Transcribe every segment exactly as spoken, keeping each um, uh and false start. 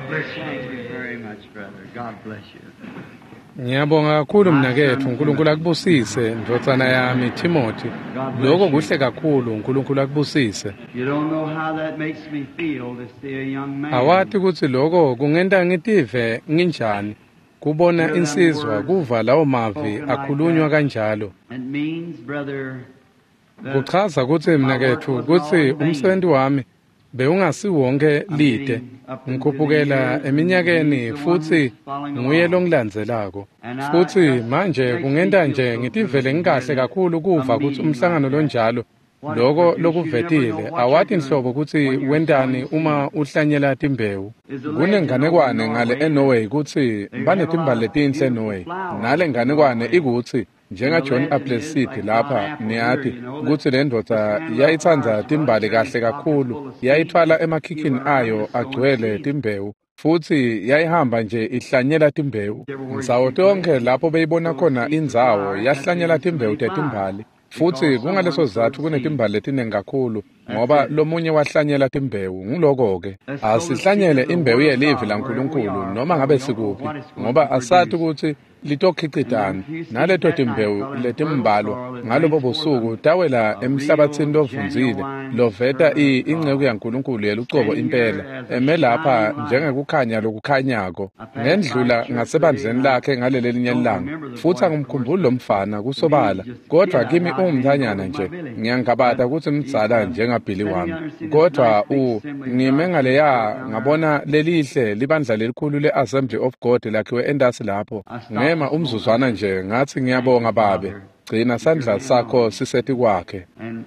Thank you very much, brother. God bless you. Ngiyabonga kakhulu mnaketfu, uNkulunkulu akubusise, ndvodzana yami Timothy. Lokho kuhle kakhulu, uNkulunkulu akubusise. You don't know how that makes me feel to see a young man. Awati kutsi lokho kungenta ngitive nginjani kubona insizwa kuva lawo mavi akhulunywa kanjalo. It means, brother, that Kuchaza kutsi mnaketfu kutsi umsebenzi wami bewungasiwonke lide. Ngikhuphukela eminyakeni futsi nguye longilandzelako. Futsi manje kungenta nje ngitivele ngikahle kakhulu kuva kutsi umhlangano lonjalo loko lokuvetile awati nhlobo kutsi wentani uma uhlanyela timbewu. Kunenganekwane ngale eNorway kutsi banetimbali letinhle eNorway. Nale nganekwane ikutsi njenga John Appleseed lapha niyati kutsi le ndvodza yayitsandza timbali kahle kakhulu, yayithwala emakhikhini ayo agcwele timbewu futsi yayihamba nje ihlanyela timbewu. Ndzawo tonkhe lapho beyibona khona indzawo yahlanyela timbewu tetimbali. Futsi kungaleso sizatfu kunetimbali letiningi kakhulu ngoba lomunye wahlanyela timbewu. Nguloko-ke asihlanyele imbewu yelivi laNkulunkulu noma ngabe sikuphi, ngoba asati kutsi litokhicitani. Naleto timbewu letimbalwa ngalobo busuku tawela emhlabatsini lovundzile loveta inceku yaNkulunkulu yelucobo impela eme lapha njengekukhanya lokukhanyako. Ngendlula ngasebandleni lakhe ngalelelinye ilanga futsi angimkhumbuli lo mfana kusobala, kodvwa kimi ungumntfanyana nje. Ngiyangabata kutsi mdzala njengaBilly wami, kodvwa u ngime ngaleya ngabona lelihle libandla lelikhulu le-Assembly of God lakhiwe entasi lapho. Ngema umzuzwana nje ngathi ngiyabonga babe, gcina sandla sakho sisetikwakhe. And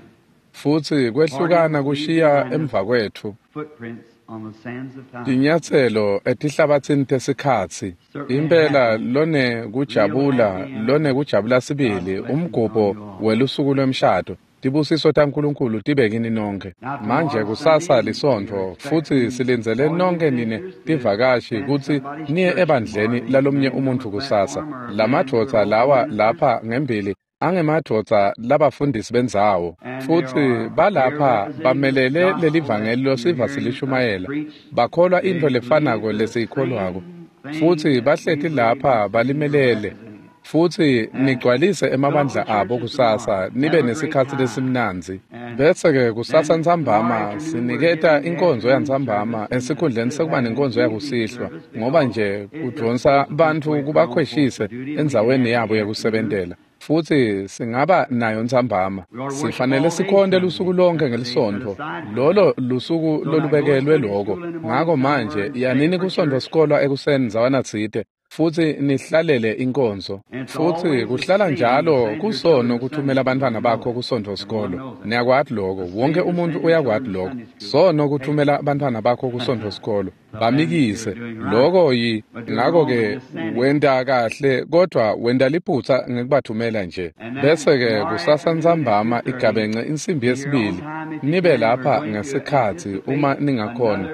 Futsi kwehlukana kushiya emva kwetfu footprints on the sands of time. tinyatselo etihlabatsini tesikhatsi. Impela lone kujabula, lone kujabula sibili umgubho welusuku lwemshado. Tibusiso taNkulunkulu tibe kini nonke. Manje kusasa lisontfo futsi silindzele nonke nine tivakashi kutsi niye ebandleni lalomnye umuntfu kusasa. Lamadvodza lawa lapha ngembili angemadvodza labafundisi bendzawo futsi balapha bamelele lelivangeli losiva silishumayela. Bakholwa intfo lefanako lesiyikholwako futsi bahleti lapha balimelele. Futsi nigcwalise emabandla abo kusasa nibe nesikhatsi lesimnandzi. Bese-ke kusasa ntsambama siniketa inkonzo yantsambama esikhundleni sekuba nenkonzo yakusihlwa, ngoba nje kudvonsa bantfu kubakhweshise endzaweni yabo yekusebentela. Futsi singaba nayo ntsambama. Sifanele sikhonte lusuku lonke ngelisontfo. Lolo lusuku lolubekelwe loko. Ngako manje yanini kusontfo sikolwa ekuseni ndzawana tsite futsi nihlalele inkonzo. Futsi kuhlala njalo kusono kuthumela abantwana bakho kusontfo sikolo. Niyakwati loko, wonke umuntu uyakwati loko. Sono kuthumela abantwana bakho kusontfo sikolo. Bamikise. Loko yi ngako-ke wenta kahle kodvwa wenta liphutsa ngekubathumela nje. Bese-ke kusasa ntsambama igabence insimbi yesibili. Nibe lapha ngesikhatsi uma ningakhona.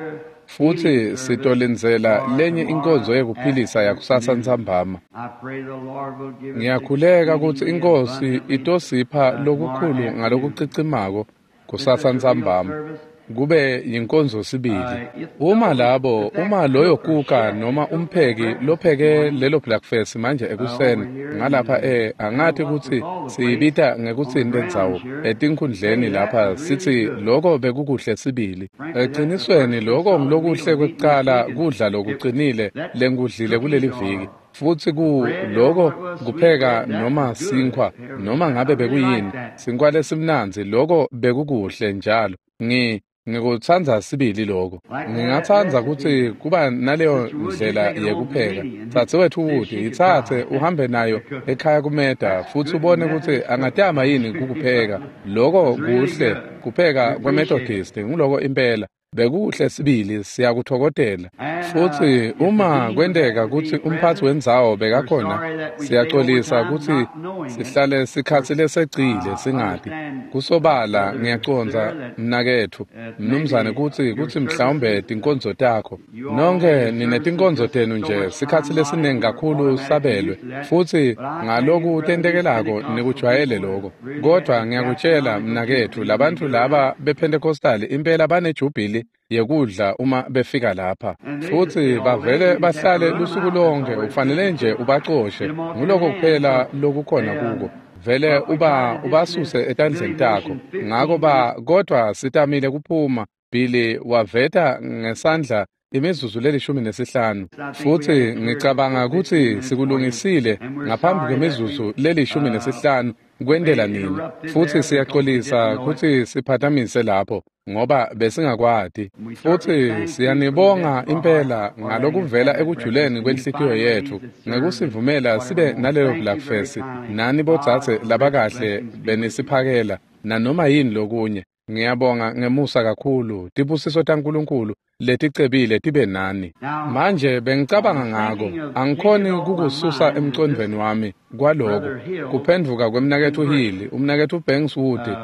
Futsi sitolindzela lenye inkonzo yekuphilisa yakusasa ntsambama. I pray the Lord will give us Ngiyakhuleka kutsi exceedingly inkosi abundantly itosipha lokukhulu ngalokucicimako kusasa ntsambama. Kube yinkonzo sibili. Uma labo, uma loyo kuka noma umpheki lopheke lelo breakfast manje ekuseni ngalapha eh angathi kutsi siyibita ngekutsini lendzawo etinkhundleni lapha sithi loko bekukuhle sibili. Ecinisweni loko ngilokuhle kwekucala kudla lokuqinile lengikudlile kuleli viki. Futsi ku loko kupheka noma sinkhwa noma ngabe bekuyini sinkhwa lesimnandzi loko bekukuhle njalo. Ngi ngikutsandza sibili loko. Ngingatsandza kutsi kuba naleyo ndlela yekupheka. Dzadzewetfu Wood, yitsatse uhambe nayo ekhaya kumeda futsi ubone kutsi angatama yini kukupheka. Loko kuhle kupheka kweMethodist nguloko impela. Bekuhle sibili siyakuthokozela. Futsi uma kwenteka kutsi umphatsi wendzawo bekakhona, siyaxolisa kutsi sihlale sikhatsi lesecile singati. Kusobala ngiyacondza mnaketfu mnumzane kutsi kutsi mhlawumbe tinkonzo takho. Nonke ninetinkonzo tenu nje sikhatsi lesiningi kakhulu sabelwe futsi ngaloku tentekelako nikujwayele loko. Kodvwa ngiyakutshela mnaketfu labantfu laba bePentecostal impela banejubhili lemibili yekudla uma befika lapha. Futsi bavele bahlale lusuku lonke, ufanele nje ubacoshe. Nguloko kuphela lokukhona kuko. Vele uba ubasuse etandleni takho. Ngako ba kodwa sitamile kuphuma. Billy waveta ngesandla imizuzu lelishumi nesihlanu. Futsi ngicabanga kutsi sikulungisile ngaphambi kwemizuzu lelishumi nesihlanu kwentela nini. Futsi siyaxolisa kutsi siphatamise lapho ngoba besingakwati. Futsi siyanibonga impela ngalokuvela ekujuleni kwenhlitiyo yetfu ngekusivumela sibe nalelo blackfest. Nani bodzadze labakahle benisiphakela nanoma yini lokunye. Ngiyabonga ngemusa kakhulu. Tibusiso taNkulunkulu leticebile tibe nani. Manje bengicabanga ngako, angikhoni kukususa emcondvweni wami kwaloko kuphendvuka kwemnaketfu Hill, umnaketfu Banks Wood,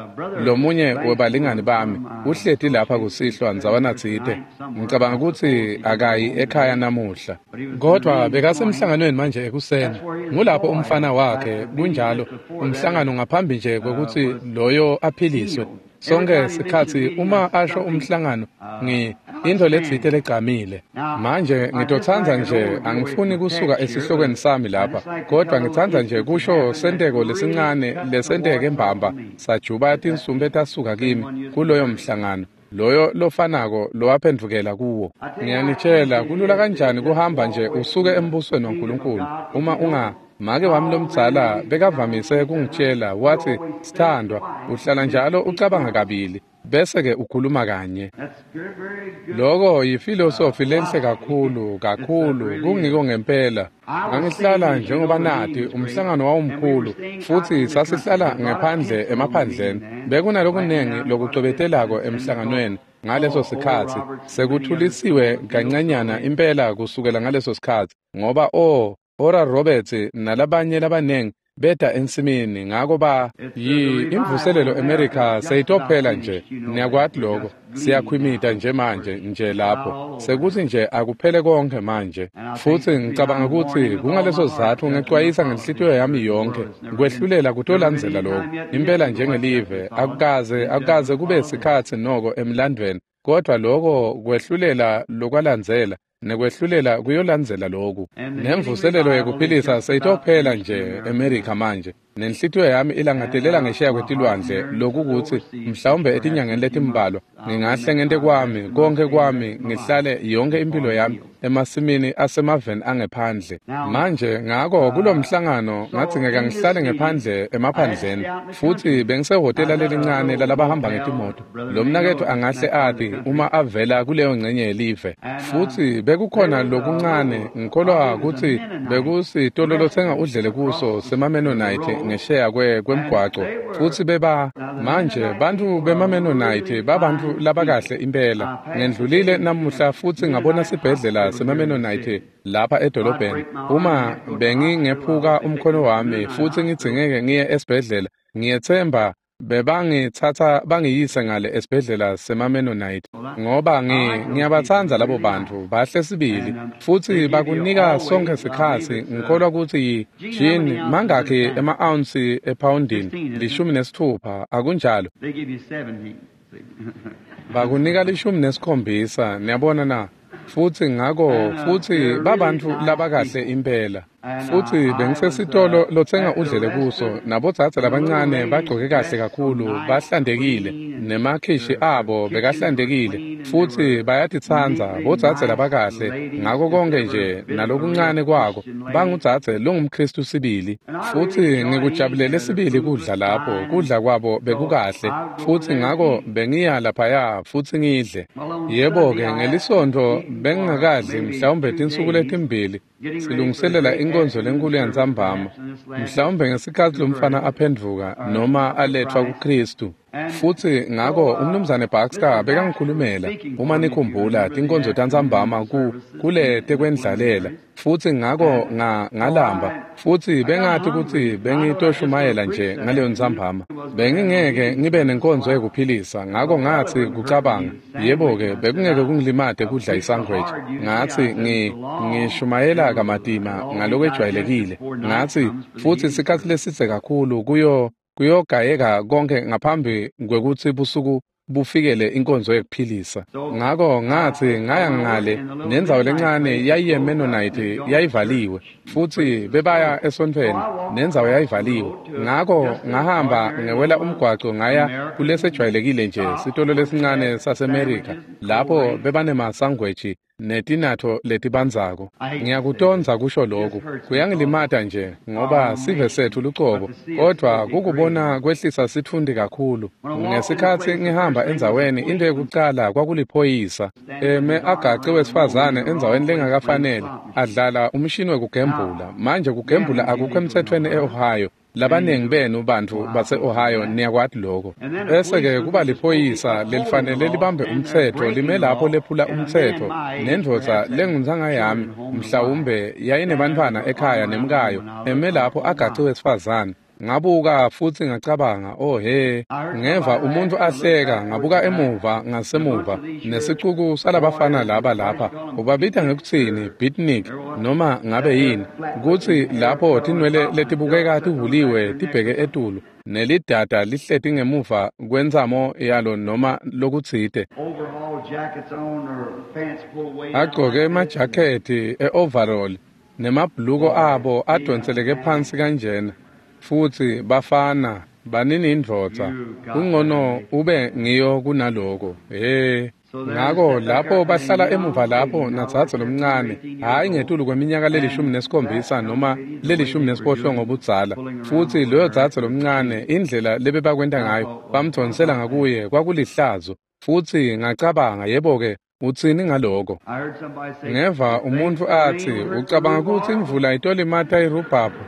lomunye webalingani bami, uhleti lapha kusihlwa ndzawana tsite. Ngicabanga kutsi akayi ekhaya namuhla, kodwa bekasemhlanganweni manje ekuseni. Ngulapho umfana wakhe, kunjalo, umhlangano ngaphambi nje kwekutsi loyo aphiliswe. Sonke sikhatsi uma asho umhlangano ngi into letsite legcamile. Manje ngitotsandza nje, angifuni kusuka esihlokweni sami lapha, kodwa ngitsandza nje kusho senteko lesincane lesenteke mbamba sajuba tinsumbe tasuka kimi kuloyo mhlangano, loyo lofanako lowaphendvukela kuwo. Ngiyanitshela kulula kanjani kuhamba nje usuke embusweni waNkulunkulu uma unga make wami lomdzala bekavamise kungitshela wathi, sithandwa, uhlala njalo ucabanga kabili bese ke ukhuluma kanye. Loko yifilosofi lenhle kakhulu kakhulu, kungiko ngempela. Ngangihlala njengoba nati umhlangano wawumkhulu, futhi sasihlala ngephandle emaphandleni. Bekunalokunengi lokucwebetelako emhlanganweni ngaleso sikhatsi. Sekuthulisiwe kancanyana impela kusukela ngaleso sikhatsi, ngoba o Oral Roberts nalabanye labanengi beta ensimini. Ngako ba yi imvuselelo America seyitophela nje. Niyakwati lokho, siyakhwimita nje manje nje lapho sekuthi nje akuphele konke manje. Futsi ngicabanga kutsi kungaleso sizatfu ngecwayisa ngenhlitiyo yami yonke kwehlulela kutolandzela lokho impela njengelive. Akukaze akukaze kube sikhatsi noko emlandvweni, kodwa loko kwehlulela lokwalandzela nekwehlulela kuyolandzela lokhu. Nemvuselelo yekuphilisa seyitophela nje America manje. Nenhlitiyo yami ilangatelela ngesheya kwetilwandle, lokukuthi mhlawumbe etinyangeni letimbalwa ngingahle ngente kwami konke kwami ngihlale yonke impilo yami emasimini asemaveni angephandle. Manje ngako kulomhlangano ngadzingeka ngihlale ngephandle emaphandleni, futhi bengisehhotela lelincane lalabahamba ngetimoto. Lo mnaketfu angahle ati uma avela kuleyo ngcenye yelive. Futhi bekukhona lokuncane, ngikholwa kutsi bekusitolo lotsenga udlele kuso semaMennonite ngesheya kwemgwaco. Futhi beba manje bantfu bemaMennonite babantu labakahle impela. Ngendlulile namuhla futhi ngabona sibhedlela semaMennonite lapha edolobheni. Uma bengingephuka umkhono wami futhi ngidzingeke ngiye esibhedlela, ngiyethemba bebangithatha bangiyise ngale esibhedlela semaMennonite, ngoba ngiyabatsandza labo bantu, bahle sibili. Futhi bakunika sonke sikhatsi. Ngikholwa kutsi yi-gin mangakhi ema-ounce ephawundini lishumi nesitfupha, akunjalo? Bakunika lishumi nesikhombisa, niyabona na? Futhi ngako futhi babantu labakahle impela. Futhi bengisesitolo lotsenga udlele kuso nabodzadze labancane bagcoke kahle kakhulu, bahlantekile, nemakhishi abo bekahlantekile, futhi bayatitsandza bodzadze labakahle ngako konke nje nalokuncane kwako. Bangudzadze longumKhristu sibili. Futhi ngikujabulele sibili kudla lapho, kudla kwabo bekukahle, futhi ngako bengiya laphaya futhi ngidle. Yebo-ke ngelisontfo bengingakadli mhlawumbe tinsuku letimbili silungiselela inkonzo lenkulu yantsambama, mhlawumbe ngesikhatsi lomfana aphendvuka noma aletfwa kuKhristu. Futhi ngako umnumzane Baxter bekangikhulumela, uma nikhumbula tinkonzo tantsambama ku kule tekwendlalela. Futhi ngako nga ngalamba, futhi bengathi kutsi bengitoshumayela nje ngaleyo ntsambama. Bengingeke ngibe nenkonzo yekuphilisa, ngako ngathi kucabanga, yebo-ke bekungeke kungilimate kudla isangweji. Ngathi ngi ngishumayela kamatima ngalokwejwayelekile. Ngathi futhi sikhatsi lesidze kakhulu kuyo kuyogayeka konke ngaphambi kwekutsi busuku bufikele inkonzo yekuphilisa. Ngako ngatsi ngaya ngale nendzawo lencane yayiyeMennonite yayivaliwe futsi bebaya esontfweni nendzawo yayivaliwe. Ngako ngahamba ngewela umgwaco ngaya kulesejwayelekile nje sitolo lesincane saseMerica lapho bebanemasangweji netinatfo letibandzako. Ngiyakutondza kusho lokhu, kuyangilimata nje ngoba sive setfu lucobo, kodvwa kukubona kwehlisa sitfundi kakhulu. Ngesikhatsi ngihamba endzaweni, into yekucala kwakuliphoyisa eme agace wesifazane endzaweni lengakafanele adlala umshini wekugembula. Manje kugembula akukho emtsetfweni e-Ohio. Labanengi benu bantfu base-Ohio niyakwati lokho. Bese-ke kuba liphoyisa lelifanele libambe umtsetfo lime lapho lephula umtsetfo nendvodza lenguntsanga yami mhlawumbe yayinebantfwana ekhaya nemkayo eme lapho agace wesifazane. Ngabuka futsi ngacabanga, oh he, ngeva umuntfu ahleka, ngabuka emuva ngasemuva nesicuku salabafana laba lapha, ubabita ngekutsini beatnik noma ngabe yini, kutsi lapho tinwele letibukeka tihuliwe tibheke etulu nelidada lihleti ngemuva kwentsamo yalo noma lokutsite, agcoke emajakhethi e-overall nemabhuluko abo adonseleke phansi kanjena. Futsi bafana banini indvodza kungcono ube ngiyo kunaloko. He, ngako lapho bahlala emuva lapho nadzadze lomncane, hhayi ngetulu kweminyaka lelishumi nesikhombisa noma lelishumi nesiphohlongo budzala. Futsi loyo dzadze lomncane indlela lebebakwenta ngayo bamdvonsela ngakuye kwakulihlazo. Futsi ngacabanga, yebo-ke, utsini ngaloko? Ngeva umuntfu atsi, ucabanga kutsi imvula itolimata irubhabhu?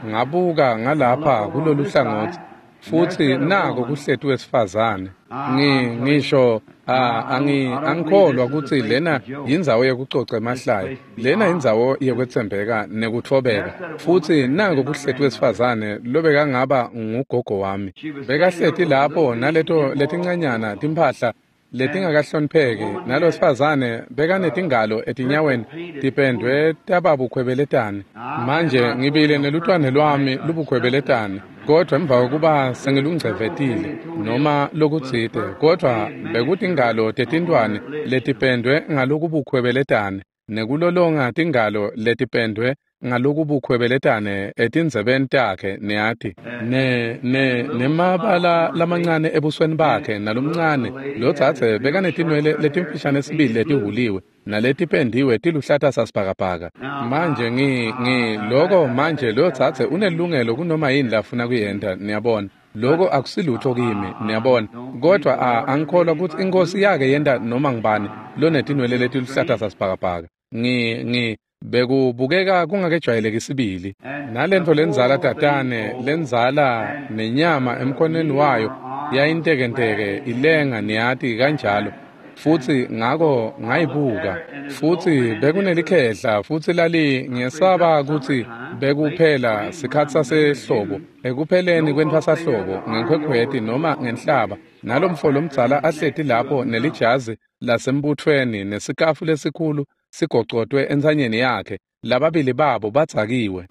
Ngabuka ngalapha kulolu hlangotsi futsi nako kuhleti wesifazane. Ngi ngisho angi angikholwa kutsi lena yindzawo yekucoca emahlaya, lena yindzawo yekwetsembeka nekutfobeka. Futsi nako kuhleti wesifazane lobekangaba ngugogo wami, bekahleti lapho naleto letincanyana timphahla letingakahlonipheki, nalosifazane bekanetingalo etinyaweni tipendwe tababukhwebeletane. Manje ngibile nelutwane lwami lubukhwebeletane, kodvwa emva kokuba sengilungcevetile noma lokutsite, kodvwa bekutingalo tetintwane letipendwe ngalokubukhwebeletane nekulolonga tingalo letipendwe ngalokubukhwebeletane etindzebeni takhe, niyati, ne ne nemabala lamancane ebusweni bakhe nalomncane lodzadze bekanetinwele letimfishane sibili letihuliwe naletipendiwe tiluhlata sasibhakabhaka. Manje ngi ngi loko manje lodzadze unelungelo kunoma yini lafuna kuyenta, niyabona. Loko akusilutho kimi, niyabona, kodvwa angikholwa kutsi inkosi yake yenta noma ngibani lonetinwele letiluhlata sasibhakabhaka. Ngi ngi bekubukeka kungakejwayeleki sibili. Nalentfo lenzala tatane lenzala nenyama emkhonweni wayo yayintekenteke ilenga, niyati, kanjalo. Futsi ngako ngayibuka, futsi bekunelikhehla futsi lali ngesaba kutsi bekuphela sikhatsi sasehlobo, ekupheleni kwentfwasahlobo ngenkhwekhweti noma ngenhlaba, nalomfo lomdzala ahleti lapho nelijazi lasembutfweni nesikafu lesikhulu sigocotwe entsanyeni yakhe. Lababili babo badzakiwe,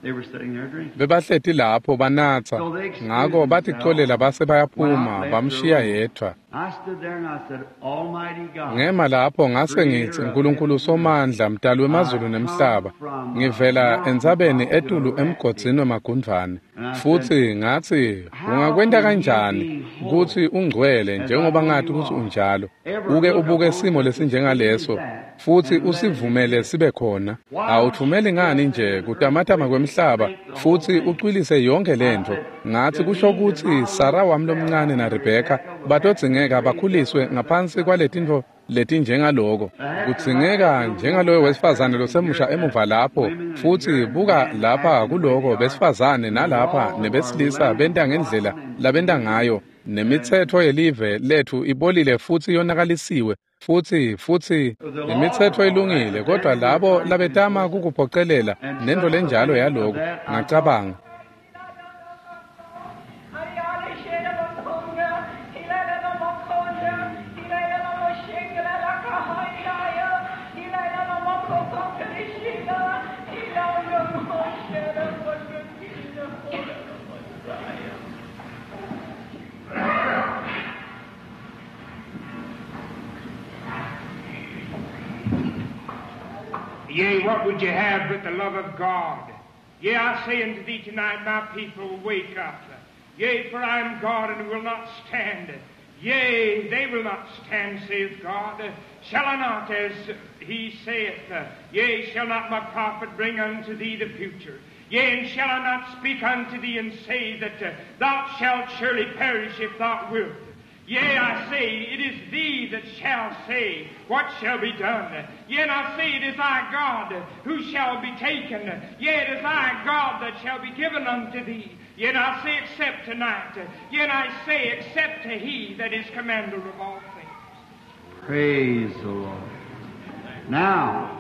bebahleti lapho banatsa. Ngako baticolela base bayaphuma bamshiya yedvwa. Ngema lapho ngase ngitsi, Nkulunkulu Somandla, mdali wemazulu nemhlaba, ngivela entsabeni etulu emgodzini wemagundvwane. Futsi ngatsi, ungakwenta kanjani kutsi ungcwele njengoba ngati kutsi unjalo, uke ubuke simo lesinjengaleso futsi usivumele sibe khona? Awutfumeli ngani nje kutamatama kwemhlaba futsi ucwilise yonke lentfo? Ngatsi kusho kutsi Sara wami lomncane na Rebheka batodzingeka bakhuliswe ngaphansi kwaletintfo letinjengaloko. Kudzingeka njengaloyo wesifazane losemusha emuva lapho, futsi buka lapha kuloko besifazane nalapha nebesilisa benta ngendlela labenta ngayo, nemitsetfo yelive letfu ibolile futsi yonakalisiwe. Futsi futsi imitsetfo ilungile, kodvwa labo labetama kukuphocelela nentfo lenjalo yaloko. Ngacabanga, Yea, what would you have but the love of God? Yea, I say unto thee tonight, my people, wake up. Yea, for I am God and will not stand. Yea, they will not stand, saith God. Shall I not, as he saith, yea, shall not my prophet bring unto thee the future? Yea, and shall I not speak unto thee and say that uh, thou shalt surely perish if thou wilt? Yea, I say, it is thee that shall say, what shall be done? Yea, and I say, it is thy God who shall be taken. Yea, it is thy God that shall be given unto thee. Yea, and I say, accept tonight. Yea, and I say, accept to he that is commander of all things. Praise the Lord. Now,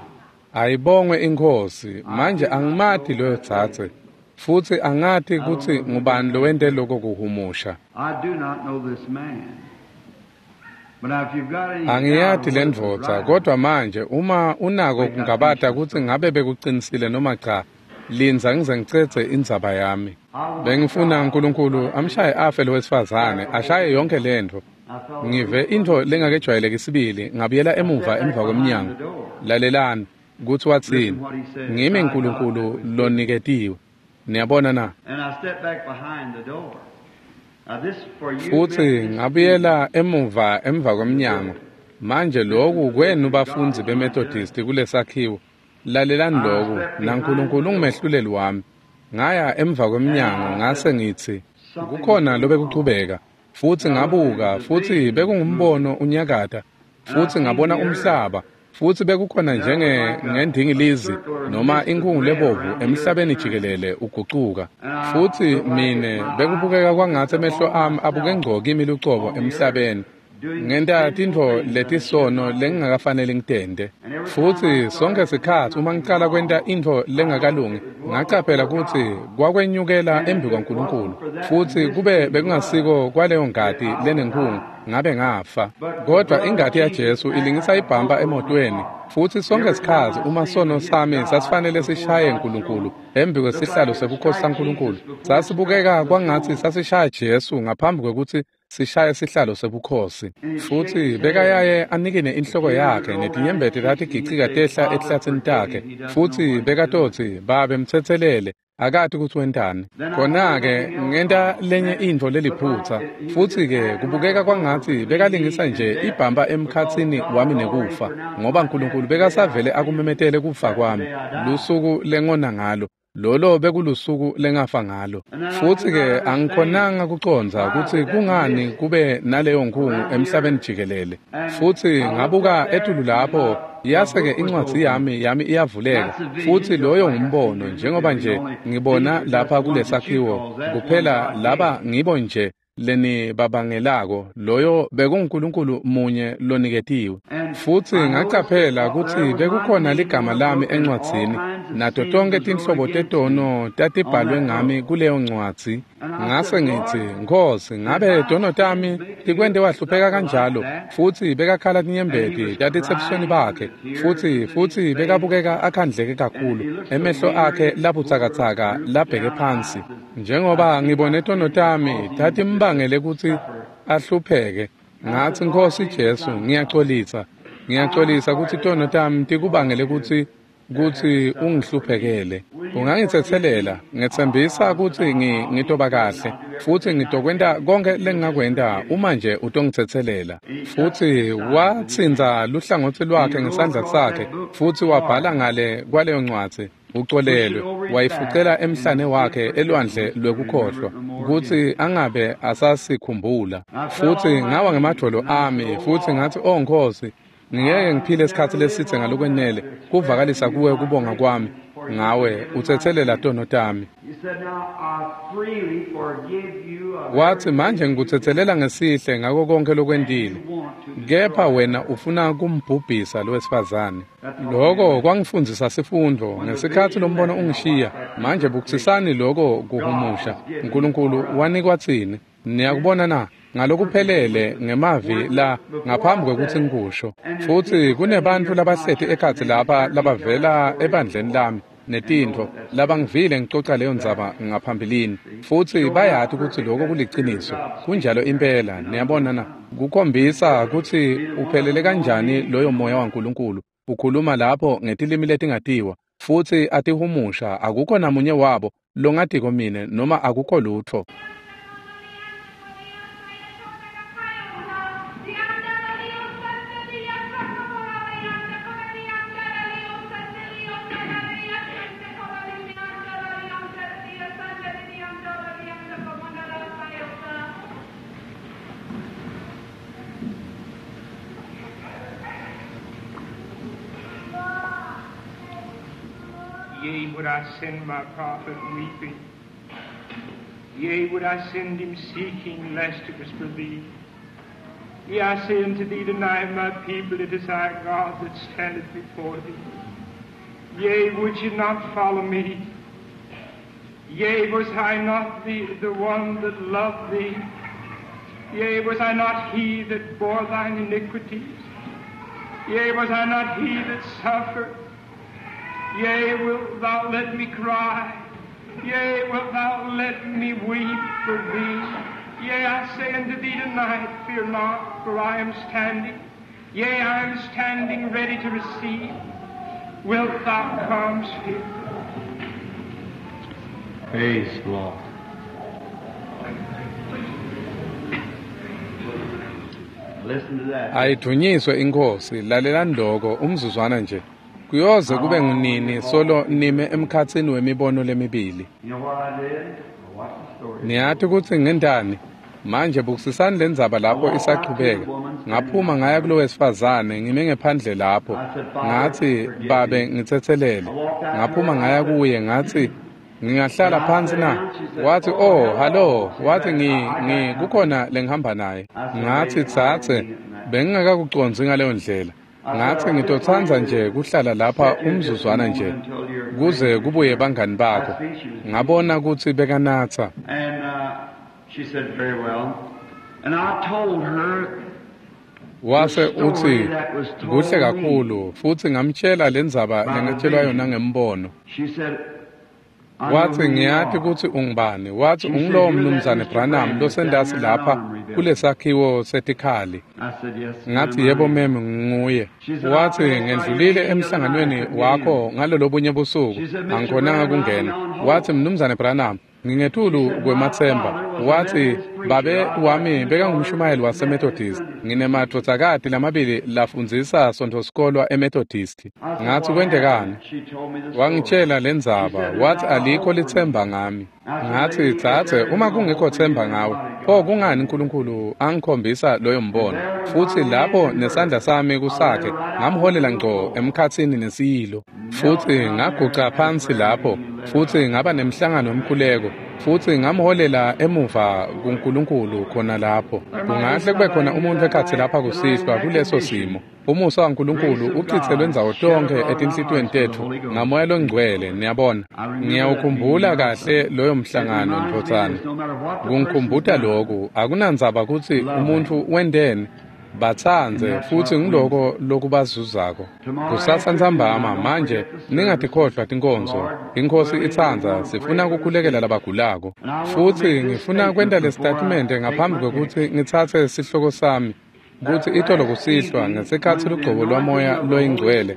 Ayibongwe inkosi. Manje angimati loyo dzadze, futsi angati kutsi ngubani lowente loko kuhumusha. I do not know this man. But now if you've got any Angiyati doubt le whether it's ndvodza, right, kodwa manje uma unako kungabata kutsi ngabe bekucinisile noma cha, lindza ngize ngicedze indzaba yami. Bengifuna uNkulunkulu amshaye afe lo wesifazane, ashaye yonke lentfo. I felt Ngive intfo lengakejwayeleki sibili, ngabuyela emuva emva kwemnyango. Lalelani kutsi watsini. Ngimi uNkulunkulu loniketiwe. Niyabona na? and I stepped back behind the door. Now this for you Futsi Methodist ngabuyela emuva emva kwemnyango. Manje loku kwenu bafundzi beMethodist kulesakhiwo. Lalelani loku, naNkulunkulu ungumehluleli wami. Ngaya emva kwemnyango ngase ngitsi kukhona lobekuchubeka. Futsi ngabuka, futsi bekungumbono unyakata. Futsi ngabona umhlaba, futsi bekukhona njenge ngendingilizi noma inkhungu lebovu emhlabeni jikelele ugucuka. Futsi mine bekubukeka kwangatsi emehlo ami abuke ngco kimi lucobo emhlabeni. Ngenta tintfo letisono lengingakafaneli ngitente. Futsi sonke sikhatsi uma ngicala kwenta intfo lengakalungi, ngacaphela kutsi kwakwenyukela embi kwaNkulunkulu. Futsi kube bekungasiko kwaleyo ngati lenenkhungu, ngabe ngafa. Kodwa ingati yaJesu ilingisa ibhampa emotweni. Futsi sonke sikhatsi uma sono sami sasifanele sishaye uNkulunkulu embi kwesihlalo sebukhosi saNkulunkulu, sasibukeka kwangatsi sasishaya Jesu ngaphambi kwekutsi sishaye sihlalo sebukhosi. Futsi bekayaye anikine inhloko yakhe netinyembeti tatigicika tehla etihlatsini takhe. Futsi bekatotsi, Babe mtsetselele, akati kutsi wentani. Khona-ke ngenta lenye intfo leliphutsa. Futsi-ke kubukeka kwangatsi bekalingisa nje ibhampa emkhatsini wami nekufa, ngoba uNkulunkulu bekasavele akumemetele kufa kwami lusuku lengona ngalo. Lolo bekulusuku lengafa ngalo. Futsi-ke angikhonanga kucondza kutsi kungani kube naleyo nkhungu emhlabeni jikelele. Futsi ngabuka etulu lapho, yase-ke incwadzi yami yami iyavuleka. Futsi loyo ngumbono, njengoba nje ngibona lapha kulesakhiwo, kuphela laba ngibo nje lenibabangelako, loyo bekunguNkulunkulu munye loniketiwe. Futsi ngacaphela kutsi bekukhona ligama lami encwadzini, nato tonke tinhlobo tetono tatibhalwe ngami kuleyo ncwadzi. Ngase ngitsi, Nkhosi, ngabe tono tami tikwente wahlupheka kanjalo? Futsi bekakhala tinyembeti tatitsebusweni bakhe, futsi futsi bekabukeka akhandleke kakhulu, emehlo akhe labutsakatsaka labheke phansi. Njengoba ngibone tono tami tatimbangele kutsi ahlupheke, ngatsi, Nkhosi Jesu, ngiyacolisa. Ngiyacolisa kutsi tono tami tikubangele kutsi kutsi ungihluphekele. Ungangitsetselela, ngetsembisa kutsi ngitoba kahle, futsi ngitokwenta konke lengingakwenta uma nje utongitsetselela. Futsi watsintsa luhlangotsi lwakhe ngesandla sakhe, futsi wabhala ngale kwaleyo ncwadzi, ucolelwe, wayifucela emhlane wakhe elwandle lwekukhohlwa, kutsi angabe asasikhumbula. Futsi ngawa ngemadvolo ami, futsi ngatsi, O Nkhosi, ngeke ngiphile isikhatsi lesitse ngalokwenele kuvakalisa kuwe kubonga kwami ngawe utsetselela tono tami. He said, Now I freely forgive you of Watsi manje ngikutsetselela ngesihle ngako konke lokwentile, kepha wena ufuna kumbhubhisa lowesifazane. Loko kwangifundzisa sifundvo ngesikhatsi lombono ungishiya. Manje bukisisani loko kuhumusha. Nkulunkulu wanikwa tsine. Niyakubona na? Ngalokuphelele ngemavi la ngaphambi kwekutsi ngikusho. Futsi kunebantfu labahleti ekhatsi lapha labavela ebandleni lami netintfo labangivile ngicoca leyo ndzaba ngaphambilini, futsi bayati kutsi lokho kuliciniso. Kunjalo impela. Niyabona na? Kukhombisa kutsi uphelele kanjani loyo moya waNkulunkulu Ukhuluma lapho ngetilimi letingatiwa futsi atihumusha, akukho namunye wabo longatiko mine noma akukho lutfo. Yea, would I send my prophet weeping. Yea, would I send him seeking, lest it was for thee. Yea, I say unto thee tonight, my people, it is I, God, that standeth before thee. Yea, would you not follow me? Yea, was I not the, the one that loved thee? Yea, was I not he that bore thine iniquities? Yea, was I not he that suffered? Yea, wilt thou let me cry? Yea, wilt thou let me weep for thee? Yea, I say unto thee tonight, fear not, for I am standing. Yea, I am standing ready to receive. Wilt thou come, Spirit? Praise the Lord. Listen to that. Ayidvunyiswe iNkhosi, lalelani loko umzuzwana nje. Kuyoze kube ngunini solo nime emkhatsini wemibono lemibili. You know what I did? I watched the story. Niyati kutsi ngentani? Manje bukisisani lendzaba lapho isachubeka. Ngaphuma ngaya kulo wesifazane ngime ngephandle lapho. Ngathi, "Babe, ngitsetselele." Ngaphuma ngaya kuye ngathi, "Ngingahlala phansi na?" Wathi, "Oh, hallo." Wathi, ngi ngi kukhona lengihamba naye. Ngathi, "Tsatse, bengingakakucondzi ngaleyo ndlela." Ngathi ngitotsandza nje kuhlala lapha umzuzwana nje kuze kubuye bangani bakho. Ngabona kutsi bekanatsa. And uh, she said, very well. And I told her Wase uthi kuhle kakhulu, futsi ngamtshela lendzaba lengatshelwa yona ngembono. She said, I know Wathi who you ngiyati are. kutsi ungubani. Wathi ungulowo mnumzane Branham losendasi lapha kulesakhiwo setikhali. I said, yes, Ngathi ma'am, yebo I am. mem nguye. Wathi ngendlulile emhlanganweni wakho ngalolobunye busuku angikhonanga kungena. Wathi mnumzane Branham ngingetulu kwemathemba. Wathi babe wami bekangumshumayeli waseMethodist. Nginemadvodzakati lamabili lafundzisa sontfosikolwa eMethodist. I said, Ngathi what kwentekani? happened? She told me the story. Wangitshela lendzaba, wathi alikho lithemba ngami. Ngathi tsatse, uma kungekho themba ngawe, pho kungani uNkulunkulu angikhombisa loyo mbono? Futhi lapho nesandla sami kusakhe, ngamholela ngco emkhatsini nesiyilo. Futhi ngaguca phansi lapho, futhi ngaba nemhlangano wemkhuleko. Futhi ngamholela emuva kuNkulunkulu khona lapho. Kungahle kube khona umuntu ekhatsi lapha kusihlwa kuleso simo. Umusa waNkulunkulu uchitselwe ndzawo tonkhe etinhlitiyweni tetfu ngamoya longcwele, niyabona. Ngiyawukhumbula kahle loyo mhlangano ndvodzana. Kungikhumbuta loku, akunandzaba kutsi umuntfu wenteni, batsandze futsi ngiloko lokubazuzako. Kusasa ntsambama manje ningatikhohlwa tinkonzo. Inkhosi itsandza sifuna kukhulekela labagulako. Futsi ngifuna kwenta lesitatimende ngaphambi kwekutsi ngitsatse sihloko sami kutsi itolo kusihlwa ngesikhatsi lugcobo lwamoya loyingcwele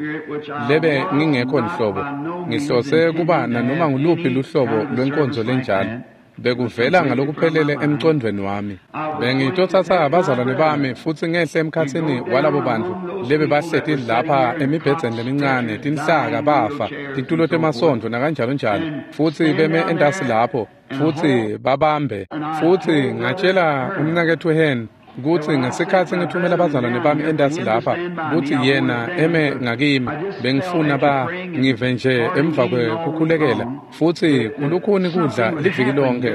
lebe ngingekho nhlobo ngihlose kuba nanoma nguluphi luhlobo lwenkonzo lenjalo bekuvela ngalokuphelele emcondvweni wami. Bengitotsatsa abazalwane bami futsi ngehle emkhatsini walabo bantfu lebe bahleti lapha emibhedzeni lemincane, tinhlaka bafa, titulo temasontfo nakanjalo njalo, futsi beme entasi lapho futsi babambe. Futsi ngatshela umnaketfu Hen kutsi ngesikhatsi ngithumela abazalwane bami entasi lapha kutsi yena eme ngakimi, bengifuna ba ngive nje emva kwekukhulekela futsi kulukhuni kudla liviki lonke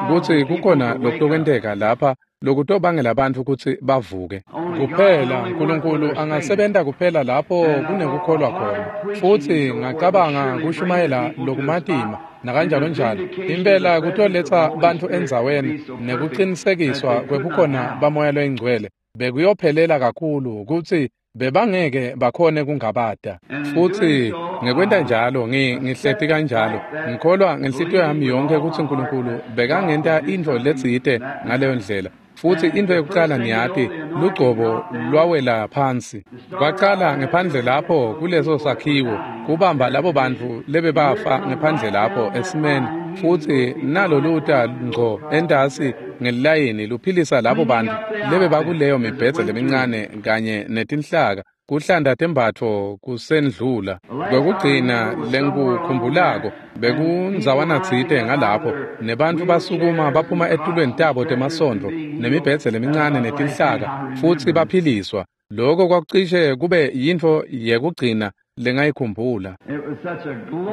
kutsi kukhona lokutokwenteka lapha lokutobangela bantfu kutsi bavuke. Kuphela uNkulunkulu angasebenta kuphela lapho kunekukholwa khona. Futsi ngacabanga kushumayela lokumatima nakanjalo njalo impela kutoletsa bantfu endzaweni nekucinisekiswa kwebukhona bamoya loyingcwele bekuyophelela kakhulu kutsi bebangeke bakhone kungabata. Futsi ngekwenta njalo ngihleti kanjalo ngikholwa ngenhlitiyo yami yonke kutsi uNkulunkulu bekangenta intfo letsite ngaleyo ndlela. Futsi intfo yekucala niyati, lugcobo lwawela phansi. Kwacala ngephandle lapho kuleso sakhiwo, kubamba labo bantfu lebebafa ngephandle lapho esimeni, futsi nalo luta ngco entasi ngelilayini luphilisa labo bantfu lebebakuleyo mibhedze lemincane kanye netinhlaka, kuhlanda tembatfo kusendlula. Kwekugcina lengikukhumbulako bekundzawana tsite ngalapho, nebantfu basukuma baphuma etulweni tabo temasondvo nemibhedze lemincane netinhlaka, futsi baphiliswa. Loko kwakucishe kube yintfo yekugcina lengayikhumbula.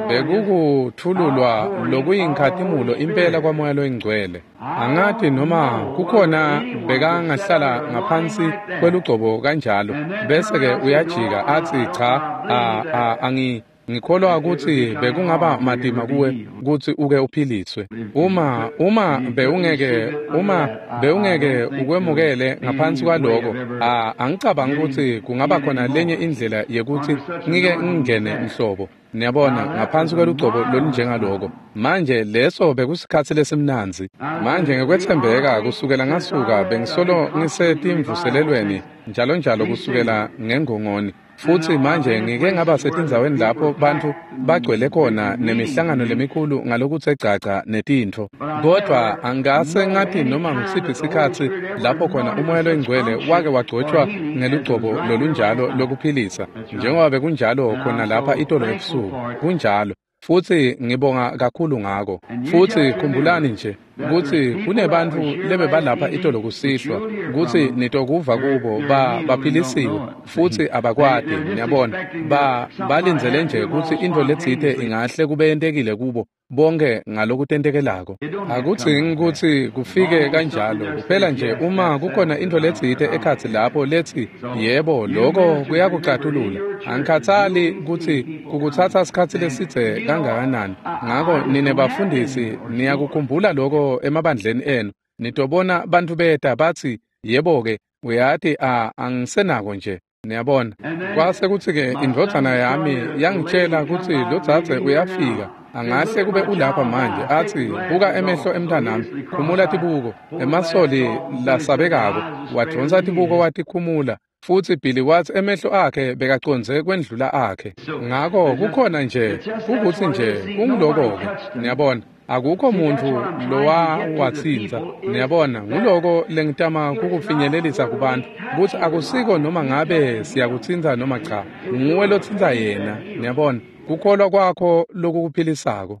Bekukutfululwa lokuyinkhatimulo impela kwaMoya loyiNgcwele. Angati noma kukhona bekangahlala ngaphansi kwelugcobo kanjalo, bese-ke uyajika atsi cha, a, a, angi ngikholwa kutsi bekungaba matima kuwe kutsi uke uphiliswe. Uma uma bewungeke uma bewungeke ukwemukele ngaphansi kwaloko, a angicabangi kutsi kungaba khona lenye indlela yekuthi ngike ngingene nhlobo. Niyabona, ngaphansi kwelugcobo lolunjengaloko. Manje leso bekusikhatsi lesimnandzi. Manje ngekwetsembeka kusukela ngasuka bengisolo ngisetimvuselelweni njalo njalo kusukela ngengongoni. Futsi manje ngike ngaba setindzaweni lapho bantfu bagcwele khona nemihlangano lemikhulu ngalokutse gcagca netintfo. Kodvwa angase ngathi noma ngisiphi sikhatsi lapho khona uMoya loyiNgcwele wake wagcotshwa ngelugcobo lolunjalo lokuphilisa, njengoba bekunjalo khona lapha itolo ebusuku. Kunjalo. Futsi ngibonga kakhulu ngako. Futsi khumbulani nje kutsi kunebantfu lebebalapha itolo kusihlwa, kutsi nitokuva kubo ba baphilisiwe futsi abakwati. Niyabona, ba balindzele nje kutsi intfo letsite ingahle kube yentekile kubo bonke ngalokutentekelako. Akudzingi kutsi kufike kanjalo, kuphela nje uma kukhona intfo letsite ekhatsi lapho letsi yebo, loko kuyakucatulula. Angikhatsali kutsi kukutsatsa sikhatsi lesidze kangakanani. Ngako nine bafundisi niyakukhumbula loko emabandleni enu. Nitobona bantfu beta batsi yebo-ke, uyati a angisenako nje. Niyabona, kwase kutsi-ke indvodzana yami yangitshela kutsi lodzadze uyafika. Angahle kube ulapha manje, atsi buka emehlo emntwanami, khumula tibuko, emasoli lasabekako. Wadvonsa tibuko watikhumula, futsi Billy watsi emehlo akhe bekacondze kwendlula akhe. Ngako kukhona nje, kukutsi nje kunguloko-ke. Niyabona, akukho muntfu lowawatsintsa. Niyabona, nguloko lengitama kukufinyelelisa kubantfu, kutsi akusiko noma ngabe siyakutsintsa noma cha, nguwe lotsintsa yena. Niyabona, kukholwa kwakho lokukuphilisako.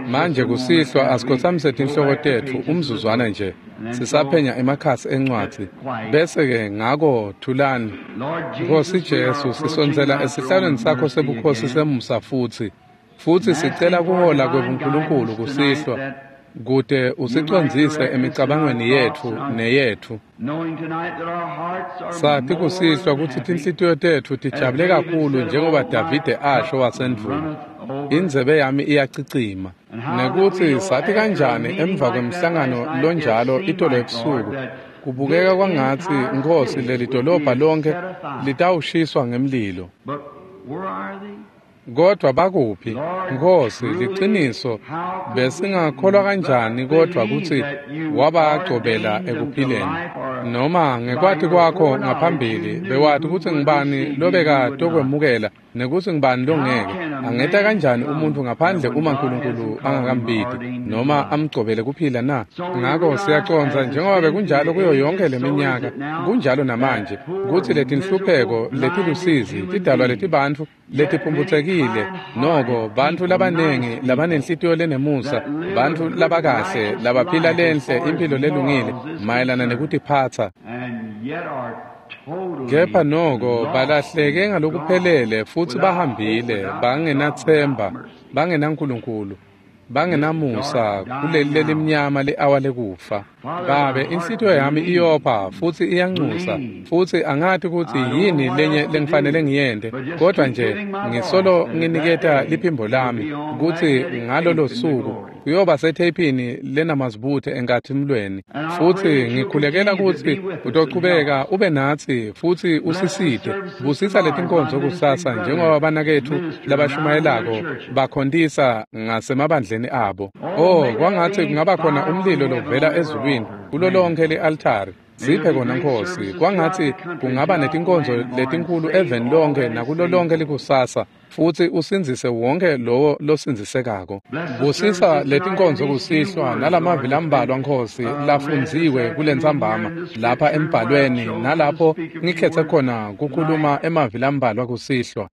Manje kusihlwa asikhotsamise tinhloko tetfu umzuzwana nje, sisaphenya emakhasi encwadzi, bese-ke ngako thulani. Nkosi Jesu, sisondzela esihlalweni sakho sebukhosi semusa futsi, futsi sicela kuhola kwebuNkulunkulu kusihlwa, kute usicondzise emicabangweni yetfu neyetfu. Sati kusihlwa kutsi tinhlitiyo tetfu tijabule kakhulu njengoba Davide asho wasendvulo, indzebe yami iyacicima. Nekutsi sati kanjani emva kwemhlangano lonjalo itolo ebusuku, kubukeka kwangatsi Nkosi leli dolobha lonkhe litawushiswa ngemlilo. Kodwa bakuphi, Nkosi, liciniso besingakholwa kanjani kodwa kutsi wabagcobela ekuphileni? Noma ngekwati kwakho ngaphambili bewati kutsi ngubani lobekatokwemukela nekutsi ngubani longeke. Angeta kanjani umuntfu ngaphandle uma Nkulunkulu angakambiti noma amgcobele kuphila na? Ngako siyacondza njengoba bekunjalo kuyo yonke leminyaka, kunjalo namanje, kutsi letinhlupheko letilusizi tidalwa letibantfu letiphumphutsekile, noko bantfu labanengi labanenhlitiyo lenemusa, bantfu labakahle labaphila lenhle imphilo lelungile mayelana nekutiphatsa, kepha noko balahleke ngalokuphelele futsi bahambile bangenatsemba, bangenaNkulunkulu, bangenamusa kuleli lelimnyama le-awa lekufa. Babe, inhlitiyo yami iyopha futsi iyanxusa, futsi angati kutsi yini lenye lengifanele ngiyente, kodwa nje ngisolo nginiketa liphimbo lami kutsi ngalolo suku kuyoba setheyphini lenamazibuthe enkathimlweni. Futsi ngikhulekela kutsi utochubeka ube natsi futsi usisite. Busisa letinkonzo kusasa njengoba banaketfu labashumayelako bakhontisa ngasemabandleni abo. Oh, kwangatsi kungaba khona umlilo lovela ezulwini kulo lonke li-altari. Siphe kona Nkosi, kwangatsi kungaba netinkonzo letinkulu eveni lonke nakulo lonke likusasa, futsi usindzise wonke lowo losindzisekako. Busisa letinkonzo kusihlwa nalamavi lambalwa Nkosi lafundziwe kulentsambama lapha embhalweni, nalapho ngikhetse khona kukhuluma emavi lambalwa kusihlwa.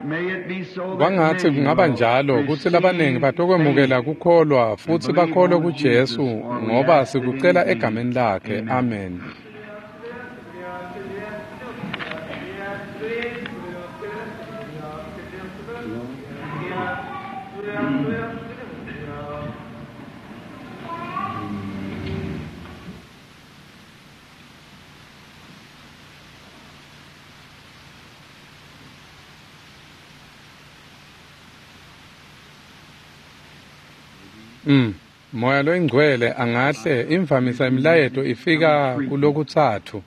Kwangatsi kungaba njalo kutsi labanengi batokwemukela kukholwa futsi bakholwe kuJesu, ngoba sikucela egameni lakhe. Amen. Mm. Moya loyingcwele angahle imvamisa imilayeto ifika kulokutsatfu.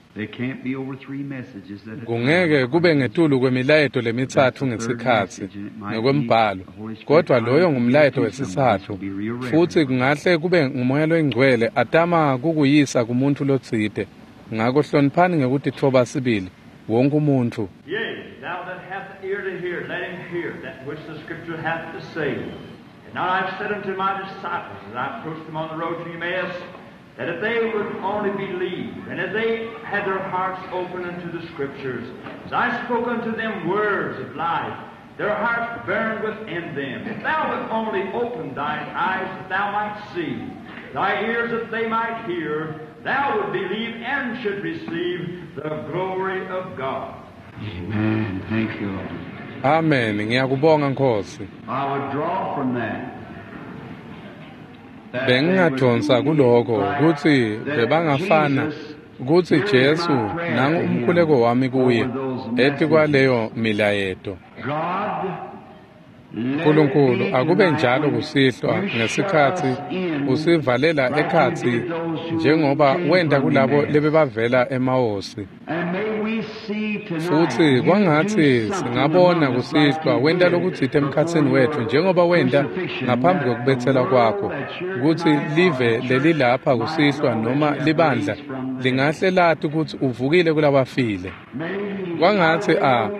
Kungeke kube ngetulu kwemilayeto lemitsatfu ngesikhatsi ngekwembhalo, kodwa loyo ngumlayeto wesitsatfu, futsi kungahle kube ngumoya loyingcwele atama kukuyisa kumuntfu lotsite. Ngako hloniphani ngekutitfoba sibili wonke umuntfu. Yea, thou that hast ear to hear, let him hear that which the scripture hath to say. And now I have said unto my disciples, as I approached them on the road to Emmaus, that if they would only believe, and if they had their hearts open unto the Scriptures, as I spoke unto them words of life, their hearts burned within them. If thou would only open thine eyes that thou might see, thy ears that they might hear, thou would believe and should receive the glory of God. Amen. Thank you, Lord. Amen. Ngiyakubonga Nkosi. I would draw from that. Bengingadonsa kuloko kutsi bebangafana, kutsi Jesu nangu umkhuleko wami kuye etikwaleyo milayeto. Nkulunkulu akube njalo kusihlwa ngesikhatsi usivalela ekhatsi njengoba wenta kulabo lebebavela emawosi. Futsi kwangatsi singabona kusihlwa wenta lokutsite emkhatsini wetfu njengoba wenta ngaphambi kwekubetselwa kwakho, kutsi live lelilapha kusihlwa noma libandla lingahle lati kutsi uvukile kulabafile. Kwangatsi a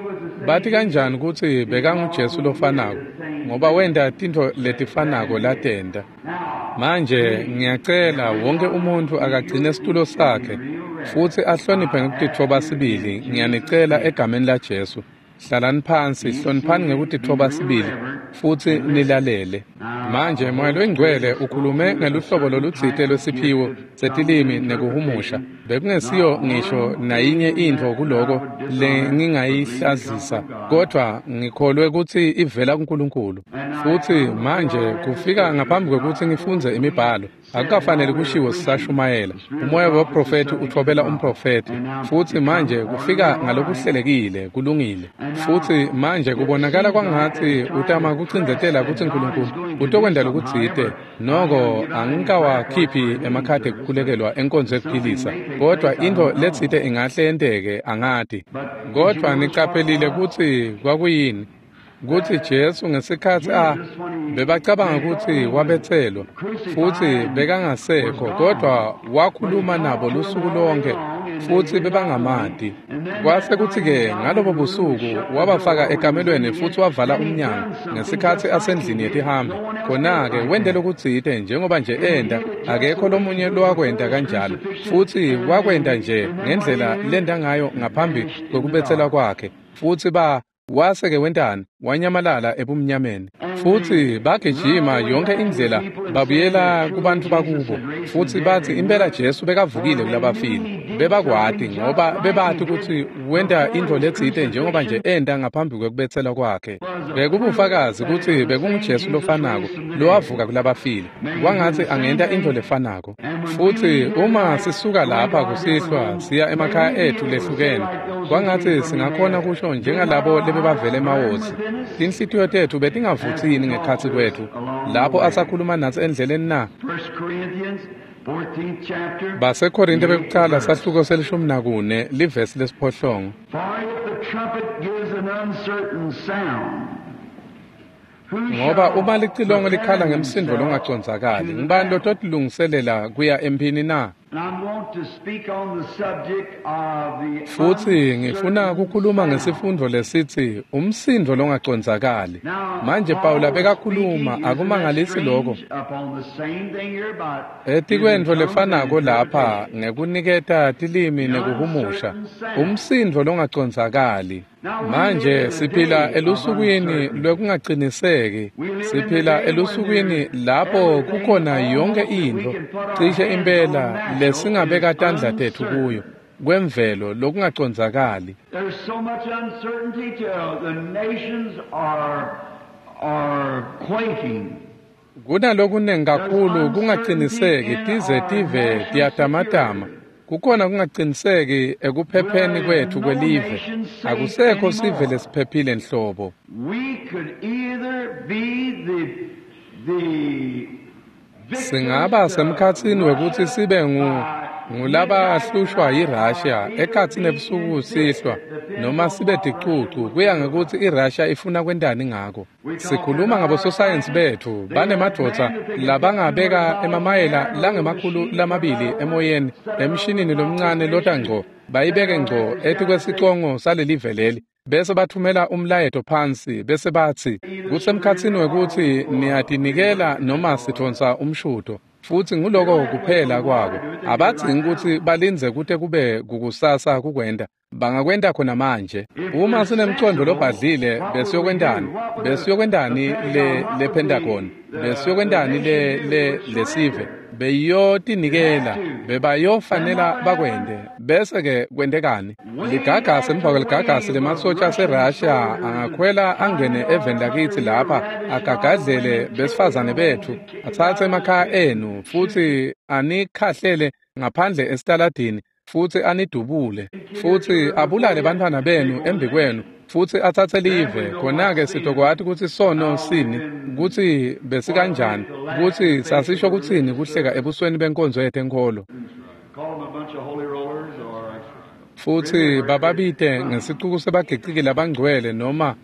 bathi kanjani kutsi bekanguJesu lofanako, ngoba wenta tintfo letifanako latenta. Manje ngiyacela wonke umuntfu akagcine situlo sakhe futsi ahloniphe ngekutitfoba sibili. Ngiyanicela egameni laJesu, hlalani phansi, hloniphani ngekutitfoba sibili futsi nilalele. Manje Moya loyingcwele ukhulume ngeluhlobo lolutsite lwesiphiwo setilimi nekuhumusha. Bekungesiyo ngisho nayinye intfo kuloko lengingayihlazisa, kodwa ngikholwe kutsi ivela kuNkulunkulu. Futsi manje kufika ngaphambi kwekutsi ngifundze imibhalo, akukafanele kushiwo sisashumayela. Umoya weprofethi uthobela umprofethi, futsi manje kufika ngalokuhlelekile, kulungile. Futsi manje kubonakala kwangatsi utama kucindzetela kutsi Nkulunkulu utokwenta lokutsite. Noko angikawakhiphi emakhadi ekukhulekelwa enkonzo yekuphilisa, kodwa intfo letsite ingahle yenteke, angati. Kodwa nicaphelile kutsi kwakuyini, kutsi Jesu ngesikhatsi a bebacabanga kutsi wabetselwa futsi bekangasekho, kodwa wakhuluma nabo lusuku lonke futsi bebangamati. Kwase kutsi-ke ngalobo busuku wabafaka ekamelweni futsi wavala umnyango ngesikhatsi asendlini yetihambi. Khona-ke wente lokutsite njengoba nje enta, akekho lomunye lowakwenta kanjalo, futsi wakwenta nje ngendlela lenta ngayo ngaphambi kwekubetselwa kwakhe. Futsi ba wase-ke wentani? Wanyamalala ebumnyameni. Futsi bagijima yonke indlela babuyela kubantu bakubo, futsi batsi impela Jesu bekavukile kulabafile. Bebakwati ngoba bebati kutsi wenta intfo letsite njengoba nje enta ngaphambi kwekubetselwa kwakhe. Bekubufakazi kutsi bekunguJesu lofanako lowavuka kulabafile. Kwangatsi angenta intfo lefanako. Futsi uma sisuka lapha kusihlwa siya emakhaya ethu lehlukene, kwangatsi singakhona kusho njengalabo lebebavele emawozi. Tinhlitiyo tetfu betingavutsini ngekhatsi kwetfu lapho asakhuluma natsi endleleni na. BaseKorinte bekucala sahluko selishumi nakune livesi lesiphohlongo. Ngoba uma licilongo likhala ngemsindo longacondzakali, ngubani lototilungiselela kuya emphini na? Futsi ngifuna kukhuluma ngesifundvo lesitsi umsindo longacondzakali. Manje Pawula bekakhuluma, akumangalisi lokho. Etikwentfo lefanako lapha ngekuniketa tilimi nekuhumusha, umsindo longacondzakali. Manje siphila elusukwini lwekungaciniseki, siphila elusukwini lapho kukhona yonke intfo cishe impela lesingabeka tandla tetfu kuyo kwemvelo lokungacondzakali. There's so much uncertainty till the nations are are quaking. Kunalokunengi kakhulu kungaciniseki tize tive tiyatamatama. Kukhona kungaciniseki ekuphepheni kwetfu kwelive. Akusekho sive lesiphephile nhlobo. We could either be the the Singaba semkhatsini wekutsi sibe ngu ngulabahlushwa yiRussia ekhatsini ebusuku sihlwa, noma sibe ticucu kuya ngekutsi iRussia ifuna kwentani ngako. Sikhuluma ngabososayensi betfu banemadvodza labangabeka emamayela langemakhulu lamabili emoyeni emshinini lomncane lota ngco bayibeke ngco etikwesicongo salelive leli, bese bathumela umlayeto phansi bese batsi kusemkhatsini wekutsi niyatinikela noma sidvonsa umshudo. Futsi nguloko kuphela kwako. Abadzingi kutsi balindze kute kube kukusasa kukwenta. Bangakwenta khona manje. Uma sinemcondvo lobhadlile besiyokwentani? Besiyokwentani le le Pentagon? Besiyokwentani le le lesive? Beyotinikela, bebayofanela bakwente. Bese ke kwentekani? Ligagasi emva kweligagasi lemasotja aseRussia angakhwela angene eveni lakitsi lapha, agagadlele besifazane betfu, atsatse emakhaya enu futsi anikhahlele ngaphandle esitaladini, futsi anidubule, futsi abulale bantfwana benu embikwenu, futsi atsatse live. Khona-ke sitokwati kutsi sono sini, kutsi besikanjani, kutsi sasisho kutsini kuhleka ebusweni benkonzo yetenkholo. Futsi bababite ngesicuku sebagiciki labangcwele noma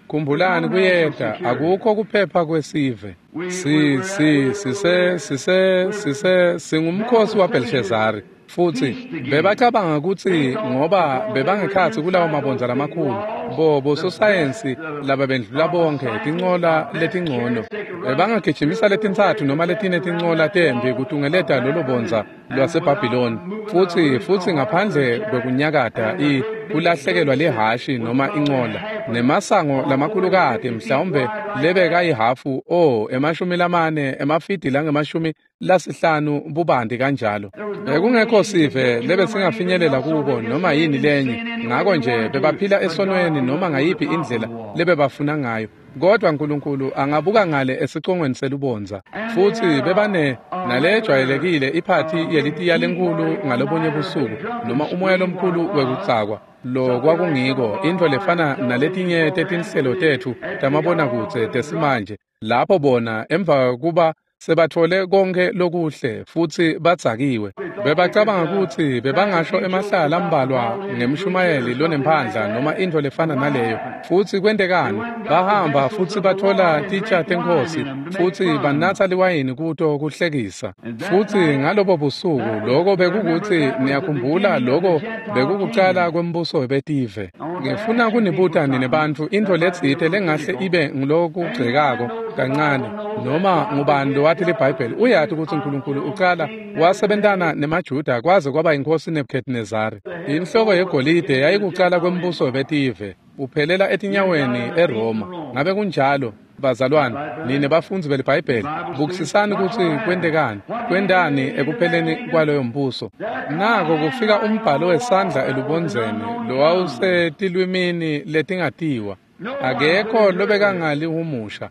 khumbulani kuyeta, akukho kuphepha kwesive. Si si sise sise sise singumkhosi waBelshazari. Futsi bebacabanga kutsi ngoba bebangekhatsi kulawo mabondza lamakhulu, bo bososayensi lababendlula bonkhe tincola letingcono, bebangagijimisa letintsatfu noma letine tincola tembi kutungeleta lolo bondza lwaseBhabhiloni. Futsi futsi ngaphandle kwekunyakata i kulahlekelwa lihashi noma incola nemasango lamakhulukati mhlawumbe lebekayihafu o emashumi lamane emafidi langemashumi lasihlanu bubanti kanjalo. Bekungekho sive lebesingafinyelela kubo noma yini lenye, ngako nje bebaphila esonweni noma ngayiphi indlela lebebafuna ngayo. Kodwa Nkulunkulu angabuka ngale esicongweni selubondza. Futsi bebane nalejwayelekile iphathi yelitiya lenkulu ngalobunye busuku noma umoya lomkhulu wekutsakwa. Lo kwakungiko intfo lefana naletinye tetinhlelo tetfu tamabonakudze tesimanje, lapho bona emva kuba sebathole konke lokuhle futsi badzakiwe, bebacabanga kutsi bebangasho emahlala ambalwa ngemshumayeli lonemphandla noma intfo lefana naleyo. Futsi kwentekani? Bahamba futsi bathola titsha tenkhosi futsi banatsa liwayini kuto kuhlekisa. Futsi ngalobo busuku loko bekukutsi niyakhumbula loko bekukucala kwembuso webetive. Ngifuna kunibuta nine bantfu intfo letsite lengahle ibe ngulokugcekako kancane, noma ngubani lowathi liBhayibheli uyati kutsi Nkulunkulu ucala wasebentana nemaJuda kwaze kwaba inkosi Nebuchadnezzar. Inhloko yegolide yayikucala kwembuso webetive uphelela etinyaweni eRoma. Ngabe kunjalo? bazalwane, nine bafundzi beliBhayibheli, bukisisani kutsi kwentekani, kwentani ekupheleni kwaloyo mbuso. Nako kufika umbhalo wesandla elubondzeni lowawusetilwimini letingatiwa. Akekho lobekangalihumusha,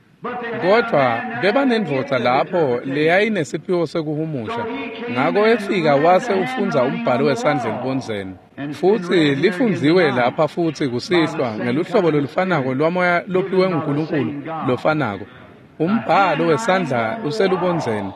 kodvwa bebanendvodza lapho leyayinesiphiwo sekuhumusha. Ngako efika wase ufundza umbhalo wesandla elubondzeni, futsi lifundziwe lapha futsi kusihlwa ngeluhlobo lolufanako lwamoya lophiwe nguNkulunkulu lofanako. Umbhalo wesandla uselubondzeni.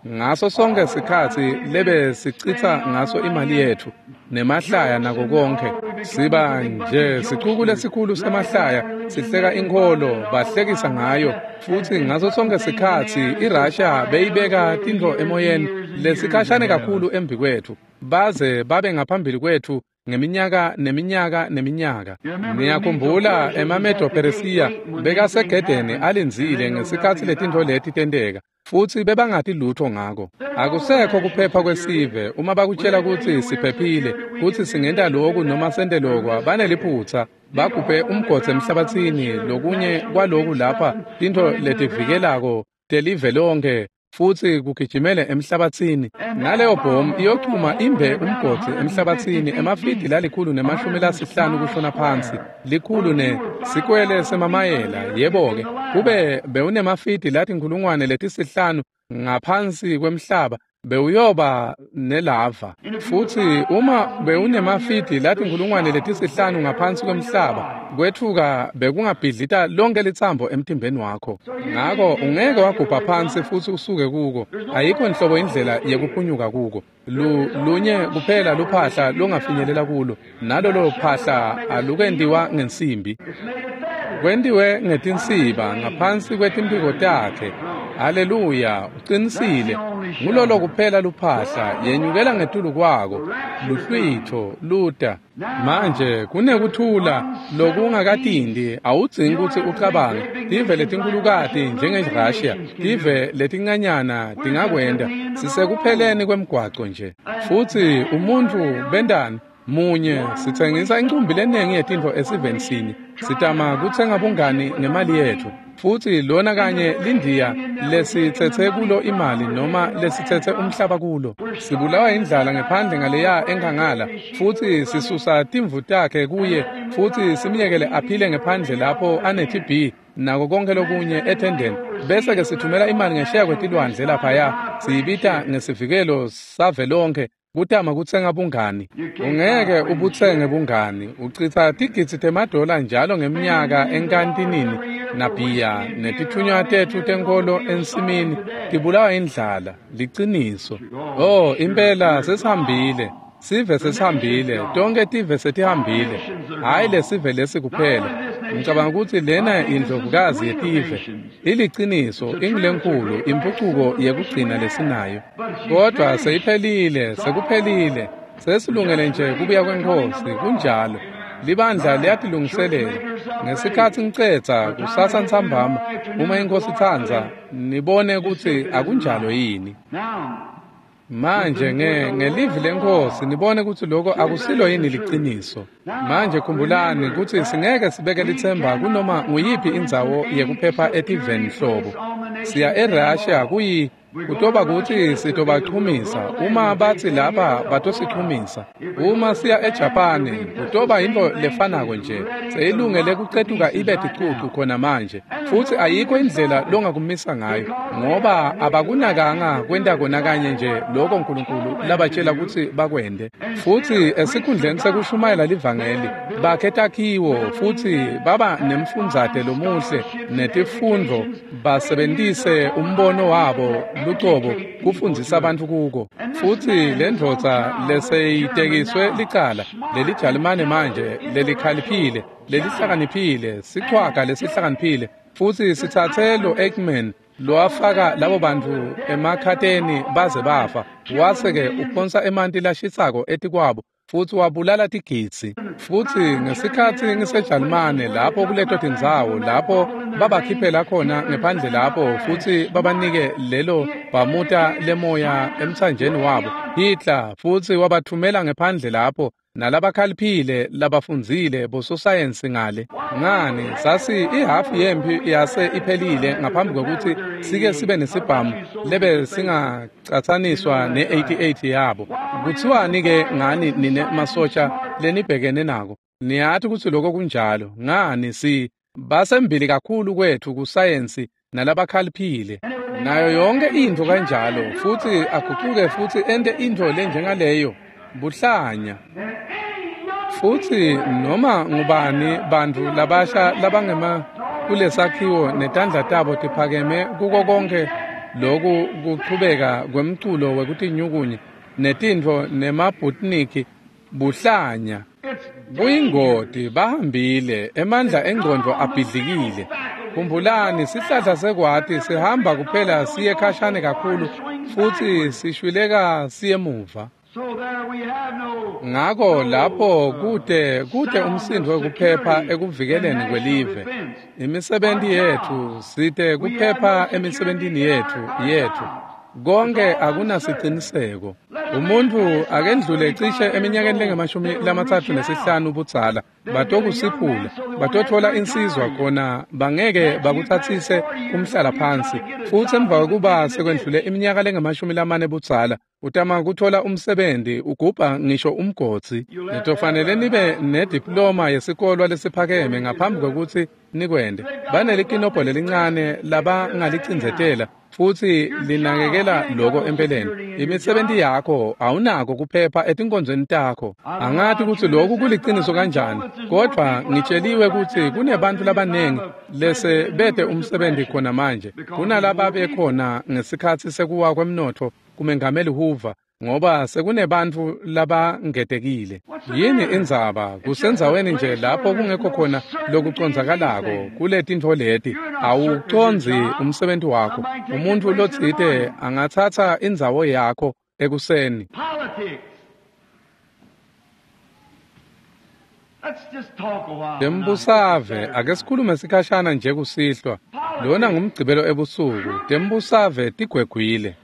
Ngaso sonke sikhatsi lebe sicitsa ngaso imali yetfu nemahlaya nako konke, siba nje sicuku lesikhulu semahlaya, sihleka inkholo, bahlekisa ngayo. Futsi ngaso sonke sikhatsi iRussia beyibeka tintfo emoyeni lesikhashane kakhulu embikwetfu, baze babe ngaphambili kwetfu ngeminyaka neminyaka neminyaka. Niyakhumbula emaMedo-Persia bekasegedeni alindzile ngesikhatsi letintfo leti tenteka, futsi bebangati lutho ngako. Akusekho kuphepha kwesive. Uma bakutshela kutsi siphephile, kutsi singenta loku noma sente lokwa, baneliphutsa. Bagubhe umgodzi emhlabatsini, lokunye kwaloku lapha tintfo letivikelako telive lonke, futsi kugijimele emhlabatsini. Naleyo bhomu iyochuma imbe umgodzi emhlabatsini emafidi lalikhulu nemashumi lasihlanu kushona phansi, likhulu ne sikwele semamayela. Yebo-ke, kube bewunemafidi latinkhulungwane letisihlanu ngaphansi kwemhlaba, bewuyoba nelava. Futsi uma bewunemafidi latinkhulungwane letisihlanu ngaphansi kwemhlaba, kwetfuka bekungabhidlita lonke litsambo emtimbeni wakho. Ngako ungeke wagubha phansi futsi usuke kuko. Ayikho nhlobo indlela yekuphunyuka kuko. Lu, lunye kuphela luphahla longafinyelela kulo, nalolo phahla alukentiwa ngensimbi, kwentiwe ngetinsiba ngaphansi kwetimphiko takhe. Haleluya, uqinisile. Ngulolo kuphela luphahla, yenyukela ngetulu kwako, luhlwitho luta. Manje kunekuthula lokungakatindi, awudzingi kutsi ucabange. Tive letinkhulukati njengeRussia, tive letincanyana tingakwenta. Sisekupheleni kwemgwaco nje. Futsi umuntfu bentani? Munye, sitsengisa incumbi lenengi yetintfo esiveni sinye. Sitama kutsenga bungani ngemali yetfu. Futsi lona kanye lindiya lesitsetse kulo imali noma lesitsetse umhlaba kulo. Sibulawa indlala ngephandle ngaleya enkhangala, futsi sisusa timvu takhe kuye, futsi simyekele aphile ngephandle lapho ane-T B nako konke lokunye ethendeni. Bese ke sithumela imali ngesheya kwetilwandle laphaya, siyibita ngesivikelo savelonke, kutama kutsenga bungani. Ungeke ubutsenge bungani. Uchitsa tigidzi temadola njalo ngeminyaka enkantinini nabhiya netithunywa tetfu tenkholo ensimini tibulawa indlala. Liciniso. Oh, impela sesihambile. Sive sesihambile, tonke tive setihambile. Hhayi lesive lesi kuphela. Ngicabanga ukuthi lena indlovukazi yetive. Iliciniso, ingulenkulu impucuko yekugcina lesinayo. Kodwa seyiphelile, sekuphelile. Sesilungele nje kubuya kweNkhosi, kunjalo. Libandla liyatilungiselela. Ngesikhatsi ngicedza kusasa ntsambama, uma iNkhosi itsandza, nibone kutsi akunjalo yini. Manje nge ngelivi leNkhosi nibone kutsi lokho akusilo yini liciniso. Manje khumbulani kutsi singeke sibeke litsemba kunoma nguyiphi indzawo yekuphepha etiveni hlobo. Siya eRussia kuyi kutoba kutsi sitobachumisa uma batsi lapha batosichumisa. Uma siya eJapani kutoba intfo lefanako nje, seyilungele kucetuka ibe ticucu khona manje. Futsi ayikho indlela longakumisa ngayo, ngoba abakunakanga kwenta kona kanye nje lokho uNkulunkulu labatshela kutsi bakwente. Futsi esikhundleni sekushumayela livangeli bakhe takhiwo futsi baba nemfundzate lomuhle netifundvo, basebentise umbono wabo lucobo kufundzisa abantu kuko. Futsi lendvodza leseyitekiswe licala lelijalimane manje lelikhaliphile lelihlakaniphile sichwaga lesihlakaniphile, futsi sitsatse lo Eichmann lowafaka labo bantu emakhateni baze bafa, wase-ke uphonsa emanti lashisako etikwabo futsi wabulala tigidzi. Futsi ngesikhatsi ngiseJalimane lapho kuleto tindzawo lapho babakhiphela khona ngephandle lapho futsi babanike lelo bhamuta lemoya emtsanjeni wabo, Hitler futsi wabathumela ngephandle lapho nalabakhaliphile labafundzile bososayensi ngale. Ngani sasi ihafu yempi yase iphelile ngaphambi kwekutsi sike sibe nesibhamu lebe singacatsaniswa ne eighty-eight yabo. Kuthiwani ke ngani nine masotsha lenibhekene nako? Niyati kutsi lokho kunjalo. Ngani, si basembili kakhulu kwethu kusayensi nalabakhaliphile nayo yonke intfo kanjalo, futsi agucuke futsi ente intfo lenjengaleyo, buhlanya. Futsi noma ngubani bantfu labasha labangema kulesakhiwo netandla tabo tiphakeme kuko konke loku kuchubeka kwemculo wekutinyukunya netintfo nemabhutniki, buhlanya, buyingoti. Bahambile, emandla engcondvo abhidlikile. Khumbulani, sihlahla sekwati sihamba kuphela siye khashane kakhulu futsi sishwileka siye muva. So there we have no Ngako lapho kute kute umsindvo wekuphepha ekuvikeleni kwelive. Imisebenti yetfu, site kuphepha emisebentini yetfu yetfu. Konke akunasiciniseko. Umuntfu akendlule cishe eminyakeni lengemashumi lamatsatfu nesihlanu budzala, batokusiphula, batotfola insizwa khona bangeke bakutsatsise umhlala phansi. Futsi emva kwekuba sekwendlule iminyaka lengemashumi lamane budzala, utama kutfola umsebenti, ugubha ngisho umgodzi. Nitofanele nibe nediploma yesikolwa lesiphakeme ngaphambi kwekutsi nikwente. Banelikinobho lelincane labangalicindzetela futsi linakekela loko empeleni. Imisebenti yakho, awunako kuphepha etinkonzweni takho. Angati kutsi loku kuliciniso kanjani, kodvwa ngitsheliwe kutsi kunebantfu labanengi lese bete umsebenti khona manje kunalaba bekhona ngesikhatsi sekuwa kwemnotfo kumengameli Hoover, ngoba sekunebantfu labangetekile. Yini indzaba? Kusendzaweni nje lapho kungekho khona lokucondzakalako kuletintfo leti. Awucondzi umsebenti wakho. Umuntfu lotsite angatsatsa indzawo yakho ekuseni. Politics. Let's just talk a while. Tembusave, ake sikhulume sikhashana nje kusihlwa. Lona ngumgcibelo ebusuku. Tembusave tigwegwile.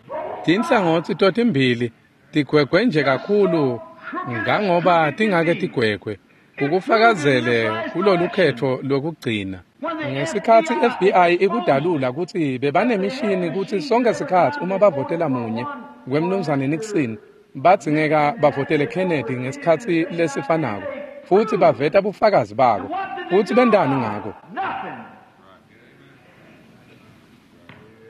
Tinhlangotsi totimbili tigwegwe nje kakhulu ngangoba tingake tigwegwe. Kukufakazele kulolu khetfo lokugcina. Ngesikhatsi F B I ikudalula kutsi bebanemishini kutsi sonke sikhatsi uma bavotela munye kwemnumzane Nixon, badzingeka bavotele Kennedy ngesikhatsi lesifanako, futsi baveta bufakazi bako. Futsi bentani ngako? Nothing.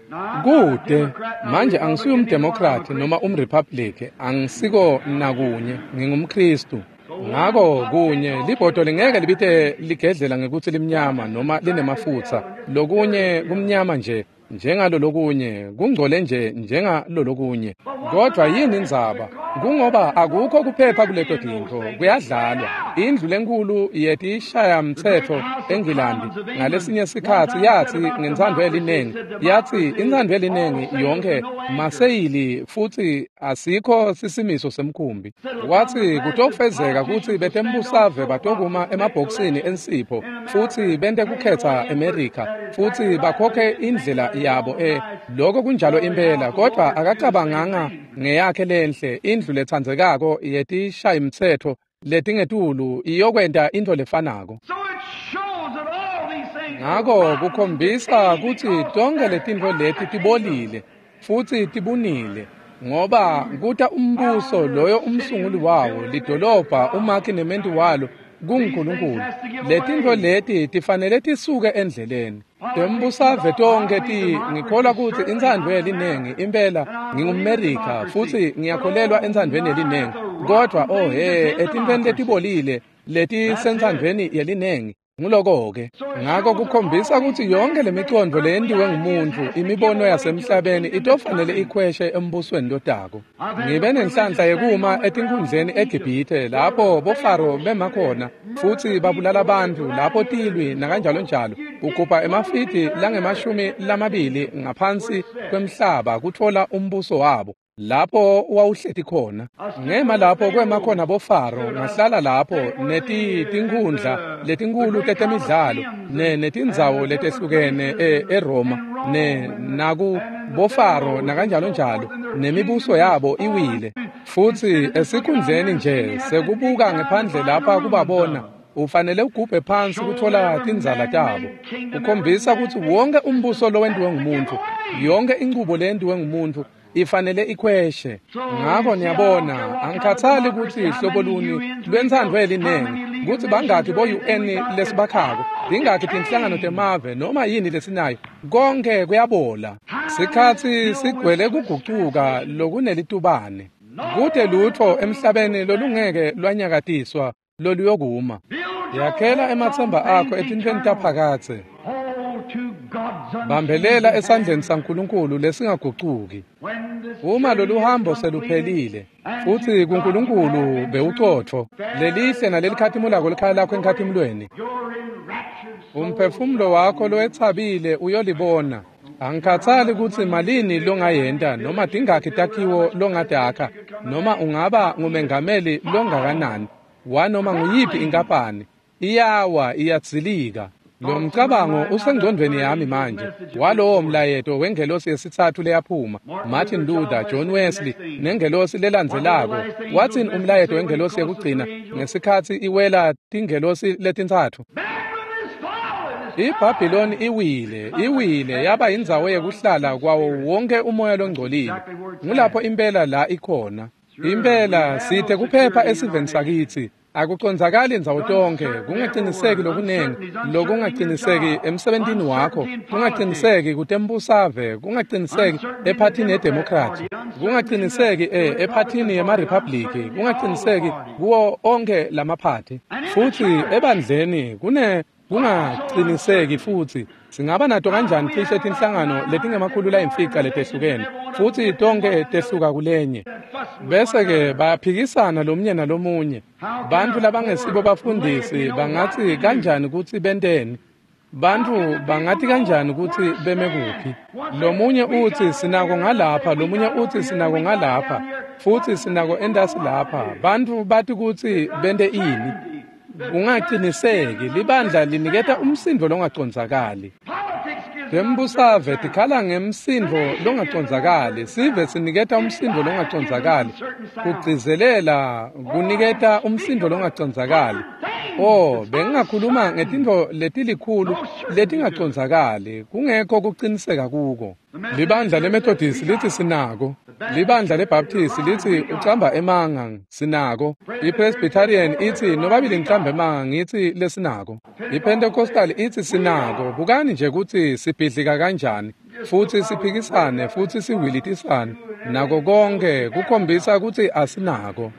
Now, I'm not a Kude Democrat, not a manje angisuye Republican, umdemokrati neither am I a noma umrepublic, angisiko nakunye, ngingumKristu. Ngako kunye libhodo lingeke libite ligedlela ngekutsi limnyama noma linemafutsa. Lokunye kumnyama nje njengalo, lokunye kungcole nje njengalolokunye. Kodwa yini indzaba? Kungoba akukho kuphepha kuleto tintfo, kuyadlalwa. Indlu lenkulu yetishayamtsetfo eNgilandi ngalesinye sikhatsi yatsi ngentsandvo yelinengi, yatsi intsandvo yelinengi yonkhe maseyili futsi asikho sisimiso semkhumbi. Watsi kutofezeka kutsi betembusave batokuma emabhokisini ensipho futsi bente kukhetsa eMerica futsi bakhokhe indlela yabo e Lokho kunjalo impela, kodwa akacabanganga ngeyakhe lenhle indlu letsandzekako yetishayimtsetfo letingetulu iyokwenta intfo lefanako. So it shows that all these things Ngako kukhombisa kutsi tonkhe letintfo leti tibolile futsi tibunile, ngoba kuta umbuso loyo umsunguli wawo, lidolobha, umakhi nementi walo kunguNkulunkulu. Letintfo leti tifanele tisuke endleleni. Tembusave tonkhe ti ngikholwa kutsi intsandvo yelinengi impela, ngingumMerica futsi ngiyakholelwa entsandvweni yelinengi, kodvwa oh he, etintfweni letibolile letisentsandvweni yelinengi. Nguloko-ke. Ngako kukhombisa kutsi yonkhe lemicondvo leyentiwe ngumuntfu, imibono yasemhlabeni, itofanele ikhweshe embusweni lotako. Ngibe nenhlanhla yekuma etinkhundleni eGibhithe lapho boFaro bema khona futsi babulala bantfu lapho tilwi nakanjalonjalo, ugubha emafidi langemashumi lamabili ngaphansi kwemhlaba kutfola umbuso wabo lapho wawuhleti khona. Ngema lapho kwema khona boFaro, ngahlala lapho neti tinkhundla letinkulu tetemidlalo ne netindzawo letehlukene e eRoma. ne naku bofaro nakanjalo njalo, nemibuso yabo iwile. Futsi esikhundleni nje sekubuka ngephandle lapha kubabona, ufanele ugubhe phansi kutfola tindzala tabo. Ukhombisa kutsi wonke umbuso lowentiwe ngumuntfu, yonke inchubo leyentiwe ngumuntfu ifanele ikhweshe. Ngako niyabona, angikhathali kutsi hlobo luni lwentsandvo yelinengi, kutsi bangakhi bo-U N lesibakhako, tingakhi tinhlangano temave noma yini lesinayo, konke kuyabola. Sikhatsi sigcwele kugucuka lokunelitubane. Kute lutfo emhlabeni lolungeke lwanyakatiswa loluyokuma. Yakhela ematsemba akho etintfweni taphakadze. Bambelela esandleni saNkulunkulu lesingagucuki. Uma lolu hambo seluphelile, futsi kuNkulunkulu bewucotfo, lelihle nalelikhatimulako likhaya lakho enkhatimulweni. Umphefumulo wakho lowetsabile uyolibona. Angikhathali kutsi malini longayenta noma tingakhi takhiwo longatakha noma ungaba ngumengameli longakanani wanoma nguyiphi inkapani, iyawa iyadzilika. Lo mcabango usengcondvweni yami manje walowo mlayeto wengelosi yesitsatfu leyaphuma, Martin Luther, John Wesley nengelosi lelandzelako. Watsini umlayeto wengelosi yekugcina ngesikhatsi iwela tingelosi letintsatfu? IBhabhiloni iwile, iwile yaba indzawo yekuhlala kwawo wonke umoya longcolile. Ngulapho impela la ikhona. Impela sithe kuphepha esiveni sakitsi. Akucondzakali indzawo tonke, kungaqiniseki lokunengi, lokungaqiniseki emsebentini wakho, kungaqiniseki kutembusave, kungaqiniseki ephathini yeDemocrat, kungaqiniseki eh ephathini yemaRepublic, kungaqiniseki kuwo onke lamaphathi. Futsi ebandleni kune kungaqiniseki futsi singaba nato kanjani cishe tinhlangano letingemakhulu layimfica letehlukene futsi tonke tehluka kulenye. Bese-ke bayaphikisana lomunye nalomunye. Bantfu labangesibo bafundisi bangatsi kanjani kutsi benteni? Bantfu bangathi kanjani kutsi beme kuphi? Lomunye utsi sinako ngalapha, lomunye utsi sinako ngalapha, futsi sinako entasi lapha. Bantfu bathi kutsi bente ini? Ungaqiniseki, libandla liniketa umsindo longacondzakali. Tembusave tikhala ngemsindo longacondzakali, sive siniketa umsindo longacondzakali, kugcizelela kuniketa umsindo longacondzakali. Oh, bengingakhuluma ngetintfo letilikhulu letingacondzakali, kungekho kuqiniseka kuko. Libandla leMethodist lithi sinako, libandla leBaptist lithi ucamba emanga, sinako. IPresbyterian ithi nobabili ngicamba emanga, ngithi lesinako. IPentecostal ithi sinako. Bukani nje kutsi sibhidlika kanjani, futsi siphikisane, futsi siwilitisane, nako konke kukhombisa kutsi asinako.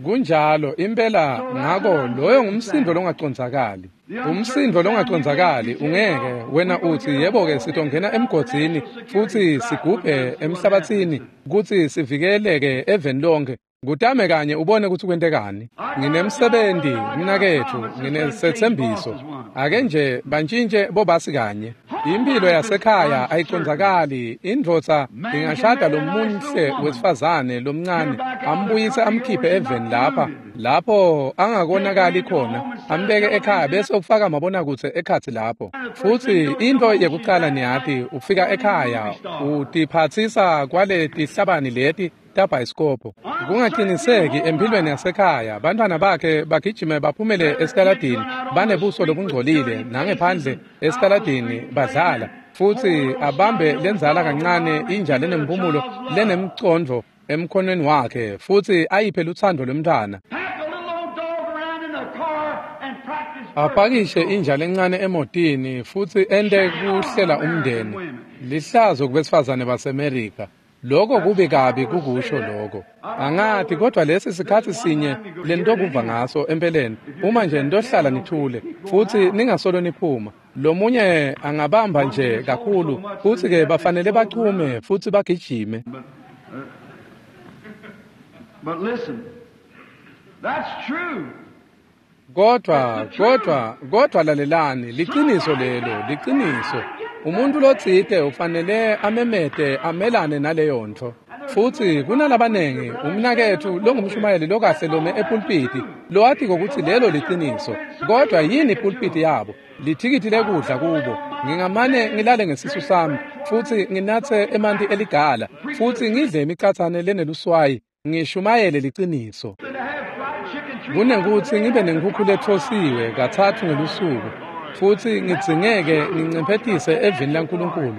Kunjalo impela. Ngako loyo ngumsindo longacondzakali. Umsindo longacondzakali ungeke wena utsi yebo-ke sitongena emgodzini futsi sigubhe emhlabatsini kutsi sivikeleke eveni lonke. Kutame kanye ubone kutsi kwentekani. Nginemsebenti mnaketfu, nginesethembiso. Ake nje bantshintje bobasi kanye. Impilo yasekhaya ayicondzakali. Indvodza ingashada lomunhle wesifazane lomncane, ambuyise amkhiphe eveni lapha lapho angakonakali khona, ambeke ekhaya bese ufaka mabonakudze ekhatsi lapho. Futsi into yekucala niyati, ufika ekhaya utiphatsisa kwale tihlabani leti tabhayisikobho. Kungaqiniseki empilweni yasekhaya, bantwana bakhe bagijime baphumele esitaladini banebuso lobungcolile, nangephandle esitaladini badlala, futsi abambe lenzala kancane inja lenemphumulo lenemcondvo emkhonweni wakhe, futsi ayiphe lutsandvo lwemntwana. Apakishe inja lencane emotini futsi ente kuhlela umndeni. Lihlazo kubesifazane baseMerika. Lokho kubi kabi kukusho lokho. Angathi kodwa lesi sikhathi sinye lentokuva ngaso empeleni. Uma nje nitohlala nithule futsi ningasolo niphuma, lomunye angabamba nje kakhulu, futsi ke bafanele bachume futsi bagijime. But listen, that's true. Kodwa kodwa kodwa lalelani, liqiniso lelo, liqiniso. Umuntu lotsite ufanele amemete amelane naleyo ntfo. Futsi kunalabanengi umnaketfu longumshumayeli lokahle lome epulpiti lowatiko kutsi lelo liqiniso. Kodwa yini ipulpiti yabo? Lithikithi lekudla kubo. Ngingamane ngilale ngesisu sami futsi nginatse emanti eligala futsi ngidle imicatsane leneluswayi ngishumayele liciniso. Kunekutsi ngibe nenkhukhu lethosiwe katsatfu ngelusuku futsi ngidzingeke ngincemphetise evini laNkulunkulu.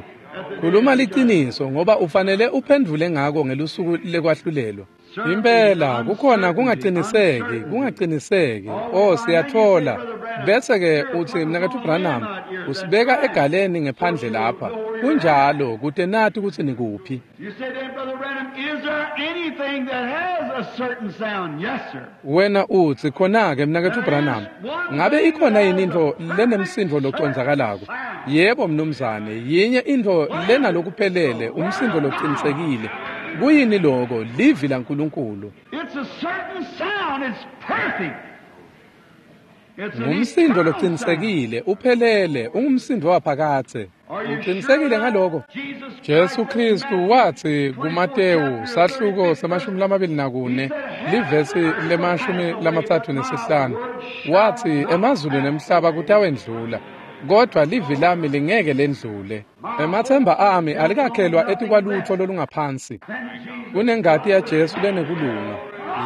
Khuluma liciniso ngoba ufanele uphendvule ngako ngelusuku lekwahlulelwa. Impela kukhona kungaciniseki, kungaciniseki. Oh, siyatfola. Bese-ke utsi Mnaketfu Branham usibeka egaleni ngephandle lapha. Kunjalo kute nati kutsi nikuphi. You say then, Brother Branham, is there anything that has a certain sound? Yes, sir. Wena utsi khona-ke Mnaketfu Branham, ngabe ikhona yini intfo lenemsindvo loconzakalako? Yebo mnumzane, yinye intfo lenalokuphelele, umsindvo locinisekile. Kuyini loko? Livi laNkulunkulu. It's a certain sound. It's perfect. It's an Ngumsindo eternal sound. locinisekile, uphelele, ungumsindo waphakadze. Uqinisekile ngaloko? Jesu Kristu watsi kuMatewu sahluko semashumi lamabili nakune livesi lemashumi lamatsatfu nesihlanu watsi emazulu nemhlaba kutawendlula kodvwa livi lami lingeke lendlule. Emathemba ami alikakhelwa etikwalutfo lolungaphansi kunengati yaJesu lenekulunga.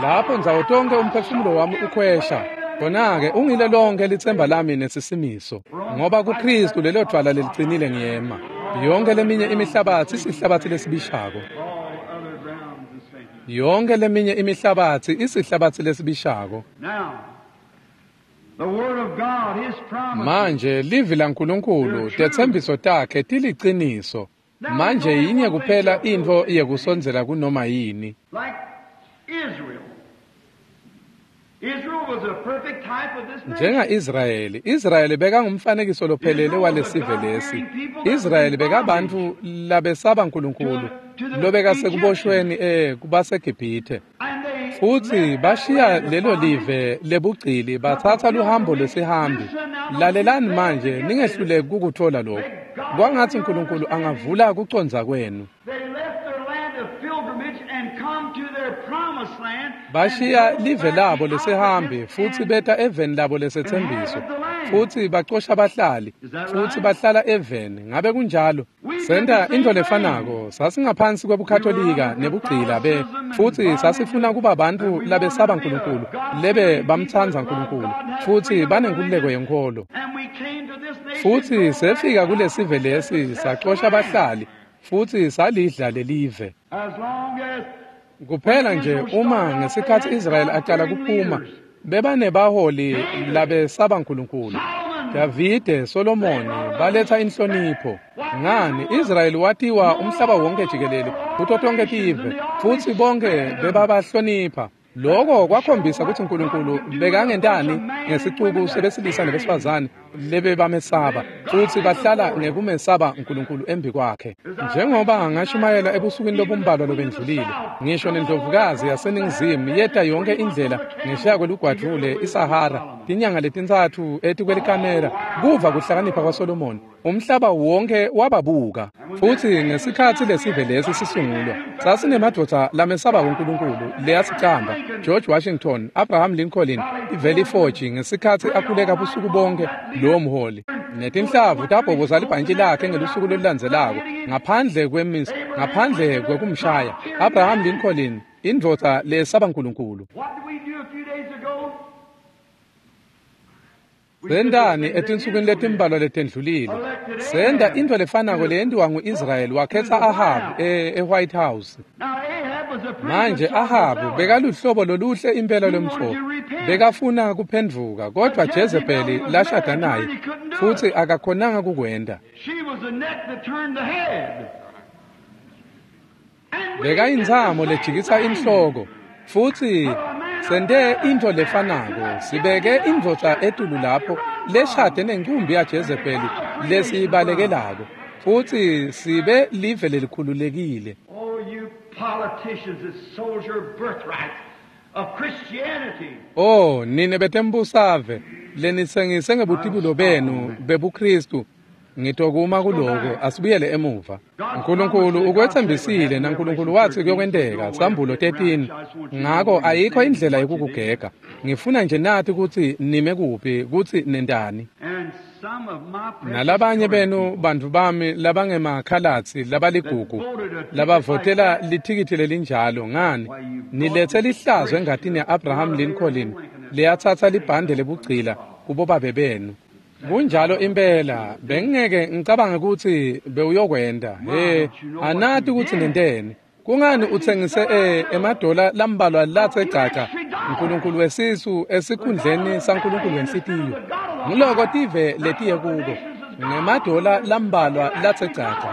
Lapho ndzawo tonke umphefumulo wami ukhwesha khona-ke ungile lonke litsemba lami nesisimiso ngoba kuKristu lelo dvwala lelicinile ngiyema. Yonke leminye imihlabatsi isihlabatsi lesibishako. All other grounds is sinking. Yonke leminye imihlabatsi isihlabatsi lesibishako. Now, the Word of God, His promise. Manje livi laNkulunkulu tetsembiso takhe tiliciniso. Manje yinye kuphela intfo yekusondzela kunoma yini. Like Israel. Israel was a perfect type of this nation. Njenga-Israyeli, Israyeli bekangumfanekiso lophelele walesive lesi. Israyeli bekabantfu labesaba Nkulunkulu lobekasekuboshweni eh kubaseGibhithe. And they Futsi bashiya lelo live lebugcili batsatsa luhambo lwesihambi. Lalelani manje ningehluleki kukutfola lokhu. Kwangatsi Nkulunkulu angavula kucondza kwenu. They left their land of pilgrimage and come to their promised land. Bashiya live labo lesihambi futsi beta eveni labo lesetsembiso. Futsi bacosha bahlali futsi bahlala eveni. Ngabe kunjalo? Senta intfo lefanako. Sasingaphansi kwebukhatolika nebugcila be futsi sasifuna kuba bantfu labesaba Nkulunkulu lebe bamtsandza Nkulunkulu futsi banenkululeko yenkholo. And we came to this nation. Futsi sefika kulesive lesi sacosha bahlali futsi salidla lelive. As long as Kuphela nje uma ngesikhatsi Israel aqala kuphuma bebanebaholi labesaba Nkulunkulu. Davide, Solomoni baletha inhlonipho. Ngani Israel watiwa umhlaba wonke jikelele kuto tonke tive futsi bonke bebabahlonipha. Lokho kwakhombisa kutsi Nkulunkulu bekangentani ngesicuku sebesilisa nebesifazane lebebamesaba futsi bahlala ngekumesaba Nkulunkulu embi kwakhe. Njengoba ngashumayela ebusukwini lobumbalwa lobendlulile, ngisho nendlovukazi yaseNingizimu yeta yonke indlela ngesheya kwelugwadvule iSahara tinyanga letintsatfu etikwelikamela kuva kuhlakanipha kwaSolomoni. Umhlaba wonke wababuka. Futsi ngesikhatsi lesive lesi sisungulwa sasinemadvodza lamesaba uNkulunkulu leyasicamba George Washington, Abraham Lincoln, iValley Forge ngesikhatsi akhuleka busuku bonke lowo mholi. Netinhlavu tabhoboza libhantshi lakhe ngelusuku lolulandzelako ngaphandle kwemis ngaphandle kwekumshaya. Abraham Lincoln, indvodza lesaba uNkulunkulu. What did we do a few days ago? Sentani etinsukwini letimbalwa letendlulile? Senta intfo lefanako leyentiwa ngu-Israyeli wakhetsa Ahabu e- e-White House. Now Ahab was a pretty Manje good sort of Ahabu fellow. bekaluhlobo loluhle impela lwemfo. Bekafuna kuphendvuka kodvwa Jezebeli lashada naye futsi akakhonanga kukwenta. She was the neck that turned the head. And we Bekayintsamo did the lejikisa same thing. inhloko futsi sente intfo lefanako sibeke indvodza etulu lapho leshade nencumbi yaJezebeli lesiyibalekelako futsi sibe live lelikhululekile. Oh, you politicians that sold your birthright of Christianity. Oh, nine betembusave lenitsengise ngebutibulo benu bebuKristu ngitokuma kuloko asibuyele emuva. Nkulunkulu ukwetsembisile naNkulunkulu watsi kuyokwenteka sambulo thirteen. Ngako ayikho indlela yekukugega. Ngifuna nje nati kutsi nime kuphi kutsi nentani. And Nalabanye benu bantfu bami labangemakhalatsi labaligugu labavotela lithikithi lelinjalo, ngani nilethe lihlazo engatini ya-Abraham Lincoln leyatsatsa libhande lebugcila kubobabe benu. Kunjalo impela, bengingeke ngicabange kutsi bewuyokwenta. He, anati kutsi nenteni. Kungani utsengise e emadola lambalwa latse gcagca Nkulunkulu wesisu esikhundleni saNkulunkulu wenhlitiyo? Nguloko tive letiye kuko ngemadola lambalwa latse gcagca.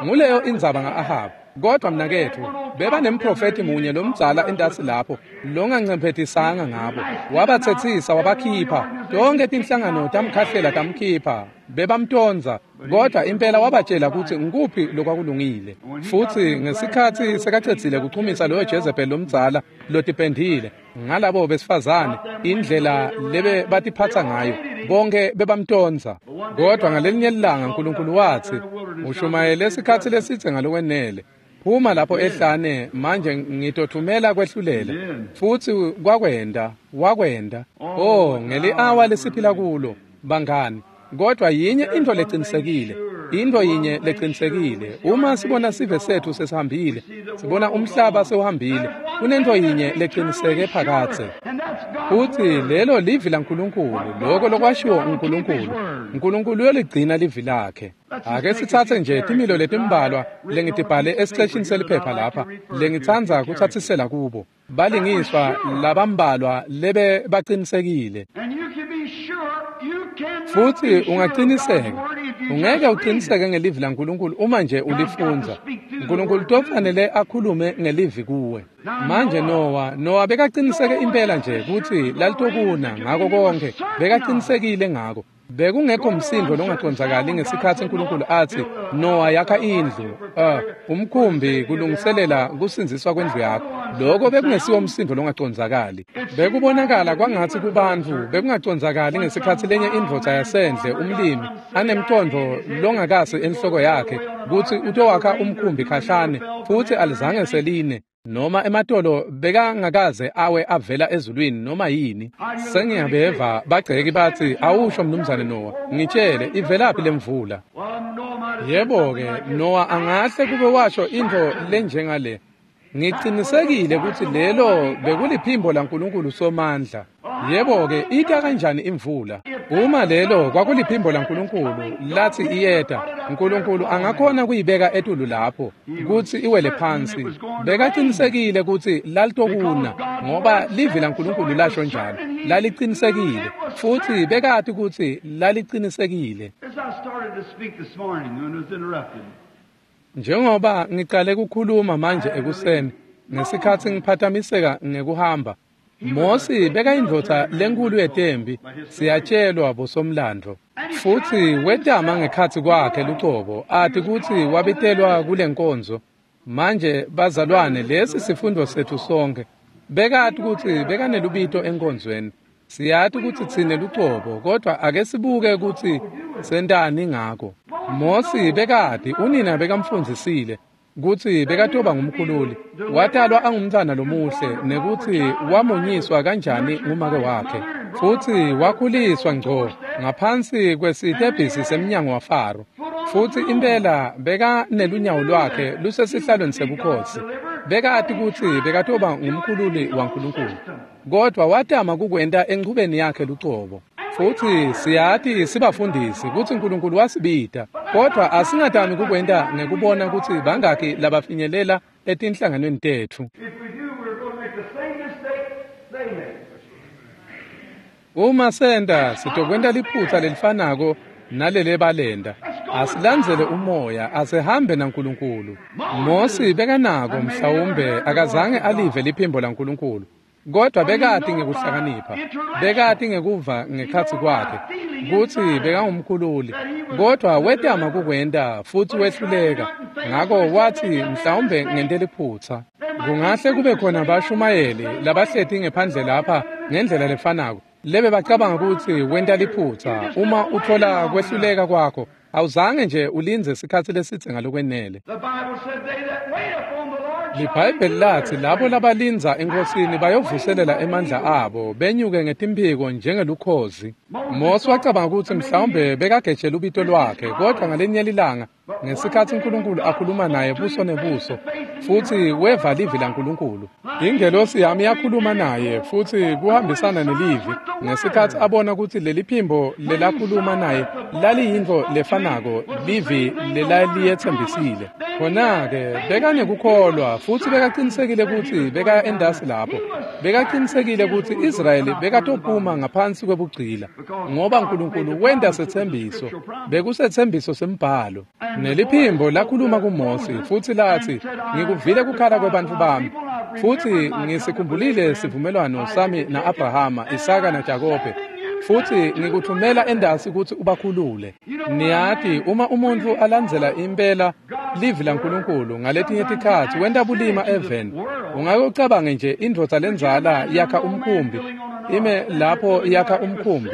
Nguleyo indzaba nga-Ahab. Kodwa mnaketfu, bebanemprofethi munye lomdzala entasi lapho longancemphetisanga ngabo. Wabatsetsisa wabakhipha. Tonke tinhlangano tamkhahlela tamkhipha. Bebamtondza, kodwa impela wabatshela kutsi ngukuphi lokwakulungile. Futsi ngesikhatsi sekacedzile kuchumisa loyo Jezebel lomdzala lotipendile ngalabo besifazane, indlela lebe batiphatsa ngayo, bonke bebamtondza. Kodwa ngalelinye ilanga Nkulunkulu watsi, ushumayele isikhatsi lesitse ngalokwenele. Phuma lapho ehlane, manje ngitothumela kwehlulela. Futsi kwakwenda, wakwenda. Oh, ngeli-awa lesiphila kulo, bangani. Kodwa yinye into lecinisekile, into yinye lecinisekile. Uma sibona sive sethu sesihambile, sibona umhlaba sewuhambile, kunento yinye leciniseke phakatse. Futsi lelo livi laNkulunkulu, loko lokwashiwo uNkulunkulu. Nkulunkulu uyoligcina livi lakhe. Ake sitsatse nje timilo letimbalwa lengitibhale esiceshini seliphepha lapha, lengitsandza kutsatsisela kubo. Balingiswa labambalwa lebe bacinisekile. Futsi ungaqiniseka, ungeke uqiniseke ngelivi laNkulunkulu uma nje ulifundza. Nkulunkulu tofanele akhulume ngelivi kuwe. Manje Noah, Noah bekaqiniseke impela nje kutsi lalitokuna ngako konke, bekaqinisekile ngako. Bekungekho msindo longacondzakali ngesikhatsi Nkulunkulu atsi Noah yakha indlu, uh, umkhumbi kulungiselela kusindziswa kwendlu yakho. Lokho bekungesiwo umsindo longacondzakali. Bekubonakala kwangatsi kubantfu bekungacondzakali ngesikhatsi lenye indvodza yasendle umlimi anemcondvo longakasi enhloko yakhe kutsi utowakha umkhumbi khashane, futsi alizange seline noma ematolo bekangakaze awe avela ezulwini noma yini. Sengiyabeva bagceki batsi, awusho mnumzane Noah, ngitshele ivelaphi lemvula? Yebo-ke, Noah angahle kube washo intfo lenjengale. Ngicinisekile kutsi lelo bekuliphimbo laNkulunkulu Somandla. Yebo-ke, ita kanjani imvula? Uma lelo kwakuliphimbo laNkulunkulu lathi iyeta, Nkulunkulu angakhona kuyibeka etulu lapho kutsi iwele phansi. Bekaqinisekile kutsi lalitokuna ngoba livi laNkulunkulu lasho njalo. Lalicinisekile futsi bekati kutsi lalicinisekile. Njengoba ngicale kukhuluma manje ekuseni ngesikhatsi ngiphathamiseka ngekuhamba, Mosi bekayindvodza lenkulu yetembi, siyatshelwa bosomlandvo. Futsi wetama ngekhatsi kwakhe lucobo ati kutsi wabitelwa kule nkonzo. Manje bazalwane, lesi sifundo setfu sonke. Bekati kutsi bekanelubito enkonzweni. Siyati kutsi tsine lucobo, kodwa ake sibuke kutsi sentani ngako. Mosi bekati unina bekamfundzisile kutsi bekatoba ngumkhululi. Watalwa angumntfwana lomuhle nekutsi wamunyiswa kanjani ngumake wakhe. Futsi wakhuliswa ngco ngaphansi kwesitebhisi semnyango waFaro. Futsi impela bekanelunyawo lwakhe lusesihlalweni sebukhosi. Bekati kutsi bekatoba ngumkhululi waNkulunkulu. Kodwa watama kukwenta enchubeni yakhe lucobo. Futsi siyati sibafundisi kutsi Nkulunkulu wasibita, kodwa asingatami kukwenta ngekubona kutsi bangaki labafinyelela etinhlanganweni tetfu. Uma senta, sitokwenta liphutsa lelifanako nalele balenda. Asilandzele umoya, asihambe naNkulunkulu. Mosi bekanako mhlawumbe akazange alive liphimbo laNkulunkulu. Kodwa bekati ngekuhlakanipha, bekati ngekuva ngekhatsi kwakhe kutsi bekangumkhululi. Kodwa wetama kukwenta futsi wehluleka. Ngako wathi mhlawumbe ngente liphutsa. Kungahle kube khona bashumayeli labahleti ngephandle lapha ngendlela lefanako lebe bacabanga kutsi wenta liphutsa. Uma uthola kwehluleka kwakho, awuzange nje ulindze sikhatsi lesitse ngalokwenele. LiBhayibheli lathi labo labalindza eNkosini bayovuselela emandla abo benyuke ngetimphiko njengelukhozi. Mose wacabanga ukuthi mhlawumbe bekagejela ubito lwakhe, kodwa ngalenye lilanga ngesikhathi uNkulunkulu akhuluma naye buso nebuso futhi weva livi laNkulunkulu, ingelosi yami yakhuluma naye futhi kuhambisana nelivi. Ngesikhathi abona ukuthi leli phimbo lelakhuluma naye laliyintfo lefanako livi lelaliyetsembisile, khona-ke bekanekukholwa futhi bekaqinisekile ukuthi bekaya endasi lapho. Bekaqinisekile ukuthi Israyeli bekatophuma ngaphansi kwebugcila ngoba uNkulunkulu wenta setsembiso, bekusetsembiso sembhalo. Neliphimbo lakhuluma kuMose futhi lathi, ngikuvile kukhala kwebantfu bami futhi ngisikhumbulile sivumelwano sami na-Abrahama, Isaka naJakobe, futhi ngikuthumela endasi ukuthi ubakhulule. Niyati uma umuntu alandzela impela livi laNkulunkulu ngaletinye tikhatsi wenta bulima eveni. Ungake ucabange nje indvodza lendzala yakha umkhumbi, ime lapho yakha umkhumbi,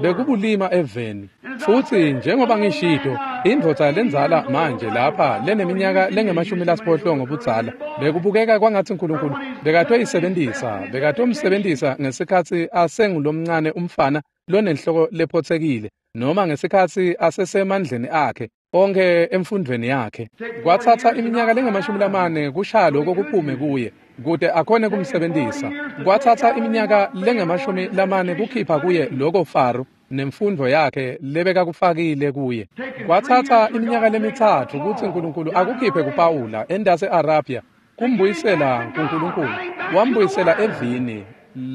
bekubulima eveni. Futhi njengoba ngishito, indvodza lendzala manje lapha leneminyaka lengemashumi lasiphohlongo budzala bekubukeka kwangathi uNkulunkulu bekatoyisebenzisa, bekatomsebenzisa ngesikhatsi asengulomncane umfana lonenhloko lephotsekile, noma ngesikhatsi asesemandleni akhe onke emfundweni yakhe. Kwatsatsa iminyaka lengemashumi lamane kushaya lokho kuphume kuye kute akhone kumsebenzisa. Kwatsatsa iminyaka lengemashumi lamane kukhipha kuye lokho Faro nemfundo yakhe lebekakufakile kuye. Kwatsatsa iminyaka lemitsatfu kutsi uNkulunkulu akukhiphe kuPawula endase Arabia, kumbuyisela kuNkulunkulu, wambuyisela evini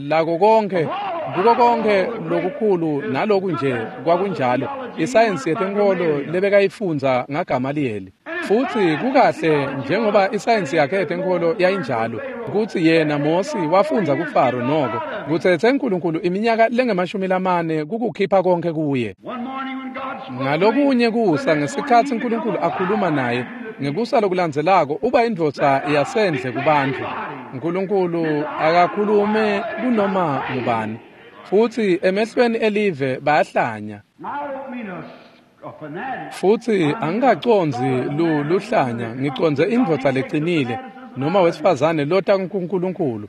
lako konke, kuko konke lokukhulu naloku nje kwakunjalo, isayensi yetenkolo lebekayifundza ngaGamaliyeli. Futhi kukahle njengoba isayensi yakhe yetenkolo yayinjalo, kutsi yena Mosi wafundza kuFaro noko kutsetse uNkulunkulu iminyaka lengemashumi lamane kukukhipha konke kuye. Ngalokunye kusa ngesikhatsi uNkulunkulu akhuluma naye, ngekusa lokulandzelako uba indvodza yasendle kubantfu. uNkulunkulu akakhulume kunoma ngubani, futhi emehlweni elive bayahlanya. Futhi angikacondzi luhlanya, ngicondze indvodza lecinile noma wesifazane lota kuNkulunkulu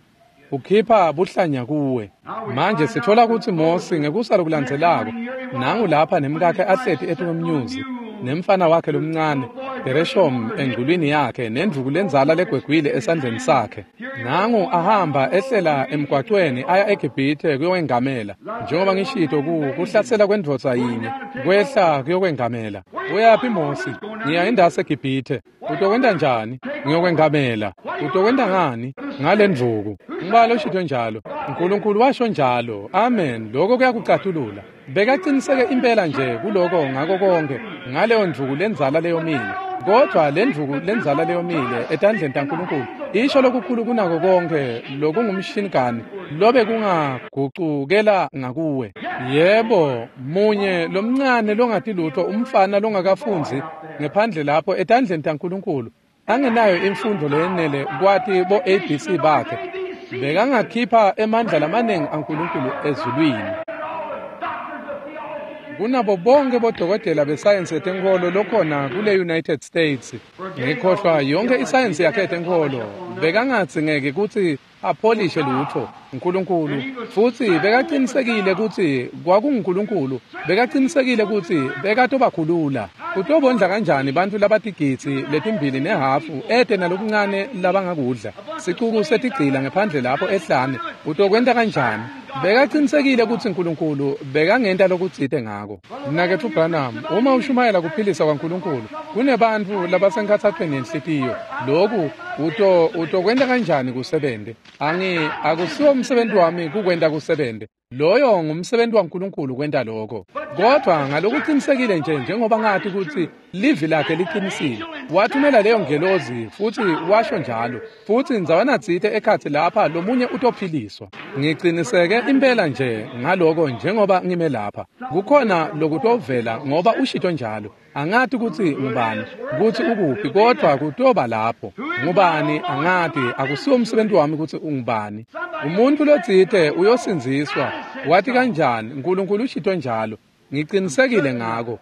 ukhipha buhlanya kuwe. Manje sithola ukuthi Mosi ngekusa lokulandzelako nangu lapha nemkakhe ahleti etukwemnyuzi nemfana wakhe lomncane Gereshom engculwini yakhe nendvuku lendzala legwegwile esandleni sakhe. Nangu ahamba ehlela emgwacweni aya eGibhithe kuyokwengamela, njengoba ngishito ku kuhlasela kwendvodza yinye kwehla kuyokwengamela. Uyaphi Mosi? Ngiya endasi eGibhithe. Utokwenta njani? Ngiyokwengamela. Utokwenta ngani? Ngale ndvuku. Ngibalo shito njalo. uNkulunkulu washo njalo. Amen. Lokho kuyakucatulula. Bekaqiniseke impela nje kuloko ngako konke ngaleyo ndvuku lendzala leyomile. Kodwa le ndvuku lendzala leyomile etandleni taNkulunkulu isho lokukhulu kunako konke lokungumshinigani lobe kungagucukela ngakuwe. Yebo, munye lomncane longati lutho, umfana longakafundzi ngephandle lapho etandleni taNkulunkulu angenayo imfundo leyenele kwati bo A B C bakhe, bekangakhipha emandla lamaningi aNkulunkulu ezulwini kunabo bonke bodokotela besayensi yetenkolo lokhona kule United States. Ngikhohlwa yonke isayensi yakhe yetenkolo, bekangadzingeki kutsi apholishe lutho uNkulunkulu, futhi bekaqinisekile kutsi kwakunguNkulunkulu, bekaqinisekile kutsi bekatobakhulula. Utobondla kanjani bantfu labatigidzi letimbili nehafu ete nalokuncane labangakudla, sicuku setigcila ngephandle lapho ehlane? Utokwenta kanjani? Bekaqinisekile kutsi uNkulunkulu bekangenta lokutsite ngako. Mnaketfu Branham, uma ushumayela kuphilisa kwaNkulunkulu kunebantfu labasenkhatsathweni yenhlitiyo, loku uto utokwenta kanjani kusebente? Angi akusiwo umsebenzi wami kukwenta kusebente. Loyo ngumsebenzi waNkulunkulu kwenta lokho. Kodwa ngalokuqinisekile nje njengoba ngathi kutsi livi lakhe liqinisile, wathumela leyo ngelozi futhi washo njalo, futhi ndzawana tsite ekhatsi lapha lomunye utophiliswa. Ngiqiniseke impela nje ngaloko njengoba ngime lapha. Kukhona lokutovela ngoba ushito njalo. Angati kutsi ngubani, kutsi ukuphi, kodwa kutoba lapho. Ngubani angati, akusiwo umsebenzi wami kutsi ungubani. Umuntu lotsite uyosindziswa. Wathi kanjani? uNkulunkulu ushito njalo. Ngicinisekile ngako.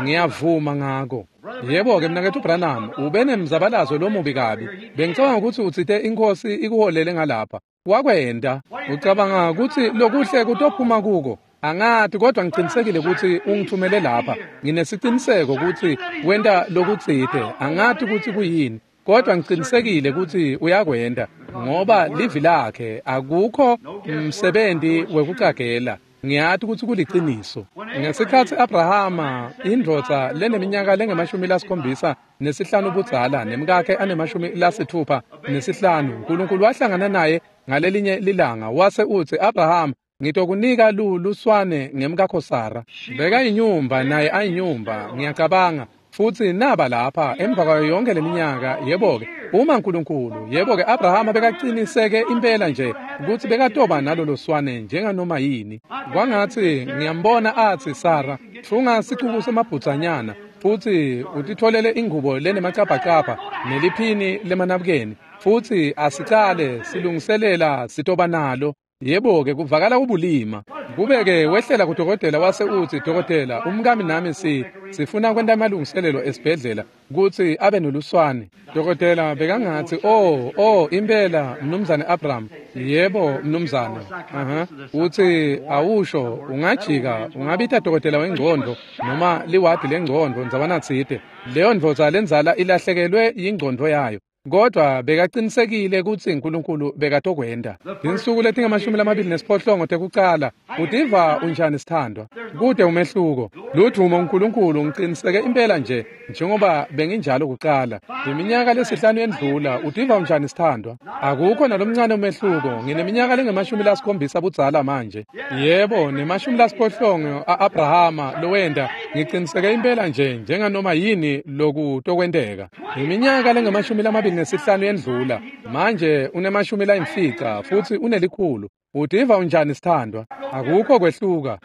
Ngiyavuma ngako. Yebo-ke mnaketfu Branham, ube nemzabalazo lomubi kabi. Bengicabanga kutsi utsite iNkhosi ikuholele ngalapha. Wakwenta. Ucabanga kutsi lokuhle kutophuma kuko. Angati kodwa ngicinisekile kutsi ungithumele lapha. Nginesiciniseko kutsi wenta lokutsite. Angati kutsi kuyini. Kodwa ngicinisekile kutsi uyakwenta ngoba livi lakhe akukho msebenzi wekucagela. Ngiyati kutsi kuliciniso. Ngesikhatsi Abrahama indvodza leneminyaka lengemashumi lasikhombisa nesihlanu budzala nemkakhe anemashumi lasithupha nesihlanu, uNkulunkulu wahlangana naye ngalelinye lilanga wase utsi, Abraham, ngitokunika luswane ngemkakho Sara. Bekayinyumba naye ayinyumba, ngiyacabanga. Futsi naba lapha emva kwayo yonke leminyaka. Yebo-ke uma uNkulunkulu, yebo-ke Abrahama bekaqiniseke impela nje kutsi bekatoba nalolo swane njenganoma yini. Kwangatsi ngiyambona atsi, Sara, tfunga sicuku semabhudzanyana futsi utitfolele ingubo lenemacabhacabha neliphini lemanabukeni futsi asicale silungiselela sitoba nalo. Yebo-ke kuvakala kubulima. Kube-ke wehlela kudokotela wase utsi, dokotela, umkami nami si sifuna kwenta amalungiselelo esibhedlela kutsi abe noluswane. Dokotela bekangatsi, oh, oh, impela mnumzane Abraham. Yebo mnumzane. Aha. Utsi awusho ungajika ungabita dokotela wengcondvo noma liwadi lengcondvo ndzawanatsite. Leyo ndvodza lenzala ilahlekelwe yingcondvo yayo. Kodwa bekaqinisekile kutsi uNkulunkulu bekatokwenta. Tinsuku letingamashumi lamabili nesiphohlongo tekucala, utiva unjani sithandwa? Kude umehluko. Ludvumo uNkulunkulu, ngiqiniseke impela nje njengoba benginjalo kucala. Iminyaka lesihlanu yendlula, utiva unjani sithandwa? Akukho nalomncane umehluko. Ngineminyaka lengemashumi lasikhombisa budzala manje. Yebo, nemashumi lasiphohlongo a-Abrahama lowenta, ngiqiniseke impela nje njenganoma yini lokutokwenteka. Iminyaka lengemashumi lamabili nesihlanu yendlula, manje unemashumi layimfica futsi unelikhulu. Utiva unjani sithandwa? Akukho kwehluka.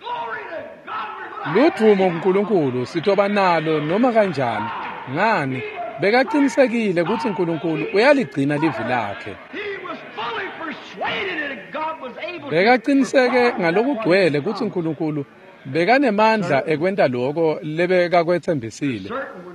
Ludvumo kuNkulunkulu, sitoba nalo noma kanjani. Ngani? Bekaqinisekile kutsi uNkulunkulu uyaligcina livi lakhe. Bekaqiniseke ngalokugcwele kutsi uNkulunkulu bekanemandla ekwenta loko lebekakwetsembisile.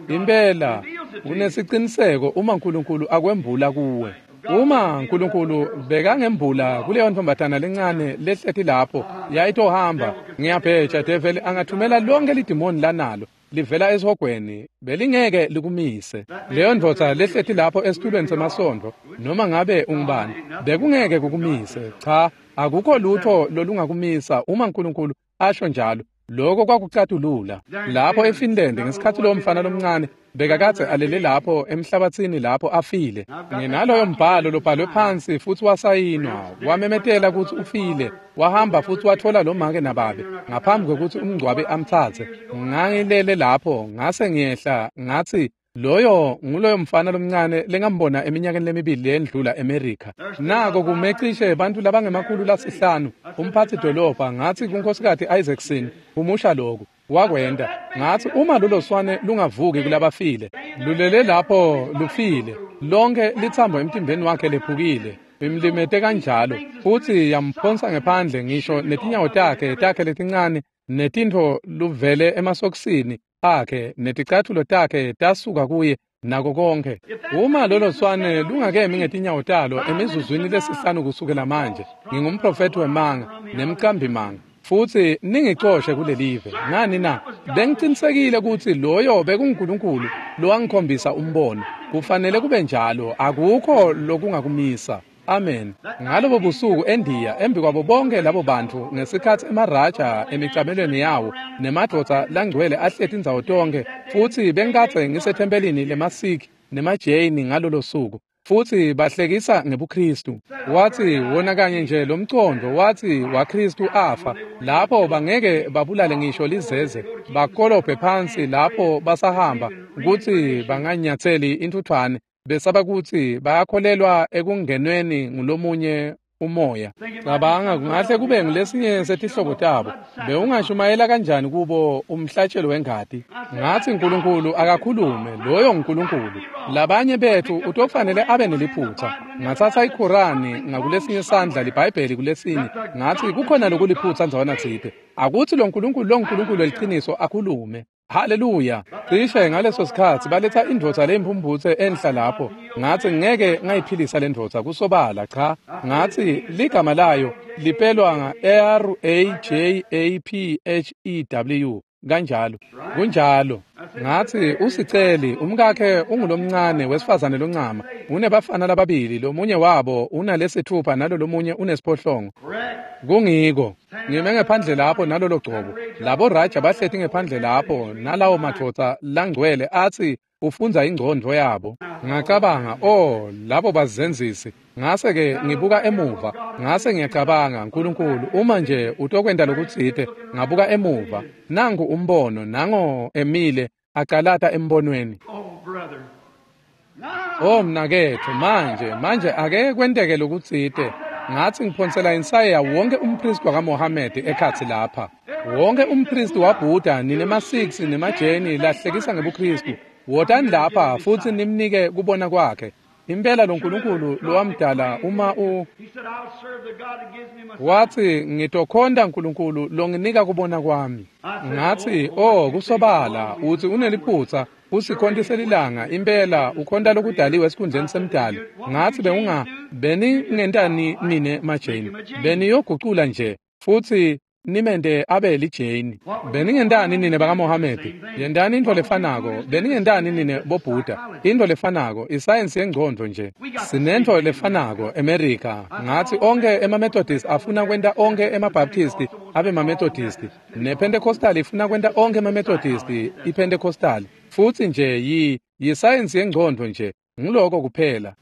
Impela unesiciniseko uma uNkulunkulu akwembula kuwe. Uma uNkulunkulu bekangembula kuleyo ntombatana lencane lehleti lapho yayitohamba, ngiyabheja develi angathumela lonke lidimoni lanalo livela esihogweni, belingeke likumise. Leyo ndvodza lehleti lapho esitulweni semasondvo, noma ngabe ungubani, bekungeke kukumise. Cha, akukho lutho lolungakumisa uma uNkulunkulu asho njalo. Lokho kwakucatulula. Lapho eFinland ngesikhatsi lowo mfana lomncane bekakadze alele lapho emhlabatsini lapho afile. Nginaloyo mbhalo lobhalwe phansi futsi wasayinwa, wamemetela kutsi ufile. Wahamba futsi watfola lo make nababe ngaphambi kwekutsi umngcwabe amtsatse. Ngangilele lapho ngase ngiyehla ngatsi, loyo nguloyo mfana lomncane lengambona eminyakeni lemibili leyendlula eMerica. Nako kumecishe bantfu labangemakhulu lasihlanu. Umphatsi dolobha ngatsi kuNkhosikati Isaacson, umusha loku wakwenta. Ngatsi uma lolo swane lungavuki kulabafile, lulele lapho lufile, lonke litsambo emtimbeni wakhe lephukile, imlimete kanjalo, futsi yamphonsa ngephandle ngisho netinyawo takhe takhe letincane netintfo luvele emasokisini akhe neticatfulo takhe tasuka kuye nako konke. Uma lolo swane lungakemi ngetinyawo talo emizuzwini lesihlanu kusukela manje, ngingumprofethi wemanga nemqambi manga, futsi ningicoshe kulelive. Ngani na? Bengicinisekile kutsi loyo bekunguNkulunkulu lowangikhombisa umbono. Kufanele kube njalo, akukho lokungakumisa. Amen. Ngalobo busuku eNdiya, embi kwabo bonke labo bantfu, ngesikhatsi emaraja emicamelweni yawo nemadvodza langcwele ahleti indzawo tonke, futsi bengikadze ngisethempelini lemaSikh nemaJain ngalolo suku, futsi bahlekisa ngebuKristu. Watsi wona kanye nje lo mcondvo watsi waKristu afa, lapho bangeke babulale ngisho lizeze, bakolobhe phansi lapho basahamba kutsi banganyatseli intfutfwane, besaba kutsi bayakholelwa ekungenweni ngulomunye umoya. Cabanga kungahle kube ngulesinye setihlobo tabo. Bewungashumayela kanjani kubo umhlatshelo wengati? Ngathi uNkulunkulu akakhulume, loyo nguNkulunkulu. Labanye bethu utofanele abe neliphutha. Ngathatha iKhorani ngakulesinye sandla, liBhayibheli kulesinye. Ngathi kukhona lokuliphutha ndzawana tsite. Akuthi lo Nkulunkulu lo Nkulunkulu weliciniso akhulume. Haleluya. Cishe ngaleso sikhatsi baletha indvodza leyimphumphutse enhla lapho. Ngathi ngeke ngayiphilisa le ndvodza kusobala cha. Ngathi ligama layo lipelwa nga R A J A P H E W kanjalo. Kunjalo. Ngathi usiceli umkakhe ungulomncane wesifazane loncama. Unebafana lababili, lomunye wabo unalesithupha nalo lomunye unesiphohlongo. Kungiko. Ngime ngephandle lapho nalolo gcobo. Labo Raja bahleti ngephandle lapho nalawo madvodza langcwele athi ufundza ingcondvo yabo. Ngacabanga, oh, labo bazenzisi. Ngase ke ngibuka emuva, ngase ngiyacabanga, uNkulunkulu uma nje utokwenta lokutsite. Ngabuka emuva, nangu umbono, nango emile acalata embonweni. Oh mnaketfu, manje manje ake kwenteke lokutsite. Ngathi ngiphonsela insaya wonke umpristi wakaMohamedi ekhatsi lapha. Wonke umpristi waBuddha, ninema-Sikhs nemajeni lahlekisa ngebuKristu. Wotani lapha futhi nimnike kubona kwakhe. Impela lo Nkulunkulu lowamdala uma u wathi ngitokhonta uNkulunkulu longinika kubona kwami. Ngathi oh kusobala uthi uneliphutha usikhonti selilanga impela ukhonta lokudaliwe esikhundleni semdali. Ngathi bewunga beningentani nine majeni beniyogucula nje futhi nimente abe lijeni. Beningentani nine bakaMohamedi? Yentani intfo lefanako. Beningentani nine boBuddha? Intfo lefanako, isayensi yengcondvo nje. Sinentfo lefanako eMerica. Ngathi onke emaMethodist afuna kwenta onke emaBaptist abe maMethodist, nePentecostal ifuna kwenta onke emaMethodist iPentecostal. Futsi nje yi yisayensi yengcondvo nje, nguloko kuphela.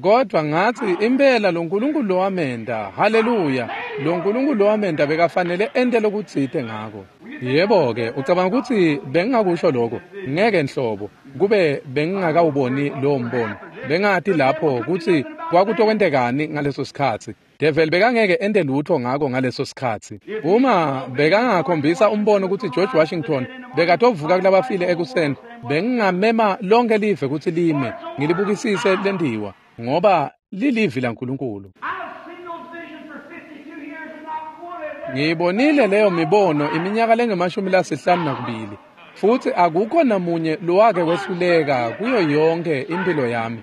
Kodwa ngathi impela lo Nkulunkulu lowamenda, haleluya, lo Nkulunkulu lowamenda bekafanele ente lokutsite ngako. Yebo ke, ucabanga ukuthi bengingakusho lokho? Ngeke nhlobo, kube bengingakawuboni lowo mbono. Bengathi lapho ukuthi kwakutokwentekani ngaleso sikhatsi. Devil bekangeke ente lutho ngako ngaleso sikhatsi. Uma bekangakhombisa umbono ukuthi George Washington bekatovuka kulabafile ekuseni, bengingamema lonke live ukuthi lime, ngilibukisise lendiwa, ngoba lilivi laNkulunkulu. Ngiyibonile leyo mibono iminyaka lengemashumi lasihlanu nakubili, futhi akukho namunye lowake wehluleka kuyo yonke impilo yami.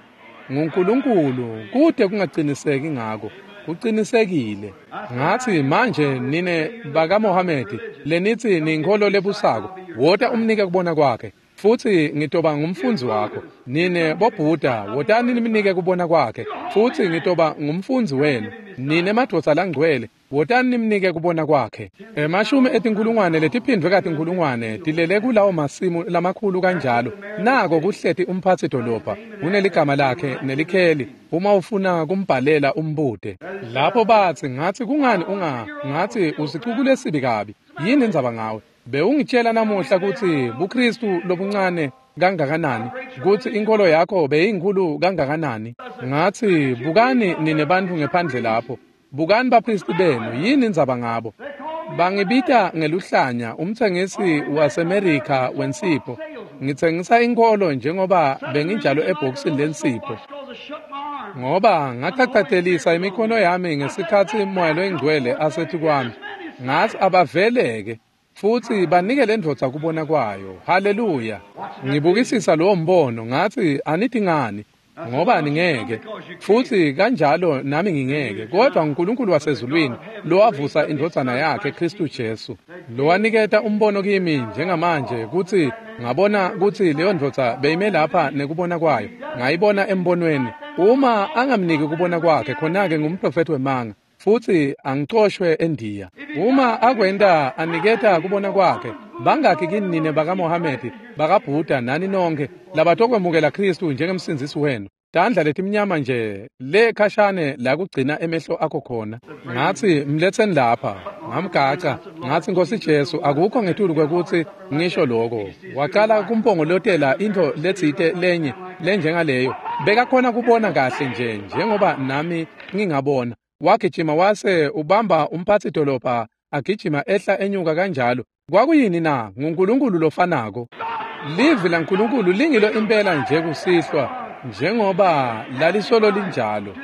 NguNkulunkulu, kude kungaqiniseki ngako, kuqinisekile. Ngathi manje nine bakaMohamedi lenithi ninkholo lebusako, wota umnike kubona kwakhe, futhi ngitoba ngumfundzi wakho. Nine boBuddha, wotani nimnike kubona kwakhe, futhi ngitoba ngumfundzi wenu. Nine madvodza langcwele, wotani nimnike kubona kwakhe. Emashumi etinkulungwane letiphindvwe katinkulungwane tilele kulawo masimu lamakhulu kanjalo. Nako kuhleti umphatsi dolobha, uneligama lakhe nelikheli, uma ufuna kumbhalela umbude. Lapho bathi ngathi kungani unga ngathi usicuku lesibi kabi, yini indzaba ngawe? Bewungitshela namuhla kutsi buKristu lobuncane kangakanani, kutsi inkolo yakho beyinkhulu kangakanani. Ngathi bukani nine bantfu ngephandle lapho, bukani bapristi benu, yini indzaba ngabo? Bangibita ngeluhlanya umtsengisi waseMerica wensipho. Ngitsengisa inkolo njengoba benginjalo ebhokisini lensipho, ngoba ngachachatelisa imikhono yami ngesikhatsi Moya loyiNgcwele asethi kwami. Ngathi abaveleke futhi banike le ndvodza kubona kwayo. Haleluya. Ngibukisisa lowo mbono, ngathi anithi ngani, ngoba ningeke, futhi kanjalo nami ngingeke, kodwa uNkulunkulu wasezulwini lowavusa indvodzana yakhe Kristu Jesu, lowaniketa umbono kimi njengamanje kutsi ngabona kutsi leyo ndvodza beyime lapha nekubona kwayo, ngayibona embonweni. Uma angamniki kubona kwakhe, khona-ke ngumprofethi wemanga, futhi angicoshwe eNdiya. Uma akwenta aniketa kubona kwakhe, bangakhi kini nine bakaMohamedi, bakaBuddha nani nonke labatokwemukela Kristu njengemsindzisi wenu? Tandla letimnyama nje le khashane la kugcina emehlo akho khona. Ngathi mletheni lapha, ngamgaca, ngathi Nkosi Jesu akukho ngetulu kwekuthi ngisho lokho. Waqala kumpongolotela into letsite lenye lenjengaleyo. Bekakhona kubona kahle nje njengoba nami ngingabona. Wagijima wase ubamba umphathi dolobha agijima ehla enyuka kanjalo. Kwakuyini na? NguNkulunkulu lofanako. Livi laNkulunkulu lingilo impela nje kusihlwa njengoba lalisolo linjalo.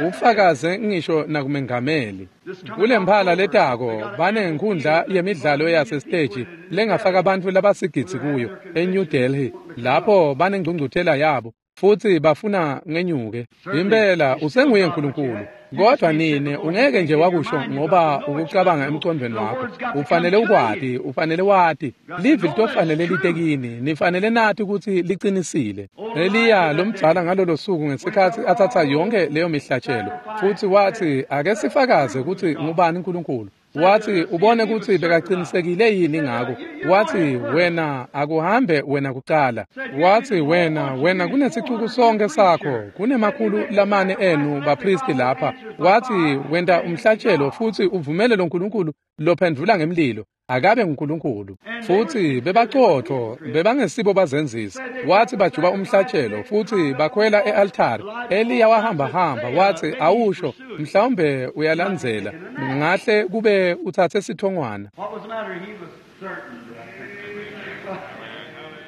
Ufakaze ngisho nakumengameli. Kulemphala letako banenkundla yemidlalo yasesiteji lengafaka abantu labasigidzi kuyo eNew Delhi lapho banengcungcuthela yabo futhi bafuna ngenyuke. Impela usenguye uNkulunkulu. Kodwa nine ungeke nje wakusho ngoba ukucabanga emqondweni wakho. Ufanele ukwati, ufanele wati. Livi litofanele litekini, nifanele nathi ukuthi liqinisile. Eliya lomdzala ngalolo suku ngesikhathi athatha yonke leyo mihlatshelo futhi wathi ake sifakaze ukuthi ngubani uNkulunkulu. Wathi ubone ukuthi bekaqinisekile yini ngako. Wathi wena akuhambe wena kuqala. Wathi wena wena kunesicuku sonke sakho kunemakhulu lamane enu bapristi lapha. Wathi wenta umhlatshelo futhi uvumele lo nkulunkulu lophendvula ngemlilo akabe nguNkulunkulu. Futhi bebaqotho bebangesibo bazenzisi. Wathi bajuba umhlatshelo futhi bakhwela e-altari. Eliya wahamba hamba wathi awusho mhlawumbe uyalandzela ngahle kube uthathe sithongwana.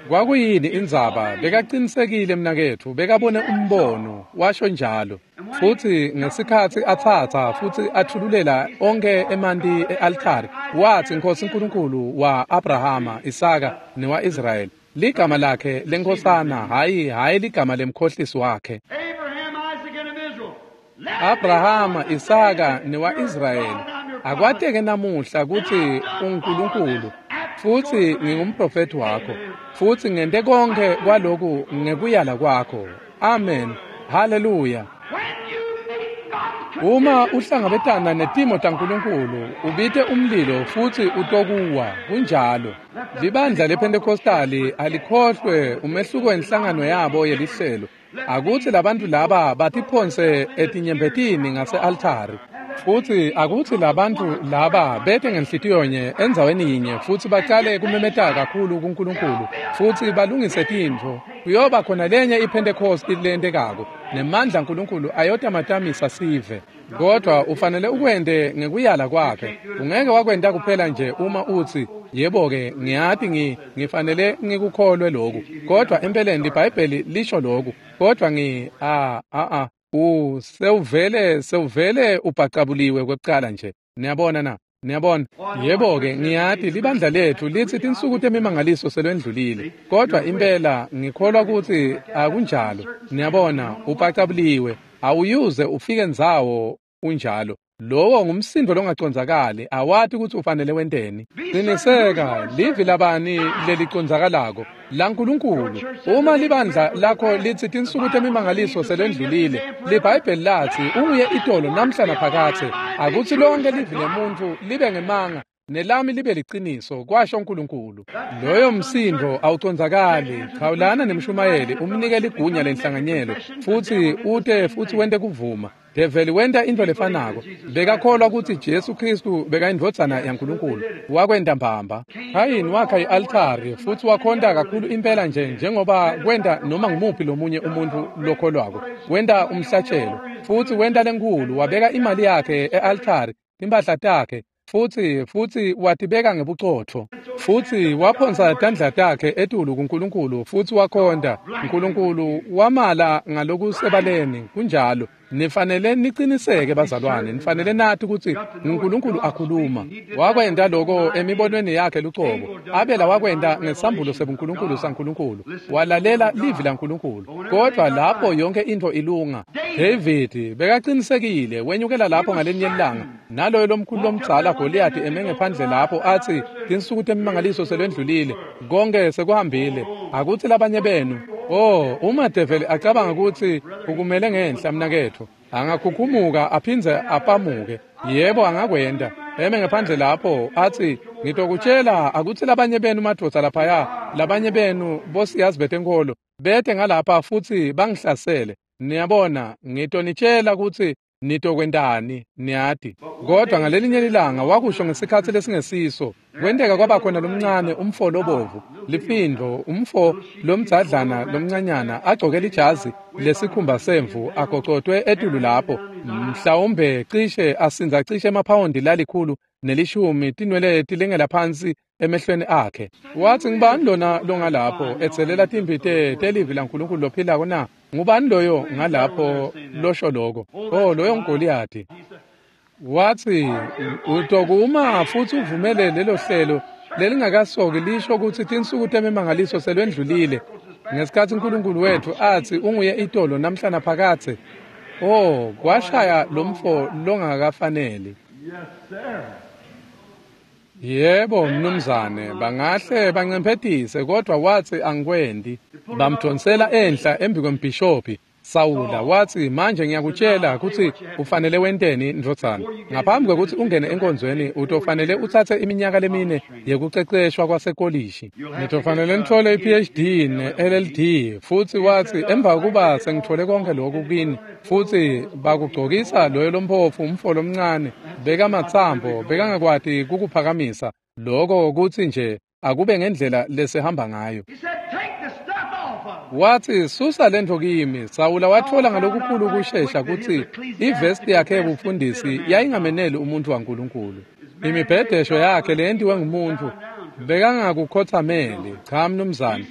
Kwakuyini indzaba? Bekaqinisekile mnaketfu, bekabone umbono, washo njalo. Futhi ngesikhathi athatha futhi athululela onke emanti e-altari, wathi Nkosi uNkulunkulu wa-Abrahama, Isaka newa-Israyeli, ligama lakhe lenkosana, hayi hayi ligama lemkhohlisi wakhe. Abrahama, Isaka newa-Israyeli, akwateke namuhla ukuthi uNkulunkulu futhi ngingumprofeti wakho futhi ngente konke kwaloku ngekuyala kwakho. Amen. Haleluya. Uma uhlangabetana netimo taNkulunkulu ubite umlilo futhi utokuwa. Kunjalo. Libandla lePentecostali alikhohlwe umehluko wenhlangano yabo yelihlelo. Akuthi labantu laba batiphonse etinyembetini ngase-altari. Futhi akuthi labantu laba bete ngenhlitiyo nye endzaweni yinye futhi baqale kumemeta kakhulu kuNkulunkulu futhi balungise tintfo. Kuyoba khona lenye iPentecost lentekako nemandla uNkulunkulu ayotamatamisa sive. Kodwa ufanele ukwente ngekuyala kwakhe. Ungeke wakwenta kuphela nje uma uthi yebo ke ngiyati ngi ngifanele ngikukholwe lokhu, kodwa empeleni iBhayibheli lisho lokhu, kodwa ngi a a a u sewuvele sewuvele ubhacabuliwe kwekuqala nje. Niyabona na? Niyabona? Yebo ke ngiyati libandla lethu lithi tinsuku temimangaliso selwendlulile, kodwa impela ngikholwa ukuthi akunjalo. Niyabona, ubhacabuliwe, awuyuze ufike ndzawo unjalo. Lowo ngumsindo longacondzakali, awati ukuthi ufanele wenteni. Qiniseka, livi labani leliconzakalako laNkulunkulu. Uma libandla lakho lithi tinsuku temimangaliso selendlulile, liBhayibheli lathi unguye itolo namhla naphakathe. Akuthi lonke livi lemuntu libe ngemanga nelami libe liqiniso, kwasho uNkulunkulu. Loyo msindo awucondzakali. Chawulana nemshumayeli umnike ligunya lenhlanganyelo futhi ute futhi wente kuvuma. Develi wenta into lefanako. Bekakholwa ukuthi Jesu Kristu bekayindvodzana yaNkulunkulu. Wakwenta mbamba. Khayini wakha i-altari futhi wakhonta kakhulu impela nje njengoba kwenta noma ngumuphi lomunye umuntu lokholwako. Wenta umhlatshelo futhi wenta lenkulu, wabeka imali yakhe e-altari, timphahla takhe futhi futhi watibeka ngebucotho futhi waphonsa tandla takhe etulu kuNkulunkulu futhi wakhonta uNkulunkulu wamala ngalokusebaleni. Kunjalo. Nifanele niqiniseke bazalwane, nifanele nathi ukuthi uNkulunkulu akhuluma. Wakwenta lokho emibonweni yakhe lucobo. Abela wakwenta ngesambulo sebuNkulunkulu saNkulunkulu. Walalela livi laNkulunkulu. Kodwa lapho yonke into ilunga. David bekaqinisekile, wenyukela lapho ngalenye ilanga naloyo lomkhulu lomdzala Goliath eme ngephandle lapho athi tinsuku temimangaliso selwendlulile, konke sekuhambile, akuthi labanye benu. Oh, uma develi acabanga ukuthi ukumele ngenhla mnaketfu, angakhukhumuka aphindze apamuke. Yebo, angakwenda. Eme ngephandle lapho athi ngitokutshela akuthi labanye benu madvodza laphaya, labanye benu bosiyazi betenkolo bete ngalapha futhi bangihlasele. Niyabona, ngitonitshela kutsi nitokwentani, niyati. Kodwa ngalelinye lilanga wakusho ngesikhatsi lesingesiso. Kwenteka kwaba khona lomncane umfo lobovu, lifindo, umfo lomdzadlana lomncanyana agcoke lijazi lesikhumba semvu agocotwe etulu lapho, mhlawumbe cishe asindza cishe emaphawondi lalikhulu nelishumi, tinwele tilengela phansi emehlweni akhe. Watsi, ngubani lona longalapho etselela timphi telivi laNkulunkulu lophilako na? Ngubani loyo ngalapho losho loko? Oh, loyo nguGoliyathi. Watsi, utokuma futsi uvumele lelo hlelo lelingakasoki lisho kutsi tinsuku temimangaliso selwendlulile, ngesikhatsi uNkulunkulu wetfu atsi unguye itolo namhla naphakadze. Oh, kwashaya lomfo longakafaneli. Yebo, mnumzane, bangahle bancemphetise, kodwa watsi angikwendi. Bamdonsela enhla embi kwembhishophi Sawula. Watsi, manje ngiyakutshela kutsi ufanele wenteni, ndvodzana. Ngaphambi kwekutsi ungene enkonzweni, utofanele utsatse iminyaka lemine yekuceceshwa kwasekolishi. Nitofanele nitfole i-P H D ne-L L D. Futsi watsi, emva kuba sengitfole konke lokhu kini, futsi bakugcokisa loyo lomphofu umfo lomncane, bekamatsambo, bekangakwati kukuphakamisa. Loko kutsi nje akube ngendlela lesihamba ngayo. Watsi, susa lentfo kimi. Sawula watfola ngalokukhulu kushesha kutsi ivesti yakhe yebufundisi yayingameneli umuntu waNkulunkulu. Imibhedesho yakhe leyentiwe ngumuntu bekangakukhothameli. Cha, mnumzane.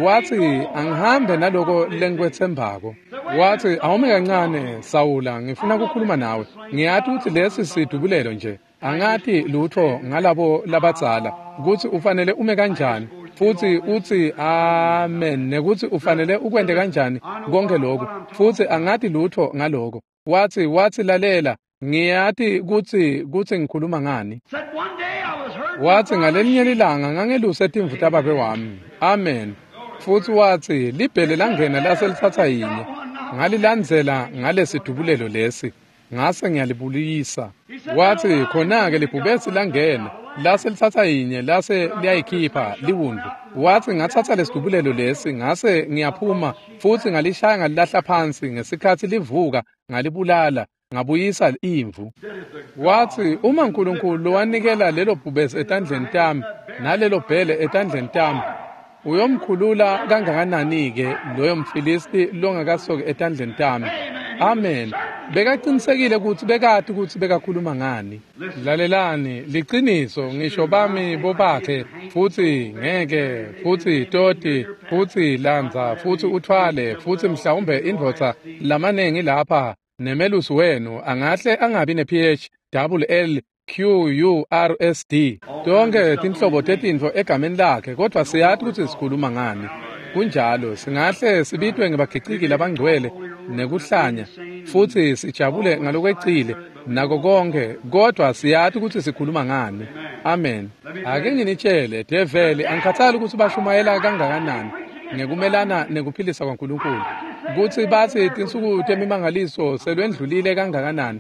Watsi, angihambe naloko lengikwetsembako. Watsi, awume kancane Sawula, ngifuna kukhuluma nawe. Ngiyati kutsi lesi sidubulelo nje. Angati lutho ngalabo labadzala kutsi ufanele ume kanjani, futsi utsi amen, nekutsi ufanele ukwente kanjani konke lokhu, futsi angati lutho ngaloko. Watsi, watsi lalela, ngiyati kutsi kutsi ngikhuluma ngani. Watsi, ngalelinye lilanga ngangeluse timvu tababe wami. Amen. Futsi watsi, libhele langena lase litsatsa yinye, ngalilandzela ngalesidubulelo lesi, ngase ngiyalibulisa. Watsi, khona-ke libhubesi langena lase litsatsa yinye, lase liyayikhipha liwundlu. Watsi, ngatsatsa lesidubulelo lesi, ngase ngiyaphuma futsi ngalishaya ngalilahla phansi. Ngesikhatsi livuka ngalibulala, ngabuyisa imvu. Watsi, uma uNkulunkulu lowanikela lelo bhubesi etandleni tami nalelo bhele etandleni tami, uyomkhulula kangakanani-ke loyo mFilisti longakasoki etandleni tami? Amen. Bekaqinisekile kutsi bekati kutsi bekakhuluma ngani. Lalelani, liciniso, ngisho bami bobakhe, futsi ngeke, futsi toti, futsi landza, futsi uthwale, futsi mhlawumbe indvodza lamanengi lapha nemelusi wenu angahle angabi ne-P H double L Q U R S D, tonke tinhlobo tetintfo egameni lakhe, kodwa siyati kutsi sikhuluma ngani. Kunjalo, singahle sibitwe ngebagiciki labangcwele nekuhlanya, futsi sijabule ngalokwecile nako konke, kodwa siyati kutsi sikhuluma ngani. Amen. Ake nginitshele, develi angikhathali kutsi bashumayela kangakanani ngekumelana nekuphilisa kwaNkulunkulu, kutsi batsi tinsuku temimangaliso selwendlulile kangakanani.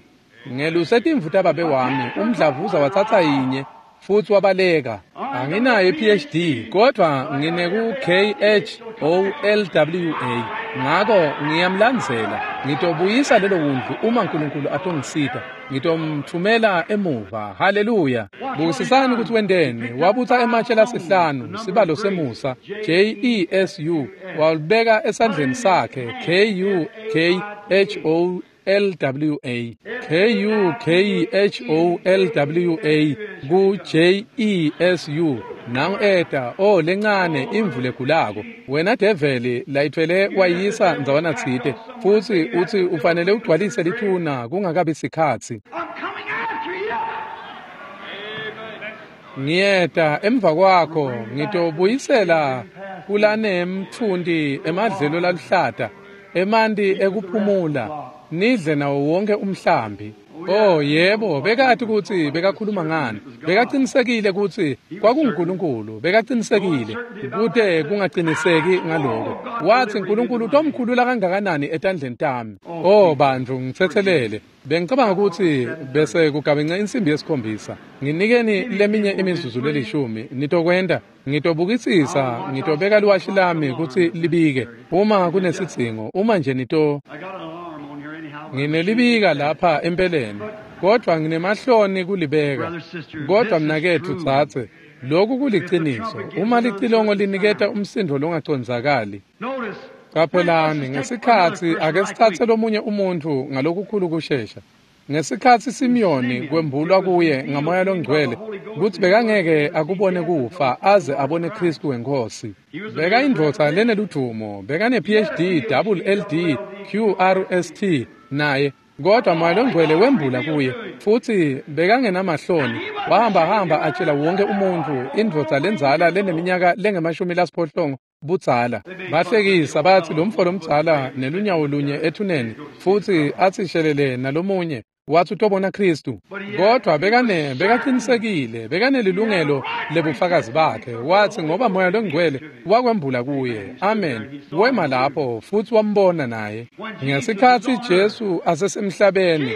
Ngeluse timvu tababe wami, umdlavuza watsatsa yinye futsi wabaleka. Anginayo i-P H D, kodwa ngineku K H O L W A. Ngako ngiyamlandzela. Ngitobuyisa lelo wundlu uma uNkulunkulu atongisita. Ngitomthumela emuva. Haleluya. Bukisisani kutsi wenteni. Wabutsa ematshe lasihlanu, sibalo semusa, J E S U, walibeka esandleni sakhe, K U K H O L W A, K U K H O L W A ku J E S U. Nangu eta, oh lencane imvu legulako. Wena develi layithwele wayisa ndzawana tsite, futsi utsi ufanele ugcwalise lithuna kungakabi sikhatsi. Ngiyeta emva kwakho, ngitobuyisela kulanemtfunti emadlelo laluhlata, emanti ekuphumula, nidle nawo wonke umhlambi. Oh yebo, bekati kutsi bekakhuluma ngani. Bekaqinisekile kutsi kwakunguNkulunkulu, bekaqinisekile kute kungaqiniseki ngaloko. Watsi uNkulunkulu utomkhulula kangakanani etandleni tami. Oh bantu, ngitsetselele. Bengicabanga kutsi bese kugabence insimbi yesikhombisa. Nginikeni leminye imizuzu lelishumi. Nitokwenta, ngitobukisisa, ngitobeka liwashi lami kutsi libike uma kunesidzingo, uma nje nito nginelibika lapha empeleni, kodwa nginemahloni kulibeka. Kodwa mnaketfu tsatse, lokhu kuliciniso. Uma licilongo liniketa umsindo longacondzakali. Qaphelani, ngesikhatsi ake sithathe lomunye umuntfu ngalokukhulu kushesha. Ngesikhatsi Simiyoni kwembulwa kuye ngaMoya loNgcwele kutsi bekangeke akubone kufa aze abone Khristu wenkosi. Bekayindvodza leneludumo, bekane P H D, double L D, Q R S T naye, kodwa Moya loNgcwele wembula kuye futsi bekangenamahloni. Wahamba hamba atshela wonke umuntfu, indvodza lendzala leneminyaka lengemashumi lasiphohlongo budzala. Bahlekisa bathi lo mfo lomdzala nelunyawo lunye ethuneni futsi athi shelele nalomunye, wathi utobona Khristu. Kodwa bekane bekaqinisekile, bekanelilungelo lebufakazi bakhe. Wathi ngoba Moya loNgcwele wakwembula kuye. Amen. Wema lapho futsi wambona naye. Ngesikhatsi Jesu asesemhlabeni,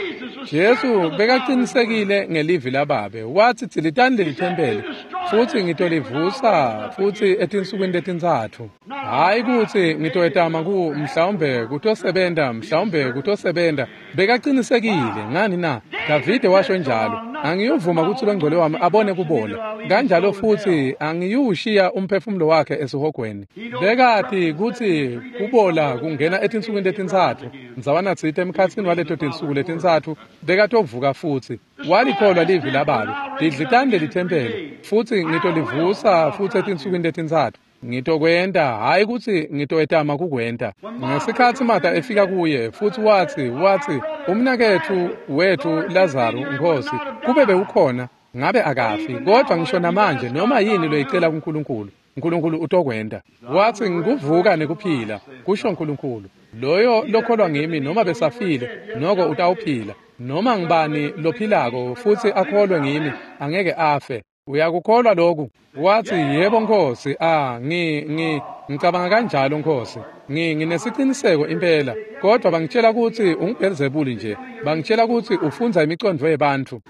Jesu bekaqinisekile ngelivi lababe. Wathi dzilitani leli thempeli futsi ngitolivusa futsi etinsukwini letintsatfu. Hayi kutsi ngitoyetama ku mhlawumbe kutosebenta, mhlawumbe kutosebenta. Bekaqinisekile. Ngani na? Davide washo njalo, angiyuvuma kutsi longcwele wami abone kubola, kanjalo futsi angiyushiya umphefumulo wakhe esihogweni. Bekati kutsi kubola kungena etinsukwini letintsatfu, ndzawana tsite emkhatsini waleto tinsuku letintsatfu bekatovuka futsi. Walikholwa livi lababe, didlitani leli thempeli futsi ngitolivusa futsi etinsukwini letintsatfu. Ngitokwenta, hayi kutsi ngitoyetama kukwenta. Ngesikhatsi Martha efika kuye futsi watsi watsi umnaketfu wethu Lazaru, Nkosi, kube bewukhona ngabe akafi, kodwa ngisho namanje noma yini loyicela kuNkulunkulu, uNkulunkulu utokwenta. Watsi ngikuvuka nekuphila, kusho uNkulunkulu. Loyo lokholwa ngimi noma besafile noko utawuphila. Noma ngibani lophilako futsi akholwe ngimi angeke afe. Uyakukholwa lokhu? Wathi yebo Nkosi. Ah, ngi ngi ngicabanga kanjalo Nkosi. Ngi nginesiqiniseko impela, kodwa bangitshela kutsi unguBelzebuli nje. Bangitshela kutsi ufundza imicondvo yebantfu.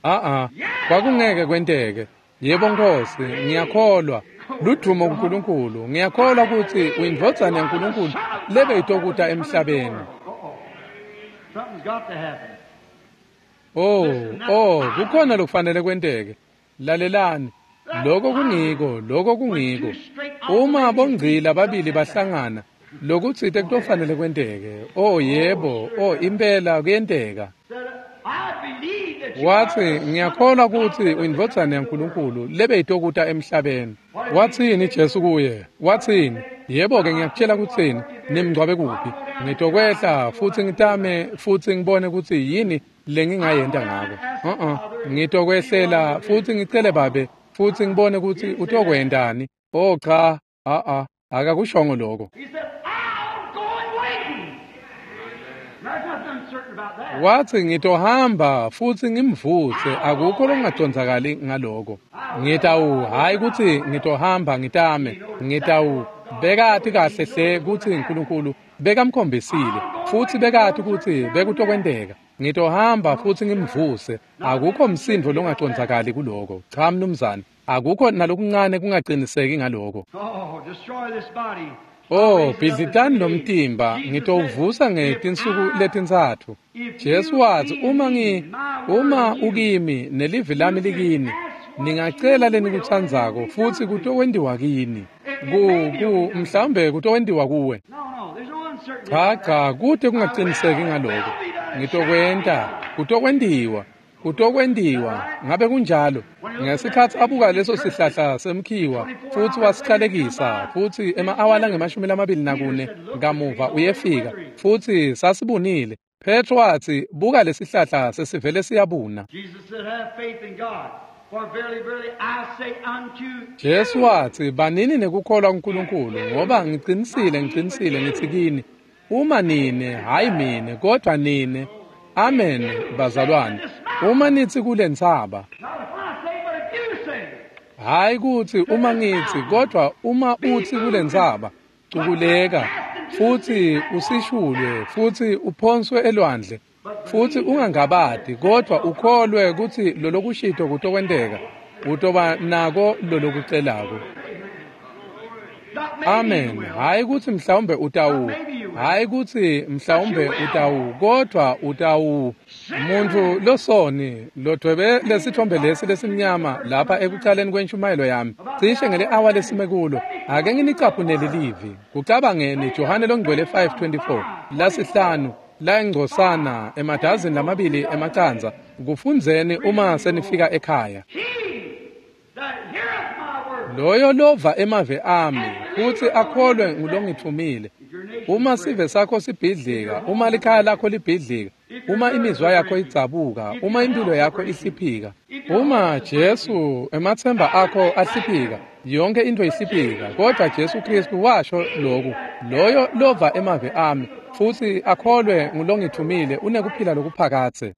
Ah ah, kwakungeke kwenteke. Yebo Nkosi, ngiyakholwa. Ludumo kuNkulunkulu. Ngiyakholwa kutsi uyindvodzana yaNkulunkulu lebe itokuta emhlabeni. Something's got to happen. Oh, oh, kukhona lokufanele kwenteke. Lalelani. Lokho kungiko, lokho kungiko. Uma bongcila babili bahlangana, lokutsite kutofanele kwenteke. Oh yebo, oh impela kuyenteka. Watsi ngiyakholwa kutsi uyindvodzana yaNkulunkulu lebe itokuta emhlabeni. Watsini Jesu kuye? Watsini? Yebo-ke ngiyakutshela kutsini, nimngcwabe kuphi? Ngitokwehla futsi ngitame futsi ngibone kutsi yini lengingayenta ngako. Uh-uh. Ngitokwehlela futsi ngicele babe futsi ngibone kutsi utokwentani. Oh cha, a-a, akakushongo lokho. Watsi ngitohamba futsi ngimvuse, akukho lokungacondzakali ngaloko. Ngitawu, hayi kutsi ngitohamba ngitame, ngitawu. Bekati kahle hle kutsi uNkulunkulu bekamkhombisile futsi bekati kutsi bekutokwenteka. Ngitohamba futsi ngimvuse, akukho msindvo longacondzakali kuloko. Cha mnumzane, akukho nalokuncane kungaqiniseki ngaloko. Oh, bhidlitani lomtimba, ngitowuvusa ngetinsuku letintsatfu. Jesu watsi uma ngi uma ukimi nelivi lami likini, ningacela lenikutsandzako futsi kutokwentiwa kini. Ku ku mhlawumbe kutokwentiwa kuwe. Cha cha, kute kungaqiniseki ngaloko. Ngitokwenta, kutokwentiwa, kutokwentiwa. Ngabe kunjalo? Ngesikhatsi abuka leso sihlahla semkhiwa futsi wasicalekisa, futsi ema-awa langemashumi lamabili nakune kamuva uyefika futsi sasibunile. Petro watsi buka lesihlahla sesivele siyabuna. Jesu watsi banini nekukholwa kuNkulunkulu, ngoba ngicinisile ngicinisile ngitsi kini, uma nine, hayi mine, kodwa nine. Amen, bazalwane. Uma nithi kulentsaba, hayi kuthi uma ngithi, kodwa uma uthi kulentsaba, cukuleka futhi usishulwe futhi uphonswe elwandle, futhi ungangabadi kodwa ukholwe ukuthi lolokushito kutokwenteka, utoba nako lolokucelako. Amen. Hayi kuthi mhlawumbe utawu, hayi kuthi mhlawumbe utawu, kodwa utawu. Umuntu losoni lodwebe lesithombe lesi lesimnyama lapha ekucaleni kwentshumayelo yami, cishe ngele awa lesime kulo, ake nginicaphunele livi. Kucabangeni Johane longcwele five twenty-four lasihlanu la ingcosana emadazini lamabili emacandza, kufundzeni uma senifika ekhaya. Loyo lova emave ami futhi akholwe ngulongithumile. Uma sive sakho sibhidlika, uma likhaya lakho libhidlika, uma imizwa yakho idzabuka, uma impilo yakho ihliphika, uma Jesu emathemba akho ahliphika, yonke into ihliphika, kodwa Jesu Kristu washo lokhu, loyo lova emave ami futhi akholwe ngulongithumile unekuphila lokuphakathe.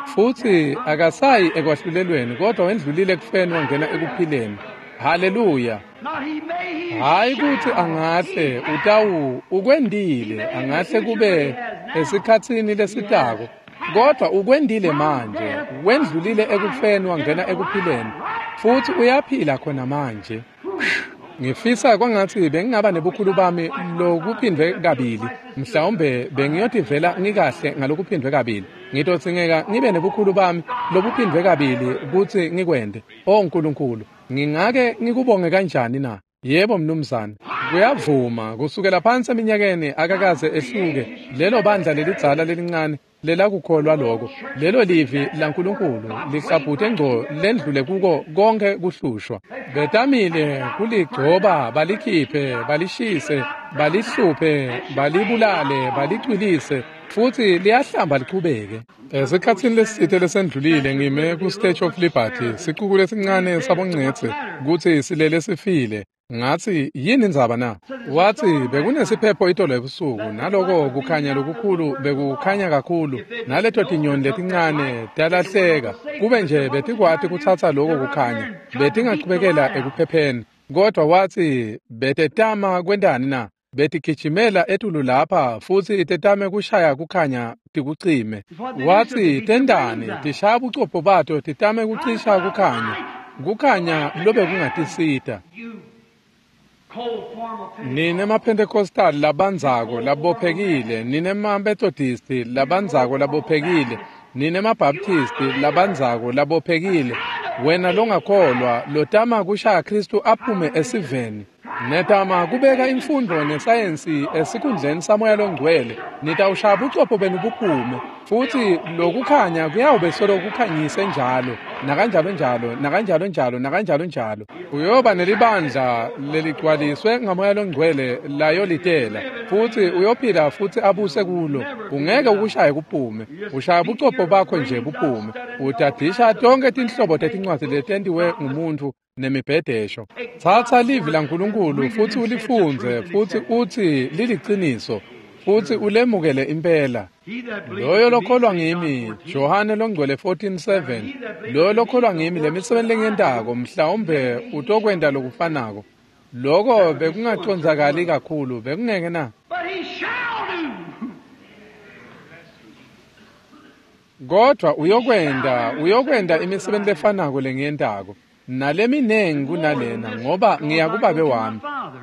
Futhi akasayi ekwahlulelweni, kodwa wendlulile ekufeni wangena ekuphileni. Haleluya. Hayi kuthi angahle utawu ukwendile, angahle kube esikhatsini lesitako, kodwa ukwendile manje, wendlulile ekufeni wangena ekuphileni, futhi uyaphila khona manje. Ngifisa kwangathi bengingaba nebukhulu bami lokuphindwe kabili, mhlawumbe bengiyotivela ngikahle ngalokuphindwe kabili. Ngitodzingeka ngibe nebukhulu bami lobuphindwe kabili kutsi ngikwende. O Nkulunkulu, ngingake ngikubonge kanjani na? Yebo mnumzane, kuyavuma kusukela phansi eminyakeni akakaze ehluke lelo bandla lelidzala lelincane lelakukholwa lokho. Lelo livi laNkulunkulu lihlabhute ngco lendlule kuko konke kuhlushwa. Betamile kuligcoba, balikhiphe, balishise, balihluphe, balibulale, balicwilise, futhi liyahlamba lichubeke. Esikhatsini lesitsite lesendlulile ngime ku-Statue of Liberty, sicuku lesincane sabongcetse kutsi silele sifile. Ngathi yini indzaba na? Wathi bekunesiphepho itolo ebusuku, naloko kukhanya lokukhulu bekukhanya kakhulu, naleto tinyoni letincane talahleka. Kube nje betikwati kutsatsa loko kukhanya, betingachubekela ekuphepheni. Kodwa wathi betetama kwentani na? Betigijimela etulu lapha futhi tetame kushaya kukhanya tikucime. Wathi tendani tishaya bucopho bato titame kucisha kukhanya, kukhanya lobe kungatisita. Nine maPentecostal labandzako labophekile, nine maMethodist labandzako labophekile, nine maBaptist labandzako labophekile, wena longakholwa lotama kushaya Kristu aphume esiveni, netama kubeka imfundo nesayensi esikhundleni saMoya loNgcwele, nitawushaya bucopho benu buphume, futhi lokukhanya kuyawube solo kukhanyise njalo, nakanjalo njalo, nakanjalo njalo, nakanjalo njalo. Uyoba nelibandla leligcwaliswe ngaMoya loNgcwele layolitela, futhi uyophila futhi abuse kulo. Ungeke ukushaye kuphume, ushaya bucopho bakho nje buphume. Utadisha tonke tinhlobo tetincwadzi letentiwe ngumuntu nemibhedesho. Tsatsa livi laNkulunkulu futhi ulifundze futhi uthi liliciniso, futhi ulemukele impela. Loyo lokholwa ngimi, Johane longcwele fourteen seven, loyo lokholwa ngimi lemisebenti lengiyentako mhlawumbe utokwenta lokufanako. Loko bekungacondzakali kakhulu, bekungeke na? Kodwa uyokwenta, uyokwenta imisebenti lefanako lengiyentako, naleminengi kunalena, ngoba ngiya kuBabe wami.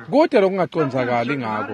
Kude lokungacondzakali ngako,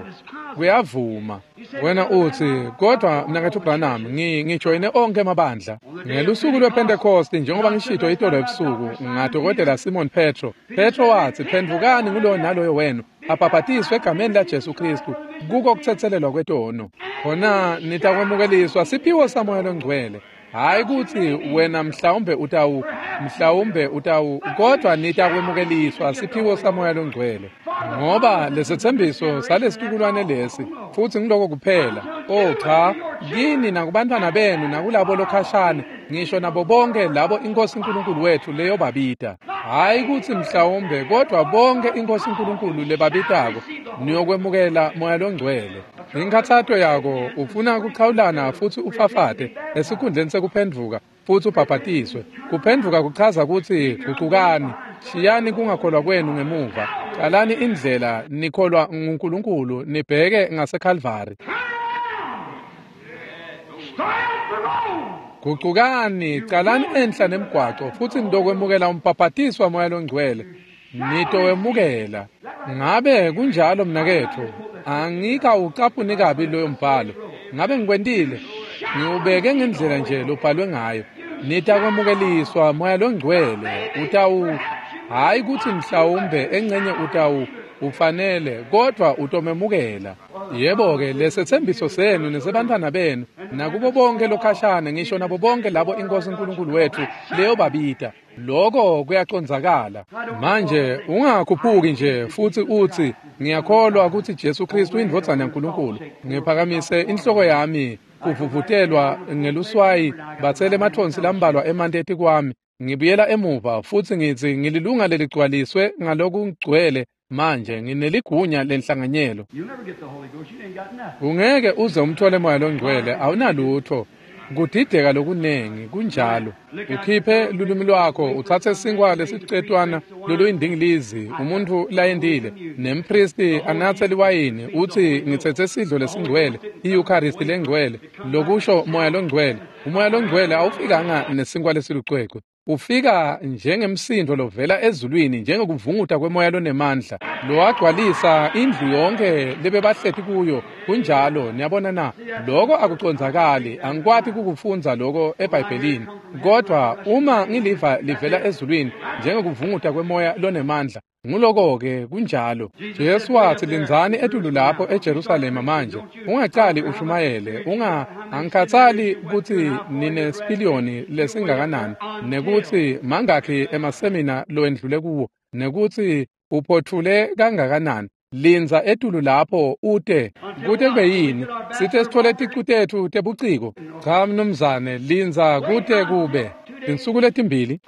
kuyavuma. Wena uthi, kodwa mnaketfu Branham, ngijoyine onke emabandla. Ngelusuku lwePentecost, njengoba ngishito itolo ebusuku, ngadokotela Simon Petro. Petro wathi, phendvukani nguloyo naloyo wenu, abhabhatiswe egameni laJesu Kristu kuko kutsetselelwa kwetono. Khona nitakwemukeliswa siphiwo saMoya loNgcwele. Hayi kuthi wena mhlawumbe utawu, mhlawumbe utawu, kodwa nitakwemukeliswa siphiwo saMoya loNgcwele. Ngoba lesethembiso salesitukulwane lesi, futhi ngiloko kuphela. Oh cha, kini nakubantwana benu nakulabo lokhashane, ngisho nabo bonke labo iNkosi uNkulunkulu wethu leyobabita. Hayi kuthi mhlawumbe, kodwa bonke iNkosi uNkulunkulu lebabitako niyokwemukela Moya loNgcwele. Inkhathato yakho ufuna kuchawulana futsi ufafate esikhundleni sekuphendvuka futsi ubhabhatiswe. Kuphendvuka kuchaza kutsi gucukani, shiyani kungakholwa kwenu ngemuva, calani indlela nikholwa nguNkulunkulu nibheke ngaseKalvari. Gucukani, calani enhla nemgwaco futsi nitokwemukela umbhabhatiso waMoya loNgcwele. Nitowemukela. Ngabe kunjalo mnaketfu? Angikawucaphuni kabi loyo mbhalo. Ngabe ngikwentile? Ngiwubeke ngendlela nje lobhalwe ngayo. Nitakwemukeliswa Moya loNgcwele. Utawu hayi kutsi mhlawumbe engcenye utawu ufanele kodvwa utomemukela. Yebo-ke lesethembiso senu nesebantfwana benu nakubo bonke lokhashane ngisho nabo bonke labo iNkosi uNkulunkulu wethu leyobabita. Lokho kuyacondzakala. Manje ungakhuphuki nje futsi utsi ngiyakholwa kutsi Jesu Kristu indvodzana yaNkulunkulu. Ngiphakamise inhloko yami kuvuvutelwa ngeluswayi batsele emathonsi lambalwa emanti etikwami. Ngibuyela emuva futsi ngitsi ngililunga leligcwaliswe ngalokugcwele manje ngineligunya lenhlanganyelo. Ungeke uze umthole Moya loNgcwele, awunalutho. Kudideka lokunengi kunjalo. Ukhiphe lulwimi lwakho utsatse sinkwa lesicetwana loluyindingilizi umuntu layendile nempristi anatse liwayini utsi ngitsetse sidlo lesingcwele i-Eucharist lengcwele lokusho Moya loNgcwele. Umoya loNgcwele awufikanga nesinkwa lesilucwecwe. Ufika njengemsindo lovela ezulwini njengokuvunguta kwemoya lonemandla lowagcwalisa indlu yonke lebebahleti kuyo. Kunjalo, niyabona na? Lokho akucondzakali, angikwati kukufundza lokho eBhayibhelini, kodwa uma ngiliva livela ezulwini njengokuvunguta kwemoya lonemandla, nguloko-ke kunjalo. Jesu watsi lindzani etulu lapho eJerusalema manje, ungacali ushumayele, unga angikhatsali kutsi ninesipiliyoni lesingakanani, nekutsi mangakhi emasemina lowendlule kuwo, nekutsi uphotfule kangakanani. Lindza etulu lapho ute kute kube yini sithe sithole ticu tetfu tebuciko. Cha mnumzane, lindza kute kube tinsuku letimbili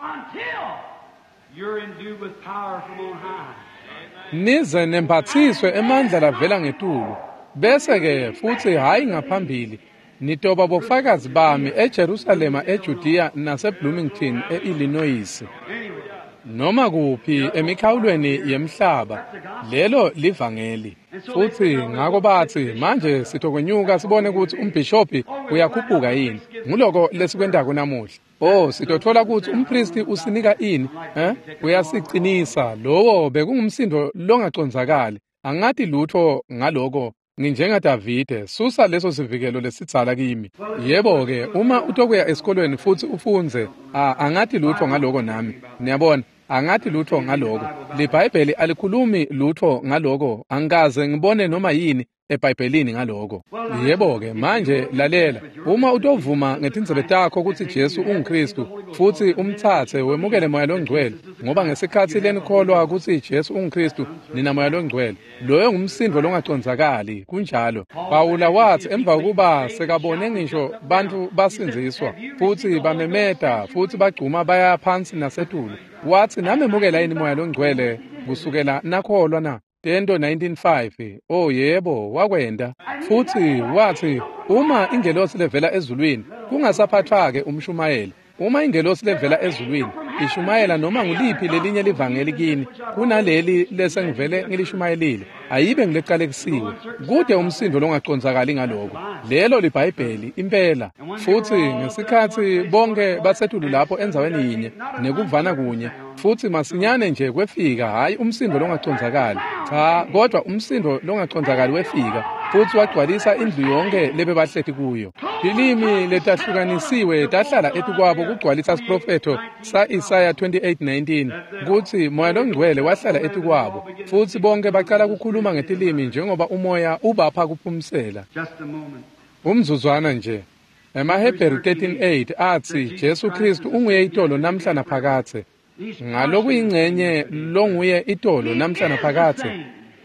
nize nemphathiswe emandla lavela ngetulu, bese-ke futsi hhayi ngaphambili nitoba bofakazi bami eJerusalema, eJudiya naseBloomington e-Illinois, noma kuphi emikhawulweni yemhlaba. Lelo livangeli. Futsi ngako batsi manje sitokwenyuka sibone kutsi umbhishobhi uyakhuphuka yini. Nguloko lesikwentako namuhla. Oh, sitotfola kutsi umpristi usinika ini, eh? Uyasicinisa. Lowo bekungumsindo longacondzakali. Angati lutho ngaloko. NginjengaDavide, susa leso sivikelo lesidzala kimi. Yebo-ke, uma utokuya esikolweni futsi ufundze, angati lutho ngaloko nami. Niyabona, angati lutho ngaloko. LiBhayibheli alikhulumi lutho ngaloko. Angikaze ngibone noma yini eBhayibhelini ngaloko. Yebo-ke, manje lalela. Uma utovuma ngetindzebe takho kutsi Jesu unguKristu futsi umtsatse wemukele Moya loNgcwele, ngoba ngesikhatsi lenikholwa kutsi Jesu unguKristu nina Moya loNgcwele. Loyo ngumsindo longacondzakali, kunjalo. Pawula watsi emva kokuba sekabone ngisho bantfu basindziswa futsi bamemeta futsi bagcuma baya phansi nasetulu, watsi namemukela yini Moya loNgcwele kusukela nakholwa na? Tento nineteen five. Oh yebo, wakwenda. Futsi watsi uma ingelosi levela ezulwini, kungasaphathwa-ke umshumayeli. Uma ingelosi levela ezulwini ishumayela noma nguliphi lelinye livangeli kini kunaleli lesengivele ngilishumayelile, ayibe ngilecalekisiwe. Kude umsindo longacondzakali ngaloko. Lelo liBhayibheli impela. Futsi ngesikhatsi bonke basetulu lapho endzaweni yinye nekuvana kunye, futsi masinyane nje kwefika hhayi umsindo longacondzakali, cha, kodwa umsindo longacondzakali wefika futsi wagcwalisa indlu yonke lebebahleti kuyo. Tilimi letahlukanisiwe tahlala etikwabo kugcwalisa siprofetho sa-Isaya twenty-eight nineteen kutsi Moya loNgcwele wahlala etikwabo futsi bonke bacala kukhuluma ngetilimi njengoba umoya ubapha kuphumsela. Umzuzwana nje. EmaHebheru thirteen eight atsi Jesu Kristu unguye itolo namhla naphakadze. Ngalokuyingcenye longuye itolo namhla naphakadze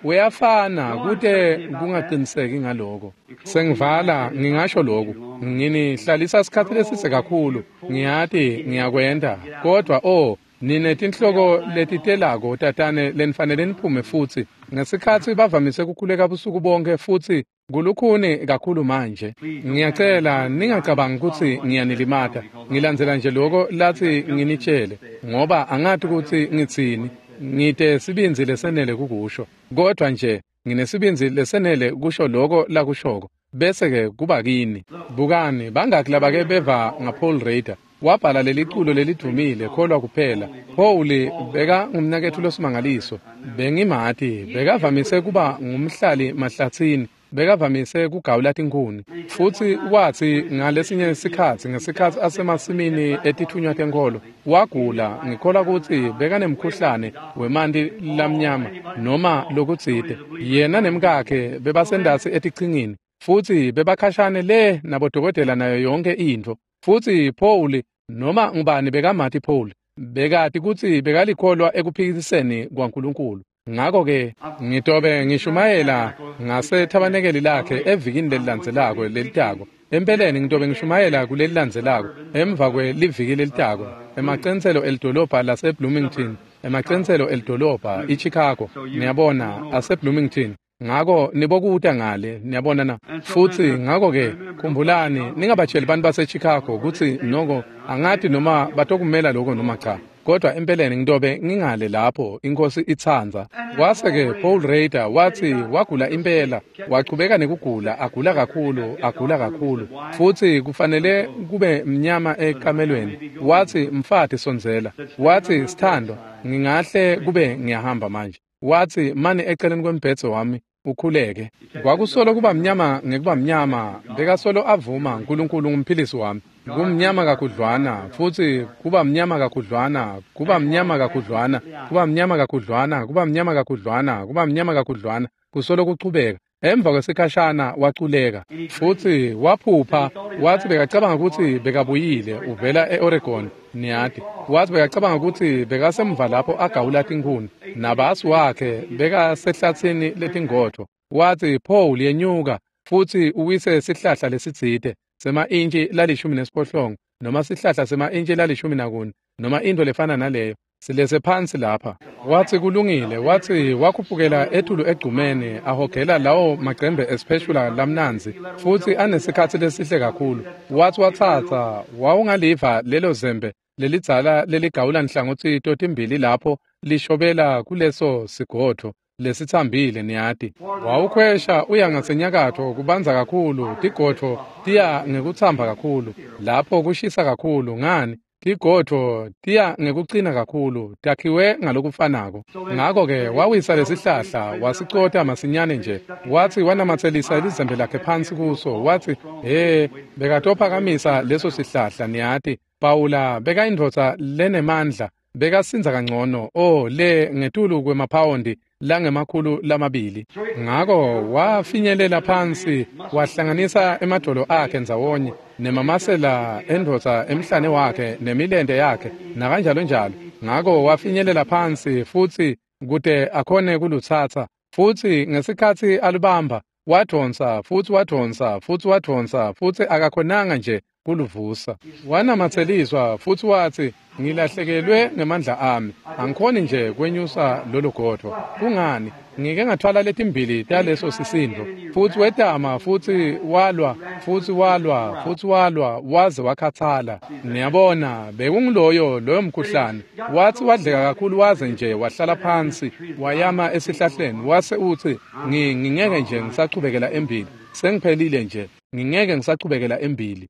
uyafana, kute kungaqiniseki ngaloko. Sengivala ngingasho lokhu, nginihlalisa isikhathi lesise kakhulu, ngiyati ngiyakwenda, kodwa oh ninetinhloko letitelako tatane lenifanele niphume futsi. Ngesikhatsi bavamise kukhuleka busuku bonke futsi Kulukhuni kakhulu manje. Ngiyacela ningacabangi kutsi ngiyanilimata. Ngilandzela nje loko lathi nginitshele, ngoba angati kutsi ngitsini. Ngite sibindzi lesenele kukusho, kodwa nje nginesibindzi lesenele kusho loko lakushoko. Bese-ke kuba kini. Bukani, bangaki labake beva ngaPaul Rader? Wabhala leliculo lelidvumile, Kholwa Kuphela. Paul beka ngumnaketfu losimangaliso. Bengimati, bekavamise kuba ngumhlali mahlatsini, bekavamise kugawula tinkhuni. Futsi watsi ngalesinye sikhatsi, ngesikhatsi asemasimini etitfunywa tenkholo, wagula, ngikholwa kutsi bekanemkhuhlane wemanti lamnyama noma lokutsite. Yena nemkakhe bebasendasi etichingini, futsi bebakhashane le nabodokotela nayo yonke intfo. Futsi Paul, noma ngubani bekamati Paul, bekati kutsi bekalikholwa ekuphikiseni kwaNkulunkulu. Ngakho-ke ngitobe ngishumayela ngasethabanekeli lakhe evikini lelilandzelako lelitako. Empeleni ngitobe ngishumayela kulelilandzelako emva kweliviki lelitako emaceniselo elidolobha laseBloomington, emaceniselo elidolobha iChicago, niyabona, aseBloomington. Ngako nibokuta ngale, niyabona na. Futsi ngako-ke khumbulani, ningabatsheli bantu baseChicago kutsi noko angati noma batokumela lokho noma cha. Kodwa empeleni ngitobe ngingale lapho inkosi itsandza. Kwase-ke Paul Rader watsi wagula impela, wachubeka nekugula, agula kakhulu, agula kakhulu. Futsi kufanele kube mnyama ekamelweni. Watsi mfati sondzela. Watsi sithandwa, ngingahle kube ngiyahamba manje. Watsi mane eceleni kwembhedze wami ukhuleke. Kwakusolo kuba mnyama ngekuba mnyama, bekasolo avuma uNkulunkulu ngumphilisi wami. Kumnyama kakhudlwana, futsi kuba mnyama kakhudlwana, kuba mnyama kakhudlwana, kuba mnyama kakhudlwana, kuba mnyama kakhudlwana, kuba mnyama kakhudlwana, kusolo kuchubeka. Emva kwesikhashana waculeka, futsi waphupha. Watsi bekacabanga kutsi bekabuyile uvela e-Oregon, niyati. Watsi bekacabanga kutsi bekasemva lapho agawula tinkhuni, nabasi wakhe bekasehlatsini letingodvo. Watsi Paul yenyuka futsi uwise sihlahla lesitsite sema-intshi lalishumi nesiphohlongo noma sihlahla sema-intshi lalishumi nakune noma intfo lefana naleyo, silese phansi lapha. Watsi kulungile. Watsi wakhuphukela etulu egcumeni ahogela lawo macembe esipheshula lamnandzi, futsi anesikhatsi lesihle kakhulu. Watsi watsatsa wawungaliva lelo zembe lelidzala leligawula nhlangothi totimbili lapho lishobela kuleso sigodvo lesitsambile, niyati. Wawukhwesha uya ngasenyakatfo kubanza kakhulu, tigodvo tiya ngekutsamba kakhulu, lapho kushisa kakhulu. Ngani? Tigodvo tiya ngekucina kakhulu, takhiwe ngalokufanako. Ngako-ke wawisa lesihlahla wasicota masinyane nje. Watsi wanamatselisa lizembe lakhe phansi kuso. Watsi he, bekatophakamisa leso sihlahla, niyati. Pawula bekayindvodza lenemandla, bekasindza kangcono, oh le ngetulu kwemaphawondi langemakhulu lamabili. Ngako wafinyelela phansi, wahlanganisa emadolo akhe ndzawonye nemamasela endvodza emhlane wakhe nemilente yakhe nakanjalo njalo. Ngako wafinyelela phansi futsi kute akhone kulutsatsa. Futsi ngesikhatsi alubamba, wadvonsa futsi wadvonsa futsi wadvonsa futsi akakhonanga nje kuluvusa. Wanamatseliswa futsi watsi ngilahlekelwe ngemandla ami, angikhoni nje kwenyusa lolo godvo. Kungani? Ngike ngathwala letimbili taleso sisindvo. Futsi wetama futsi walwa futsi walwa futsi walwa waze wakhathala. Niyabona, bekunguloyo loyo mkhuhlane. Watsi wadleka kakhulu waze nje wahlala phansi, wayama esihlahleni, wase utsi ngingeke nje ngisachubekela embili, sengiphelile nje, ngingeke ngisachubekela embili.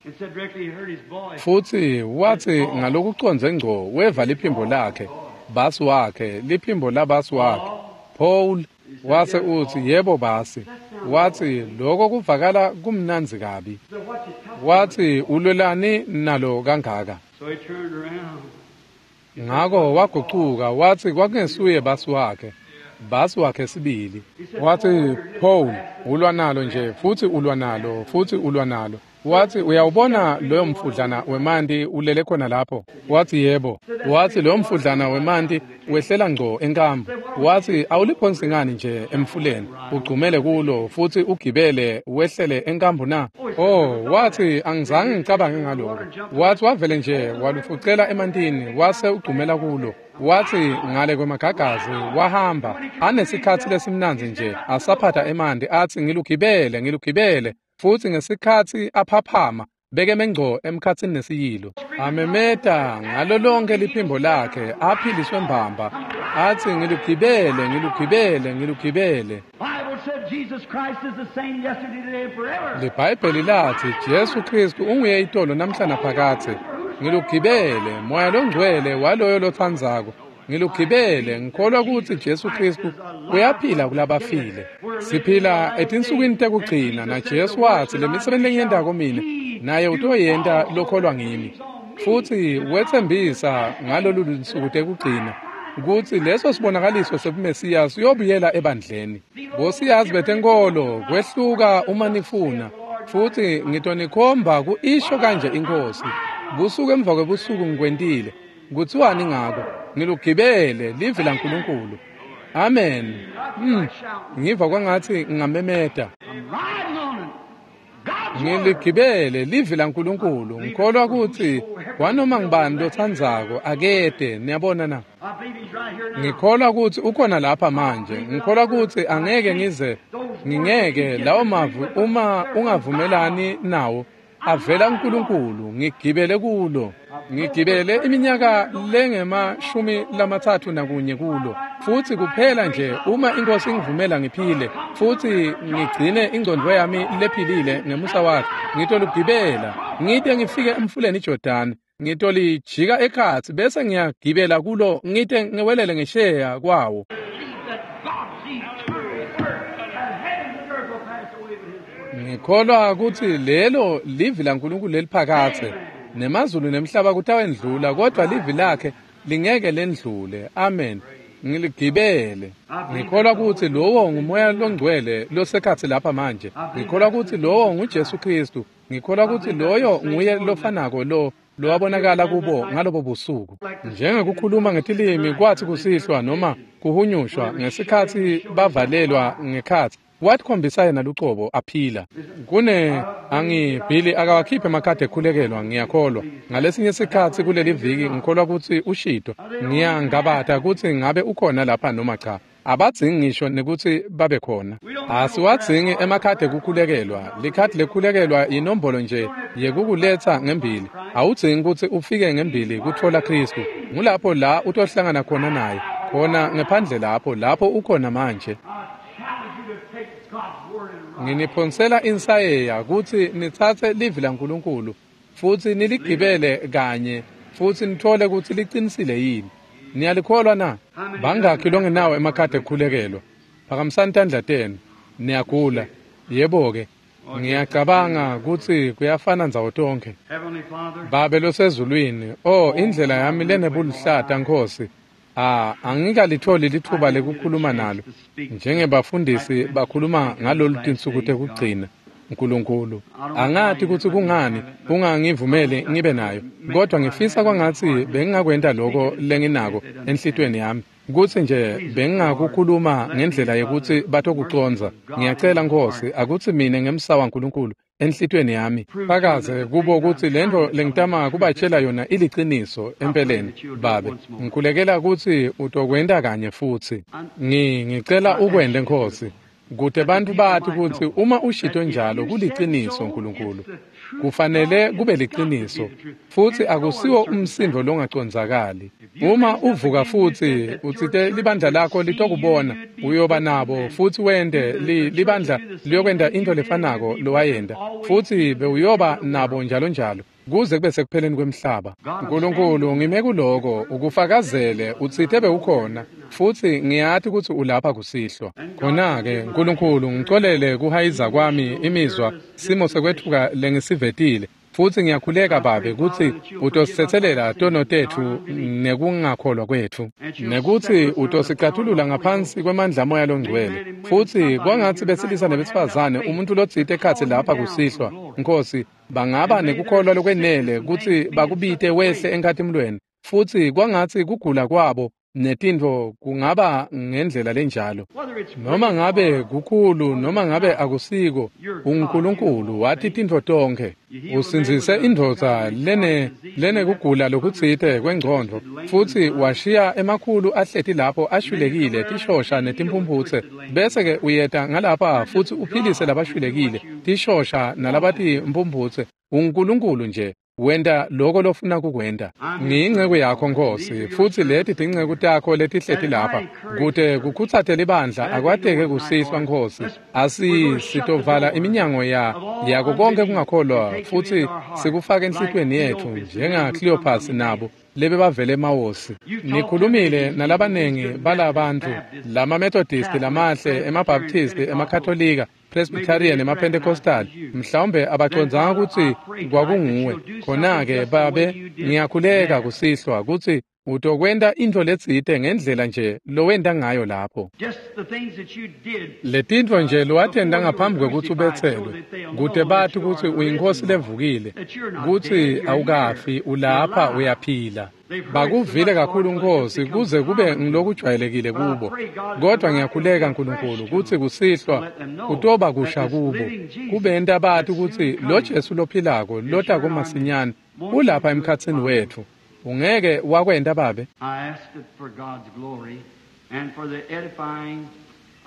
Futsi watsi ngalokucondze ngco weva liphimbo lakhe, basi wakhe, liphimbo labasi wakhe, Paul. Wase utsi yebo basi. Watsi lokho kuvakala kumnandzi kabi. Watsi ulwelani nalo kangaka? Ngako wagucuka, watsi kwakungesuye basi wakhe, basi wakhe sibili. Watsi Paul ulwa nalo nje, futsi ulwa nalo, futsi ulwa nalo. Watsi uyawubona loyo mfudlana wemanti ulele khona lapho? Watsi yebo. Watsi loyo mfudlana wemanti wehlela ngco enkambu. Watsi awuliphonsi ngani nje emfuleni, ugcumele kulo futsi ugibele wehlele enkambu na? Oh, watsi angizange ngicabange ngaloko. Watsi wavele nje walufucela emantini wase ugcumela kulo. Wathi ngale kwemagagazi wahamba anesikhatsi lesimnandzi nje asaphatha emanti atsi ngilugibele ngilugibele futsi ngesikhatsi aphaphama bekeme ngco emkhatsini nesiyilo amemeta ngalo lonke liphimbo lakhe aphiliswe mbamba atsi ngilugibele ngilugibele ngilugibele. LiBhayibheli lathi Jesu Kristu unguye itolo namhla naphakadze. Ngilugibele moya longcwele waloyo lotsandzako. Ngilugibele ngikholwa kutsi Jesu Kristu uyaphila kulabafile. Siphila etinsukwini tekugcina na Jesu watsi lemisebenti lengiyentako mine naye utoyenta lokholwa ngimi. Futsi wetsembisa ngalolu lusuku tekugcina kutsi leso sibonakaliso sebuMesiya siyobuyela ebandleni. Bosiyazi betenkolo kwehluka uma nifuna futsi ngitonikhomba kuisho kanje inkosi. Busuku emva kwebusuku ngikwentile. Kutsiwani ngako? Ngilugibele livi laNkulunkulu. Amen. Mm. Ngiva kwangatsi ngingamemeta. Ngiligibele livi laNkulunkulu. Ngikholwa kutsi kwanoma ngibani lotsandzako akete. Niyabona na? Ngikholwa kutsi ukhona lapha manje. Ngikholwa kutsi angeke ngize ngingeke lawo mavu uma ungavumelani nawo avela kuNkulunkulu. Ngigibele kulo. Ngigibele iminyaka lengemashumi lamatsatfu nakunye kulo futsi kuphela nje uma inkosi ingivumela ngiphile futsi ngigcine ingcondvo yami lephilile ngemusa wakhe ngitolugibela ngite ngifike emfuleni iJordani ngitolijika ekhatsi bese ngiyagibela kulo ngite ngiwelele ngesheya kwawo. Ngikholwa kutsi lelo livi laNkulunkulu leliphakadze nemazulu nemhlaba kutawendlula kodwa livi lakhe lingeke lendlule. Amen. Ngiligibele. Ngikholwa kutsi lowo ngumoya longcwele losekhatsi lapha manje. Ngikholwa kutsi lowo nguJesu Kristu. Ngikholwa kutsi loyo nguye lofanako lo lowabonakala kubo ngalobo busuku. Njengekukhuluma ngetilimi kwathi kusihlwa noma kuhunyushwa ngesikhatsi bavalelwa ngekhatsi watikhombisa yena lucobo aphila. Kune angibhili akawakhiphe emakhadi ekhulekelwa ngiyakholwa. Ngalesinye sikhatsi kuleli viki ngikholwa kutsi ushito. Ngiyangabata kutsi ngabe ukhona lapha noma cha. Abadzingi ngisho nekutsi babe khona. Asiwadzingi emakhadi ekukhulekelwa. Likhadi lekhulekelwa inombolo nje yekukuletsa ngembili. Awudzingi kutsi ufike ngembili kutfola Kristu. Ngulapho la utohlangana khona naye. Khona ngephandle lapho lapho ukhona manje. Nginiphonsela insayeya kutsi nitsatse livi laNkulunkulu futsi niligibele kanye futsi nithole kutsi licinisile yini. Niyalikholwa na? Bangakhi longenawo emakhadi ekukhulekelwa? Phakamisani tandla tenu. Niyagula? Yebo-ke. Ngiyacabanga kutsi kuyafana ndzawo tonkhe. Babe losezulwini, oh indlela yami lenebuluhlata Nkhosi. Ah, angikalitholi lithuba lekukhuluma nalo njengebafundisi bakhuluma ngalolu tinsuku tekugcina. Nkulunkulu, angati kutsi kungani ungangivumeli ngibe nayo, kodwa ngifisa kwangatsi bengingakwenta lokho lenginako enhlitiyweni yami kutsi nje bengingakukhuluma ngendlela yekutsi batokucondza. Ngiyacela Nkhosi akutsi mine ngemsa waNkulunkulu enhlitiyweni yami fakaze kubo kutsi lento lengitama kubatshela yona iliciniso empeleni. Babe, ngikhulekela kutsi utokwenta kanye futsi. Ngi ngicela ukwente Nkhosi kute bantfu bati kutsi uma ushito njalo kuliciniso Nkulunkulu. Kufanele kube liciniso futsi akusiwo umsindo longacondzakali. Uma uvuka futsi utsite libandla lakho litokubona uyoba nabo futsi wente li, libandla liyokwenta into lefanako lowayenta futsi bewuyoba nabo njalo njalo kuze kube sekupheleni kwemhlaba. Nkulunkulu, ngime kuloko ukufakazele utsite bewukhona futsi ngiyati kutsi ulapha kusihlwa. Khona-ke Nkulunkulu, ngicolele kuhayiza kwami imizwa simo sekwetfuka lengisivetile futsi ngiyakhuleka Babe kutsi utosithethelela tono tetfu nekungakholwa kwetfu nekutsi utosicatulula ngaphansi kwemandla amoya longcwele futsi kwangatsi besilisa nebesifazane umuntu lotsite ekhatsi lapha kusihlwa Nkhosi bangaba nekukholwa lokwenele kutsi bakubite wehle enkhatimulweni futsi kwangatsi kugula kwabo netintfo kungaba ngendlela lenjalo. Noma ngabe kukhulu noma ngabe akusiko, uNkulunkulu wathi tintfo tonkhe. Usindzise indvodza lene lenekugula lokutsite kwengcondvo futsi washiya emakhulu ahleti lapho ashwilekile tishosha netimphumputse, bese-ke uyeta ngalapha futsi uphilise labashwilekile tishosha nalabatimphumphutse. UNkulunkulu nje wenta loko lofuna kukwenta. Ngiyinceku yakho Nkosi, futsi leti tinceku takho letihleti lapha kute kukhutsate libandla akwateke kusihlwa Nkosi. Asi sitovala iminyango ya yako konke kungakholwa futsi sikufake enhlitiyweni yetfu njenga Cleopas nabo lebebavele emawosi. Nikhulumile nalabanengi balabantfu lama-Methodist lamahle, emaBaptist, emaKatolika, Presbyterian nemaPentecostal, mhlawumbe abacondzanga kutsi kwakunguwe. Khona-ke Babe, ngiyakhuleka kusihlwa kutsi utokwenta intfo letsite ngendlela nje lowenta ngayo lapho. Letintfo nje lowatenta ngaphambi kwekutsi ubetselwe, kute bati kutsi uyinkosi levukile, kutsi awukafi, ulapha uyaphila. Bakuvile kakhulu Nkosi kuze kube ngilokujwayelekile kubo. Kodwa ngiyakhuleka Nkulunkulu kutsi kusihlwa kutoba kusha kubo, kubenta bati kutsi lo Jesu lophilako lota kumasinyane ulapha emkhatsini wetfu. Ungeke wakwenta Babe. I ask it for God's glory and for the edifying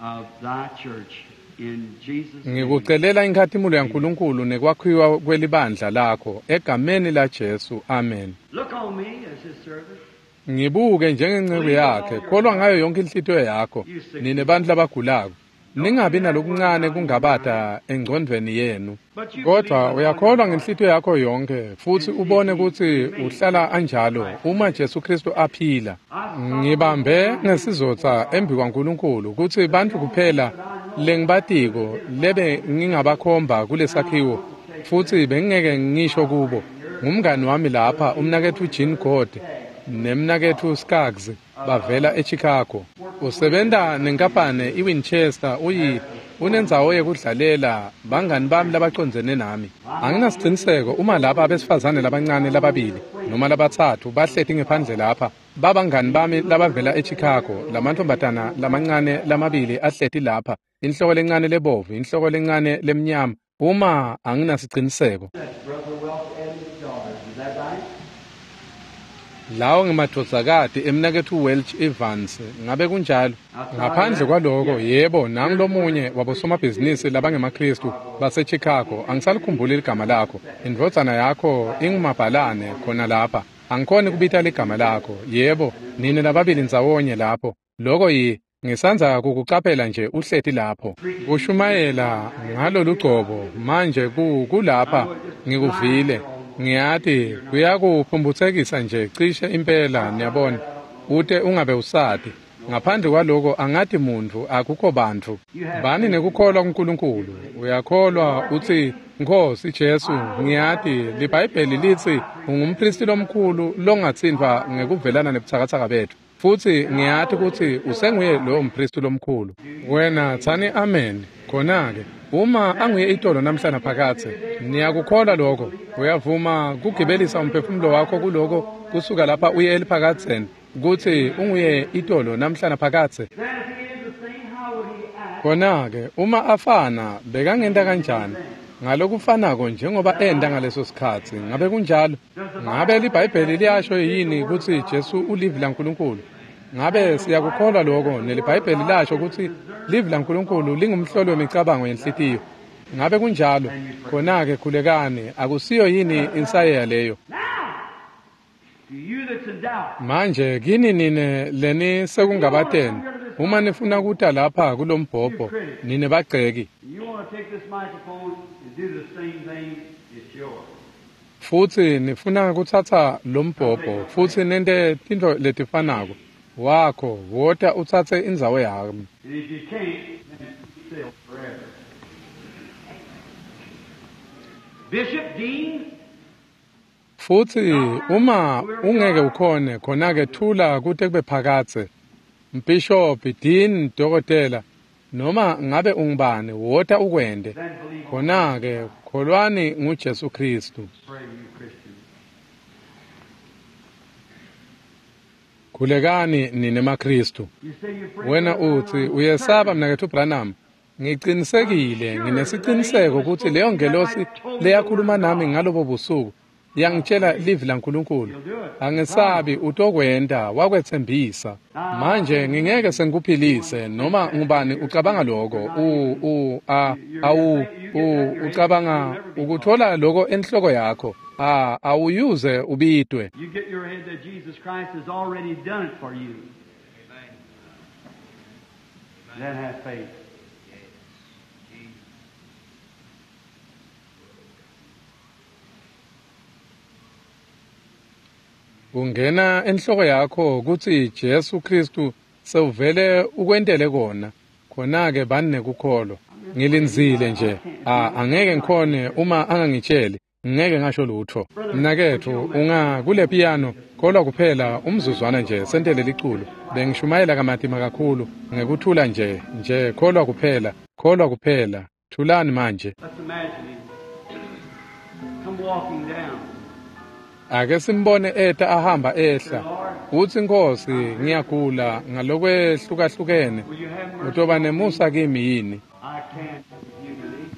of thy church in Jesus' name. Ngikucelela inkhatimulo yaNkulunkulu nekwakhiwa kwelibandla lakho egameni la Jesu. Amen. Look on me as his servant. Ngibuke njengenceku yakhe, kholwa ngayo yonke inhlitiyo yakho, nine bantfu labagulako. Ningabi nalokuncane kungabata engcondvweni yenu. Kodwa uyakholwa ngenhlitiyo yakho yonke futsi ubone kutsi uhlala anjalo uma Jesu Kristu aphila. Ngibambe ngesizotsa embi kwaNkulunkulu kutsi bantfu kuphela lengibatiko lebe ngingabakhomba kulesakhiwo futsi bengingeke ngisho kubo ngumngani wami lapha umnaketfu Jean God nemnaketfu Skaggs bavela eChicago. Usebenta nenkampane iWinchester, uyi unendzawo yekudlalela bangani bami labacondzene nami. Anginasiciniseko uma lapha abesifazane labancane lababili noma labatsatfu bahleti ngephandle lapha babangani bami labavela eChicago, lamantfombatana lamancane lamabili ahleti lapha, inhloko lencane lebovu, inhloko lencane lemnyama. Uma anginasiciniseko. That's Brother Welch and his daughters. Is that right? Lawo ngemadvodzakati emnaketfu Welch Evans, ngabe kunjalo? Ngaphandle kwaloko, yebo, nangulomunye wabosomabhizinisi labangemaKristu baseChicago, angisalikhumbuli ligama lakho. Indvodzana yakho ingumabhalane khona lapha. Angikhoni kubita ligama lakho. Yebo, nine lababili ndzawonye lapho. Loko yi ngisandza kukucaphela nje uhleti lapho. Kushumayela ngalolugcobo manje ku kulapha ngikuvile. Ngiyati kuyakuphumphutsekisa nje cishe impela, niyabona, ute ungabe usati. Ngaphandle kwaloko angati muntfu, akukho bantfu. Bani nekukholwa kuNkulunkulu. Uyakholwa utsi Nkosi Jesu, ngiyati liBhayibheli litsi ungumpristi lomkhulu longatsintfwa ngekuvelana nebutsakatsaka betfu. Futsi ngiyati kutsi usenguye lowo mpristi lomkhulu. Wena tsani amen. Khona-ke uma anguye itolo namhla naphakadze, niyakukholwa lokho? Uyavuma kugibelisa umphefumulo wakho kuloko kusuka lapha uye eliphakadzeni kutsi unguye itolo namhla naphakadze? Then if he is the same, how would he act? Khona-ke uma afana bekangenta kanjani? Ngalokufanako njengoba enta ngaleso sikhatsi. Ngabe kunjalo? Ngabe liBhayibheli liyasho yini kutsi Jesu ulivi laNkulunkulu? Ngabe siyakukholwa lokho? NeliBhayibheli lasho kutsi livi laNkulunkulu lingumhloli wemicabango yenhlitiyo. Ngabe kunjalo? Khona-ke khulekani, akusiyo yini insayeya leyo? Now, to you that's in doubt, Manje kini nine leni sekungabateni, uma nifuna kuta lapha kulombhobho, nine bagceki, you want to take this microphone and do the same thing, it's yours. futsi nifuna kutsatsa lombhobho futsi nente tintfo letifanako, wakho wota utsatse indzawo yami. And if you can't, then still forever. Bishop, Dean, Futsi uma ungeke ukhone, khona-ke thula kute kube phakadze. Mbhishobhi, dean, dokotela, noma ngabe ungubani, wota ukwente. then believe on Khona-ke kholwani nguJesu Kristu. Pray, you Christians. Khulekani nine maKristu. Wena uthi uyesaba mnaketfu Branham. Ngiqinisekile, nginesiqiniseko ukuthi leyo ngelosi leyakhuluma nami ngalobo busuku yangitshela livi laNkulunkulu. Angesabi, utokwenta, wakwetsembisa. Manje ngingeke sengikuphilise noma ngubani ucabanga lokho. U u a awu u ucabanga ukuthola lokho enhloko yakho. A awuyuze ubidwe. You get your head that Jesus Christ has already done it for you. Then have faith. Kungena enhloko yakho kutsi Jesu Kristu sewuvele ukwentele kona. Khona-ke bani nekukholwa. Ngilindzile nje. A angeke ngikhone uma angangitsheli. Ngeke ngasho lutho. Mnaketfu unga kule piano kholwa kuphela umzuzwana nje sentele liculo. Bengishumayela kamatima kakhulu ngekuthula nje nje kholwa kuphela kholwa kuphela. Thulani manje. Let's imagine him. Come walking down. Ake simbone eta ahamba ehla. Uthi Nkosi ngiyagula ngalokwehlukahlukahlukene. Utoba nemusa kimi yini? I can't you believe.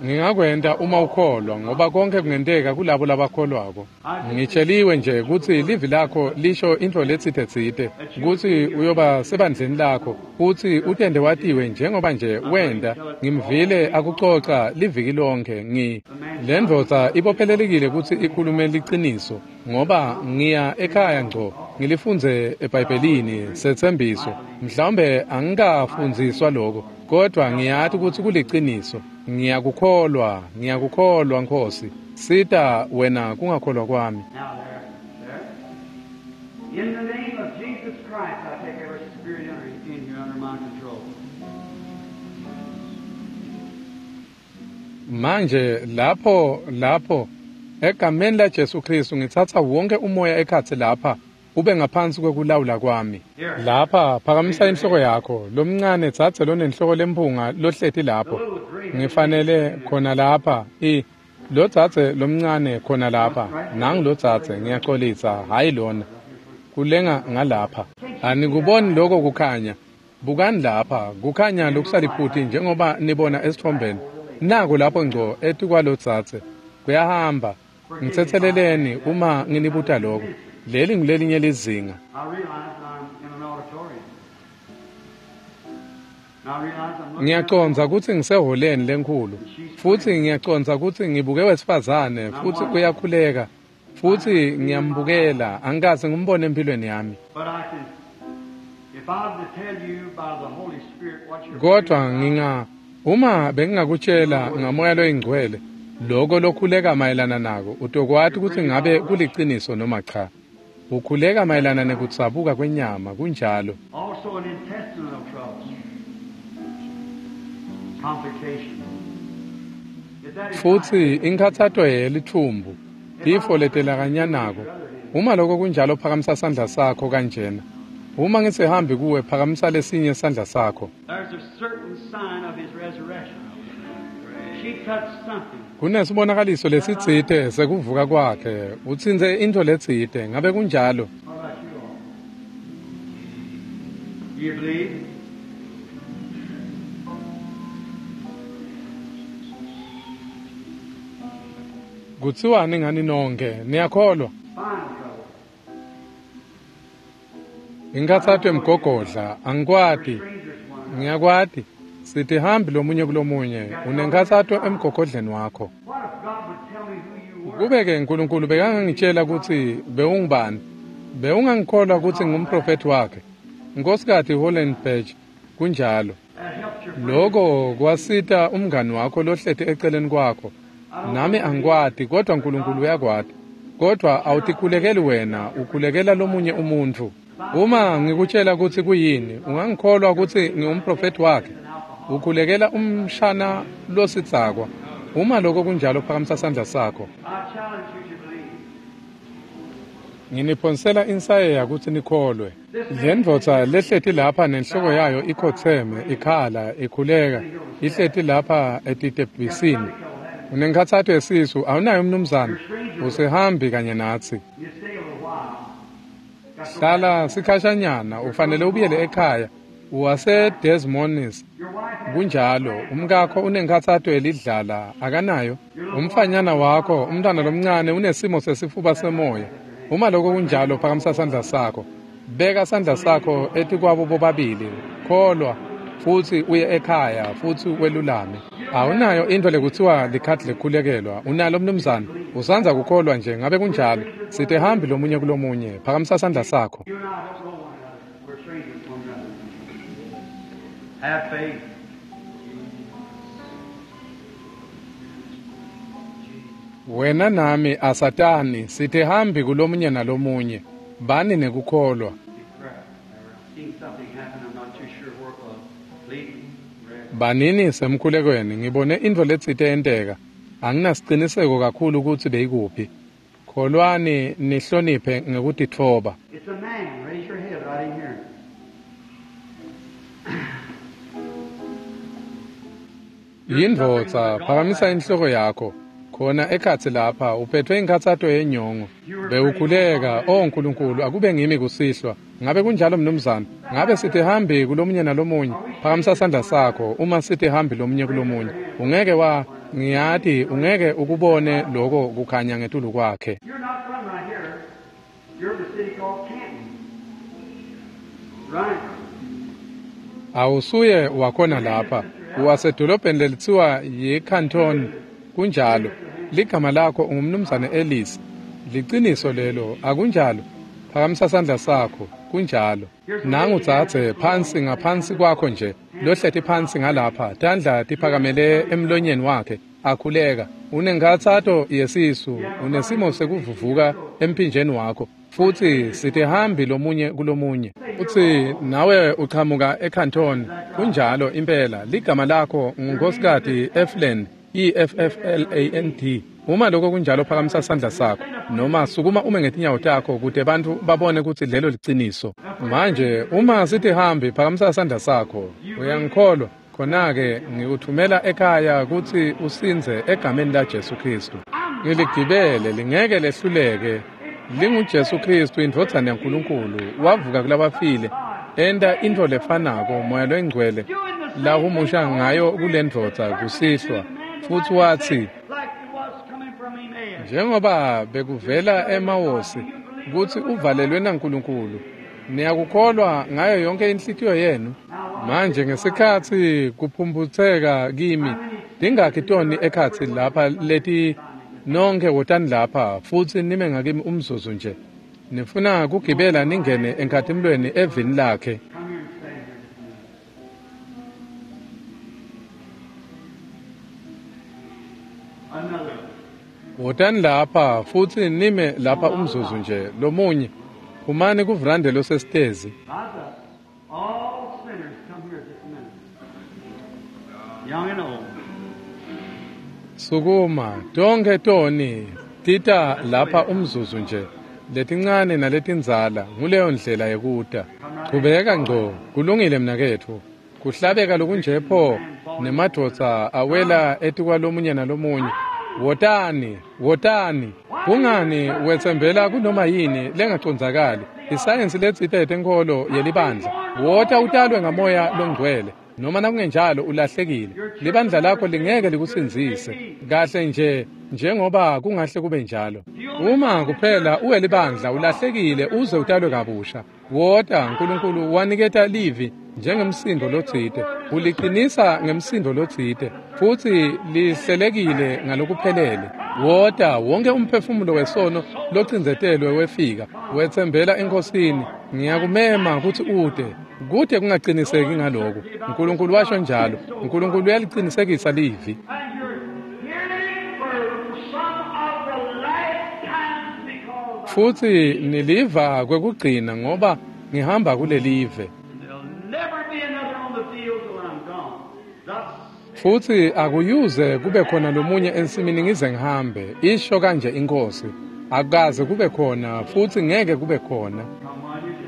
Ngingakwenta uma ukholwa ngoba konke kungenteka kulabo labakholwako. Ngitsheliwe nje kutsi livi lakho lisho intfo letsite tsite kutsi uyoba sebandleni lakho utsi utende watiwe njengoba nje wenta. Ngimvile akucoca liviki lonke. Ngi le ndvodza ibophelelekile kutsi ikhulume liciniso ngoba ngiya ekhaya ngco ngilifundze eBhayibhelini setsembiso. Mhlawumbe angikafundziswa lokho kodwa ngiyati kutsi kuliciniso. Ngiyakukholwa, ngiyakukholwa Nkosi. Sita wena kungakholwa kwami. Now there, there. In the name of Jesus Christ, I take every spirit under, in here under my control. Manje lapho lapho egameni la Jesu Kristu ngitsatsa wonke umoya ekhatsi lapha ube ngaphansi kwekulawula kwami. Lapha phakamisa inhloko yakho lomncane tsatse lonenhloko lemphunga lohleti lapho. Ngifanele khona lapha i lo tsatse lomncane khona lapha nangu lo tsatse ngiyaxolisa hayi lona kulenga ngalapha. Anikuboni lokho kukhanya? Bukani lapha kukhanya lokusaliphuti njengoba nibona esithombeni. Nako lapho ngco etikwalo tsatse kuyahamba. Ngitsetseleleni uma nginibuta lokho. Leli ngulelinye lizinga. I realize I'm in an auditorium. And I realize I'm looking Ngiyacondza kutsi ngiseholeni lenkhulu futsi ngiyacondza kutsi ngibuke wesifazane futsi uyakhuleka futsi ngiyambukela angikaze ngimbone empilweni yami. But I can, if I were to tell you by the Holy Spirit what you're Kodwa nginga uma bengingakutshela ngamoya loyingcwele lokho lokhuleka mayelana nako utokwati kutsi ngabe kuliciniso noma cha. Ukhuleka mayelana nekutsabuka kwenyama kunjalo. Also an intestinal trouble. Complication. If that is Futsi inkhatsato yelithumbu tifo letelakanyanako. Uma lokho kunjalo phakamisa sandla sakho kanjena. Uma ngisihambi kuwe phakamisa lesinye sandla sakho. There's a certain sign of his resurrection. She touched something. Kunesibonakaliso lesitsite sekuvuka kwakhe. Utsintse intfo letsite ngabe kunjalo? What about you all? Do you believe? Kutsiwani ngani nonke? Niyakholwa? Spinal trouble. Inkhatsato emgogodla angikwati. Strangers one another. Ngiyakwati. Sithi hambi lomunye kulomunye unenkhatsato emgogodleni wakho. What if God would tell me who you were? Kube-ke uNkulunkulu bekangangitshela kutsi bewungubani, bewungangikholwa kutsi ngumprofethi wakhe. Nkosikazi Hollenberg, kunjalo. That helped your friend. Lokho kwasita umngani wakho lohleti eceleni kwakho. Nami angikwati kodwa uNkulunkulu uyakwati. Kodwa awutikhulekeli wena, ukhulekela lomunye umuntfu. Uma ngikutshela kutsi kuyini, ungangikholwa kutsi ngingumprofethi wakhe. Ukhulekela umshana lositsakwa. Uma lokho kunjalo phakamisa sandla sakho. I challenge you to believe. Nginiphonsela insayeya kutsi nikholwe. Le ndvodza lehleti lapha nenhloko yayo ikhotseme, ikhala, ikhuleka, ihleti lapha etitebhisini. Unenkhatsato yesisu, awunayo mnumzane? Usehambi kanye natsi. You stay a little while. Hlala sikhashanyana, ufanele ubuyele ekhaya. Wase Desmonis. Kunjalo, umkakho unenkhatsato yelidlala, akanayo? Umfanyana wakho, umntwana lomncane unesimo sesifuba semoya. Uma lokho kunjalo, phakamisa sandla sakho. Beka sandla sakho etikwabo bobabili. Kholwa futhi uye ekhaya futhi welulame. Awunayo into lekuthiwa likhadi lekhulekelwa. Unalo mnumzane? Usanza kukholwa nje, ngabe kunjalo? Sithe hambi lomunye kulomunye. Phakamisa sandla sakho. You and I don't know one another. We're strangers one another. Have faith. Wena nami asatani, sithe hambi kulomunye nalomunye. Bani nekukholwa. Seen something happen, I'm not too sure where it was. Please, rest. Banini semkhulekweni, ngibone intfo letsite yenteka. Anginasiciniseko kakhulu ukuthi beyikuphi. Kholwani nihloniphe ngekutitfoba. It's a man. Raise your head right in here. Yindvodza, phakamisa inhloko yakho. Khona ekhatsi lapha uphethwe inkhatsato yenyongo. Bewukhuleka, oh Nkulunkulu, akube ngimi kusihlwa. Ngabe kunjalo mnumzane? Ngabe sithi hambi kulomunye nalomunye? Phakamisa sandla sakho uma sithi hambi lomunye kulomunye. Ungeke wa ngiyati ungeke ukubone lokho kukhanya ngetulu kwakhe. You're not from right here. You're the city called Canton. Right. Awusuye wakhona lapha. Uwasedolobheni lelithiwa yiCanton. Kunjalo. Ligama lakho ungumnumzane Ellis. Liciniso lelo, akunjalo? Phakamisa sandla sakho. Kunjalo. Nangu dzadze phansi ngaphansi kwakho nje, lohleti phansi ngalapha, tandla tiphakamele emlonyeni wakhe, akhuleka. Unenkhatsato yesisu, unesimo sekuvuvuka emphinjeni wakho. Futhi sithe hambi lomunye kulomunye. Uthi nawe uqhamuka eCanton. Kunjalo impela. Ligama lakho nguNkosikazi Efland, E F F L A N D. Uma lokho kunjalo, phakamisa sandla sakho noma sukuma ume ngetinyawo takho kute bantfu babone ukuthi lelo liciniso. Manje uma sithi hambi, phakamisa sandla sakho. Uyangikholwa? Khona-ke ngikuthumela ekhaya kutsi usindze egameni la Jesu Kristu. Ngiligibele lingeke lehluleke. LinguJesu Kristu, indvodzana yaNkulunkulu, wavuka kulabafile, enta intfo lefanako Moya loyiNgcwele lahumusha ngayo kule ndvodza kusihlwa. Futhi wathi, Like it was coming from Emmaus. njengoba bekuvela eMawosi kutsi uvalelwe naNkulunkulu, niyakukholwa ngayo yonke inhlitiyo yenu? Manje ngesikhatsi kuphumputseka kimi, tingakhi toni ekhatsi lapha leti nonke wotani lapha futsi nime ngakimi umzuzu nje. Nifuna kugibela ningene enkhatimulweni evini lakhe. Come here and stand here just a minute. Another. Wotani lapha futsi nime lapha umzuzu nje lomunye. Phumani kuvrande losesitezi. Rise up. All sinners come here just a minute. Young and old. Sukuma, tonke toni tita lapha umzuzu nje. Letincane naletindzala nguleyo ndlela yekuta. Chubeka ngco, kulungile mnaketfu. Kuhlabeka lokunje pho nemadvodza awela etikwalomunye nalomunye. Wotani, wotani. Kungani wetsembela kunoma yini lengacondzakali? Isayensi letsite yetenkholo yelibandla. Wota utalwe ngamoya longcwele. Noma nakungenjalo ulahlekile. Libandla lakho lingeke likusindzise. Kahle nje njengoba kungahle kube njalo. Uma kuphela uwe libandla ulahlekile uze utalwe kabusha. Wota Nkulunkulu waniketa livi njengemsindo lotsite. Uliqinisa ngemsindo lotsite futhi lihlelekile ngalokuphelele. Wota wonke umphefumulo wesono locindzetelwe wefika wetsembela eNkosini. Ngiyakumema kutsi ute. Kude kungaqiniseki ngaloko. Nkulunkulu washo njalo. Nkulunkulu uyalicinisekisa livi. And you're hearing for some of the last times because Futhi niliva kwekugcina ngoba ngihamba kulelive. there'll never be another on the field till I'm gone. Thus Futhi akuyuze kube khona lomunye ensimini ngize ngihambe. Isho kanje inkosi. Akukaze kube khona futhi ngeke kube khona. come while you can.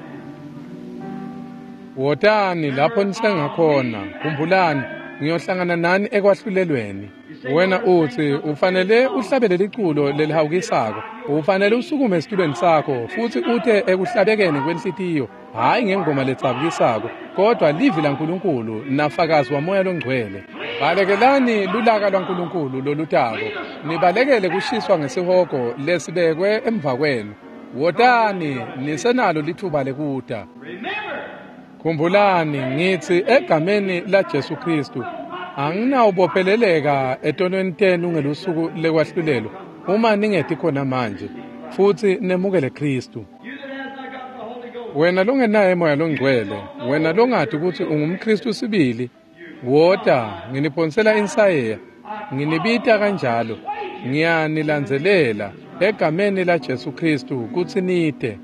Wotani lapho nisengakhona. Khumbulani, ngiyohlangana nani ekwahlulelweni. Wena uthi ufanele uhlabele liculo lelihawukisako. Ufanele usukume esitulweni sakho futsi ute ekuhlabekeni kwenhlitiyo, hhayi ngengoma ledzabukisako, kodwa livi laNkulunkulu nafakazi waMoya loNgcwele. Balekelani lulaka lwaNkulunkulu lolutako, nibalekele kushiswa ngesihogo lesibekwe emva kwenu. Wotani nisenalo litfuba lekuta. Khumbulani ngitsi egameni laJesu Khristu, anginawubopheleleka etonweni tenu ngelusuku lekwahlulelwa uma ningeti khona manje futsi nemukele Khristu. Wena longenaye Moya loNgcwele, wena longati kutsi ungumKhristu sibili, wota, nginiphonsela insayeya, nginibita kanjalo, ngiyanilandzelela egameni laJesu Khristu kutsi nite.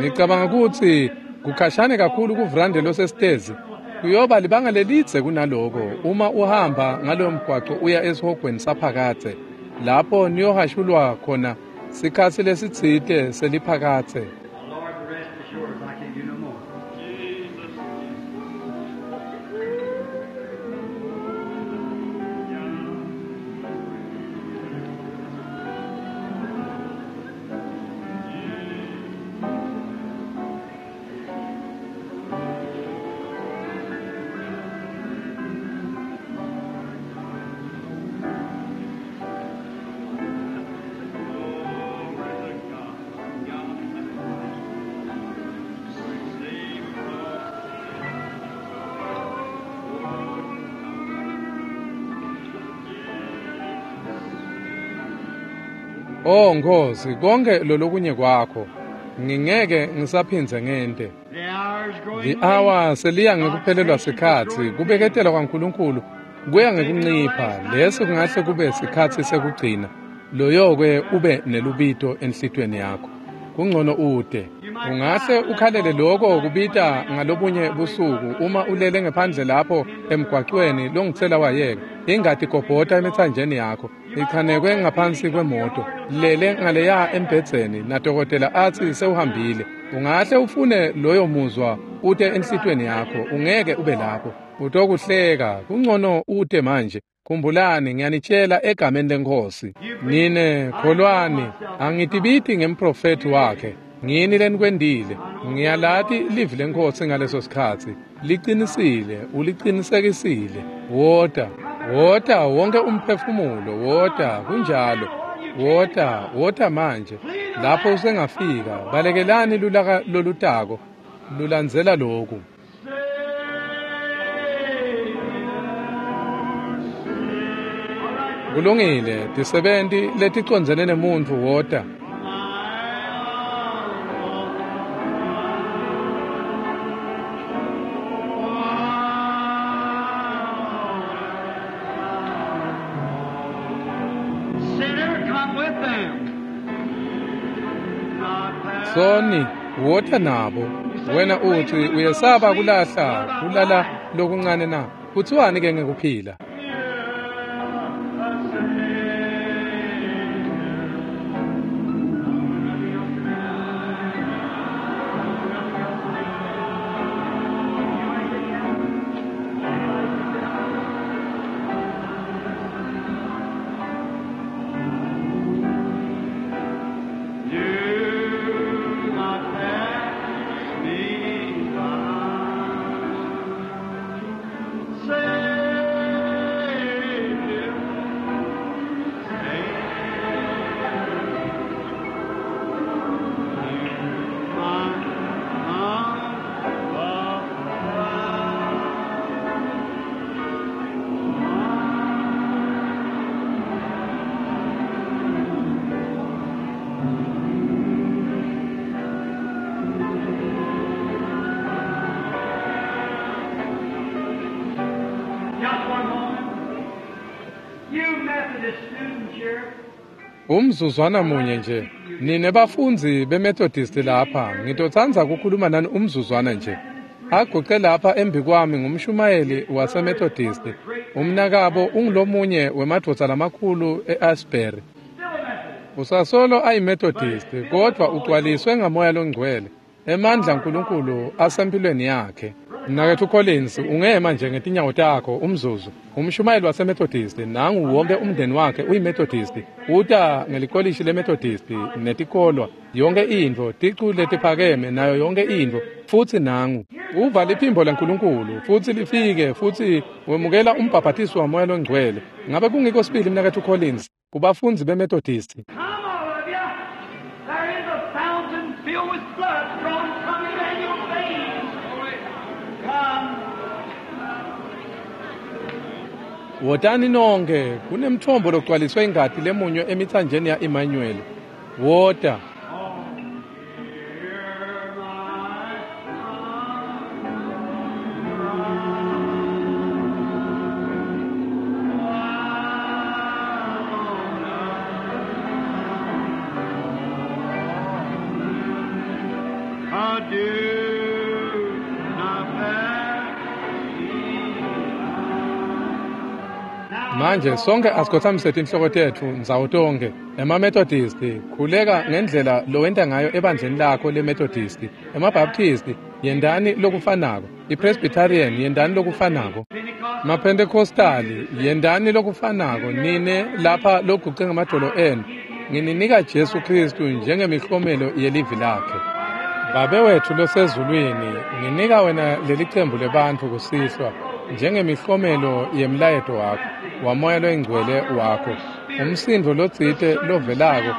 Ngicabanga kutsi kukhashane kakhulu kuvrande losesitezi. Kuyoba libanga lelidze kunaloko uma uhamba ngaloyo mgwaco uya esihogweni saphakadze, lapho niyohashulwa khona sikhatsi lesitsite seliphakadze. Lord, the rest is yours. I can't do no more. Oh Nkosi, konke lolokunye kwakho ngingeke ngisaphindze ngente. The hour's growing late. Li-awa seliya ngekuphelelwa sikhatsi, kubeketela kwaNkulunkulu kuya ngekuncipha. Lesi kungahle kube sikhatsi sekugcina. Loyo-ke ube nelubito enhlitiyweni yakho. Kungcono ute. Ungahle ukhalele loko kubita ngalobunye busuku uma ulele ngephandle lapho emgwacweni longitsela wayeka. Ingati igobhota emitsanjeni yakho, ichanekwe ngaphansi kwemoto, lele ngaleya embhedzeni nadokotela atsi sewuhambile. Ungahle ufune loyo muzwa ute enhlitiyweni yakho, ungeke ube lapho. Utokuhleka, kungcono ute manje. Khumbulani, ngiyanitshela egameni leNkhosi. Nine kholwani, angitibiti ngemprofethi wakhe. Ngini lenikwendile. Ngiyalati livi leNkhosi ngaleso sikhatsi. Liqinisile, uliqinisekisile. Wota, wota wonke umphefumulo, wota kunjalo. Wota, wota manje. Lapho usengafika, balekelani lulaka lolutako. Lulandzela loku. Kulungile, tisebenti leticondzene nemuntfu wota. Sinner, come with them. Not pass. Soni, wota nabo. Wena uthi uyesaba kulahla, kulala lokuncane na? Kuthiwani ke ngekuphila? Do not pass me by. Savior, Savior, my humble cry. Just one moment. You Methodist students here, Umzuzwana munye nje. Nine bafundzi beMethodist lapha, ngitotsandza kukhuluma nani umzuzwana nje. Aguce lapha embi kwami ngumshumayeli waseMethodist. Umnakabo ungulomunye wemadvodza lamakhulu e-Asbury. still a Methodist. Usasolo ayiMethodist, kodwa ugcwaliswe ngaMoya loNgcwele. Emandla aNkulunkulu asempilweni yakhe. Mnaketfu Collins, ungema nje ngetinyawo takho umzuzu. Umshumayeli waseMethodist, nangu wonke umndeni wakhe uyiMethodist. Uta ngelikolishi leMethodist netikolwa, yonke intfo, ticu letiphakeme nayo yonke intfo, futsi nangu. Uva liphimbo laNkulunkulu futsi lifike futsi wemukela umbhaphathiso waMoya loNgcwele. Ngabe kungiko sibili mnaketfu Collins kubafundzi beMethodist? Wotani nonke, kunemthombo logcwaliswe ingati lemunywe emitsanjeni ya Emmanuel. Wota. Manje sonke asikhothamise tinhloko tetfu ndzawo tonkhe. EmaMethodist, khuleka ngendlela lowenta ngayo ebandleni lakho leMethodist. EmaBaptist, yendani lokufanako. IPresbyterian, yendani lokufanako. MaPentecostali, yendani lokufanako. Nine lapha loguce ngamadolo enu, ngininika Jesu Kristu njengemihlomelo yelivi lakhe. Babe wethu losezulwini, nginika wena leli cembu lebantfu kusihlwa njengemihlomelo yemlayeto wakho wamoya loyingcwele wakho, umsindvo lotsite lovelako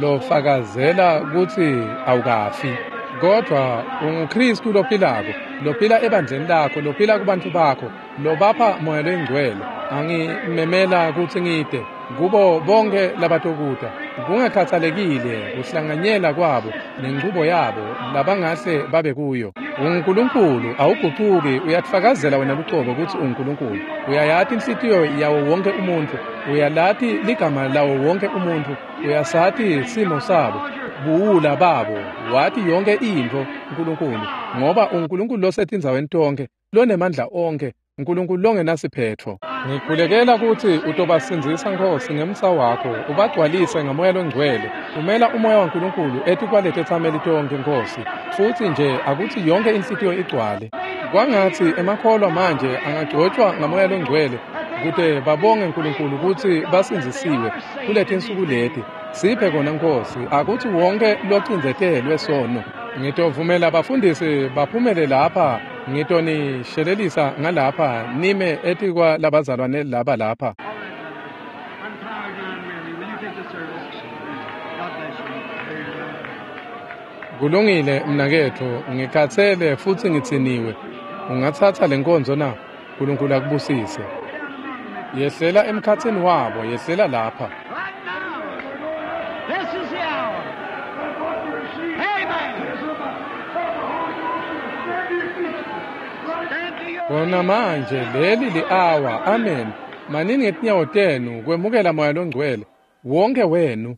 lofakazela kutsi awukafi, kodvwa unguKristu lophilako, lophila ebandleni lakho, lophila kubantfu bakho, lobapha moya loyingcwele. Angimemela kutsi ngite kubo bonke labatokuta, kungakhathalekile kuhlanganyela kwabo nenchubo yabo labangahle babe kuyo. UnguNkulunkulu, awugucuki, uyatfakazela wena lucobo kutsi unguNkulunkulu. Uyayati inhlitiyo yawo wonke umuntfu, uyalati ligama lawo wonke umuntfu, uyasati simo sabo, buwula babo, wati yonke intfo Nkulunkulu, ngoba unguNkulunkulu losetindzaweni tonkhe, lonemandla onkhe, Nkulunkulu longenasiphetfo. Ngikhulekela kutsi utobasindzisa Nkhosi ngemsa wakho, ubagcwalise ngamoya longcwele. Thumela umoya waNkulunkulu etikwalethetsameli tonkhe Nkhosi, futsi nje akutsi yonke inhlitiyo igcwale. Kwangatsi emakholwa manje angagcotshwa ngamoya longcwele kute babonge Nkulunkulu kutsi basindzisiwe kuletinsuku leti. Siphe kona Nkhosi, akutsi wonke locindzetelwe sono. Ngitovumela bafundisi baphumele lapha, ngitonishelelisa ngalapha nime etikwa labazalwane laba lapha. Kulungile mnaketfu, ngikhatsele futsi ngitsiniwe. Ungatsatsa lenkonzo na? Nkulunkulu akubusise. Yehlela emkhatsini wabo, yehlela lapha. Kona manje leli li-awa, amen. Manini ngetinyawo tenu kwemukela moya longcwele wonke wenu.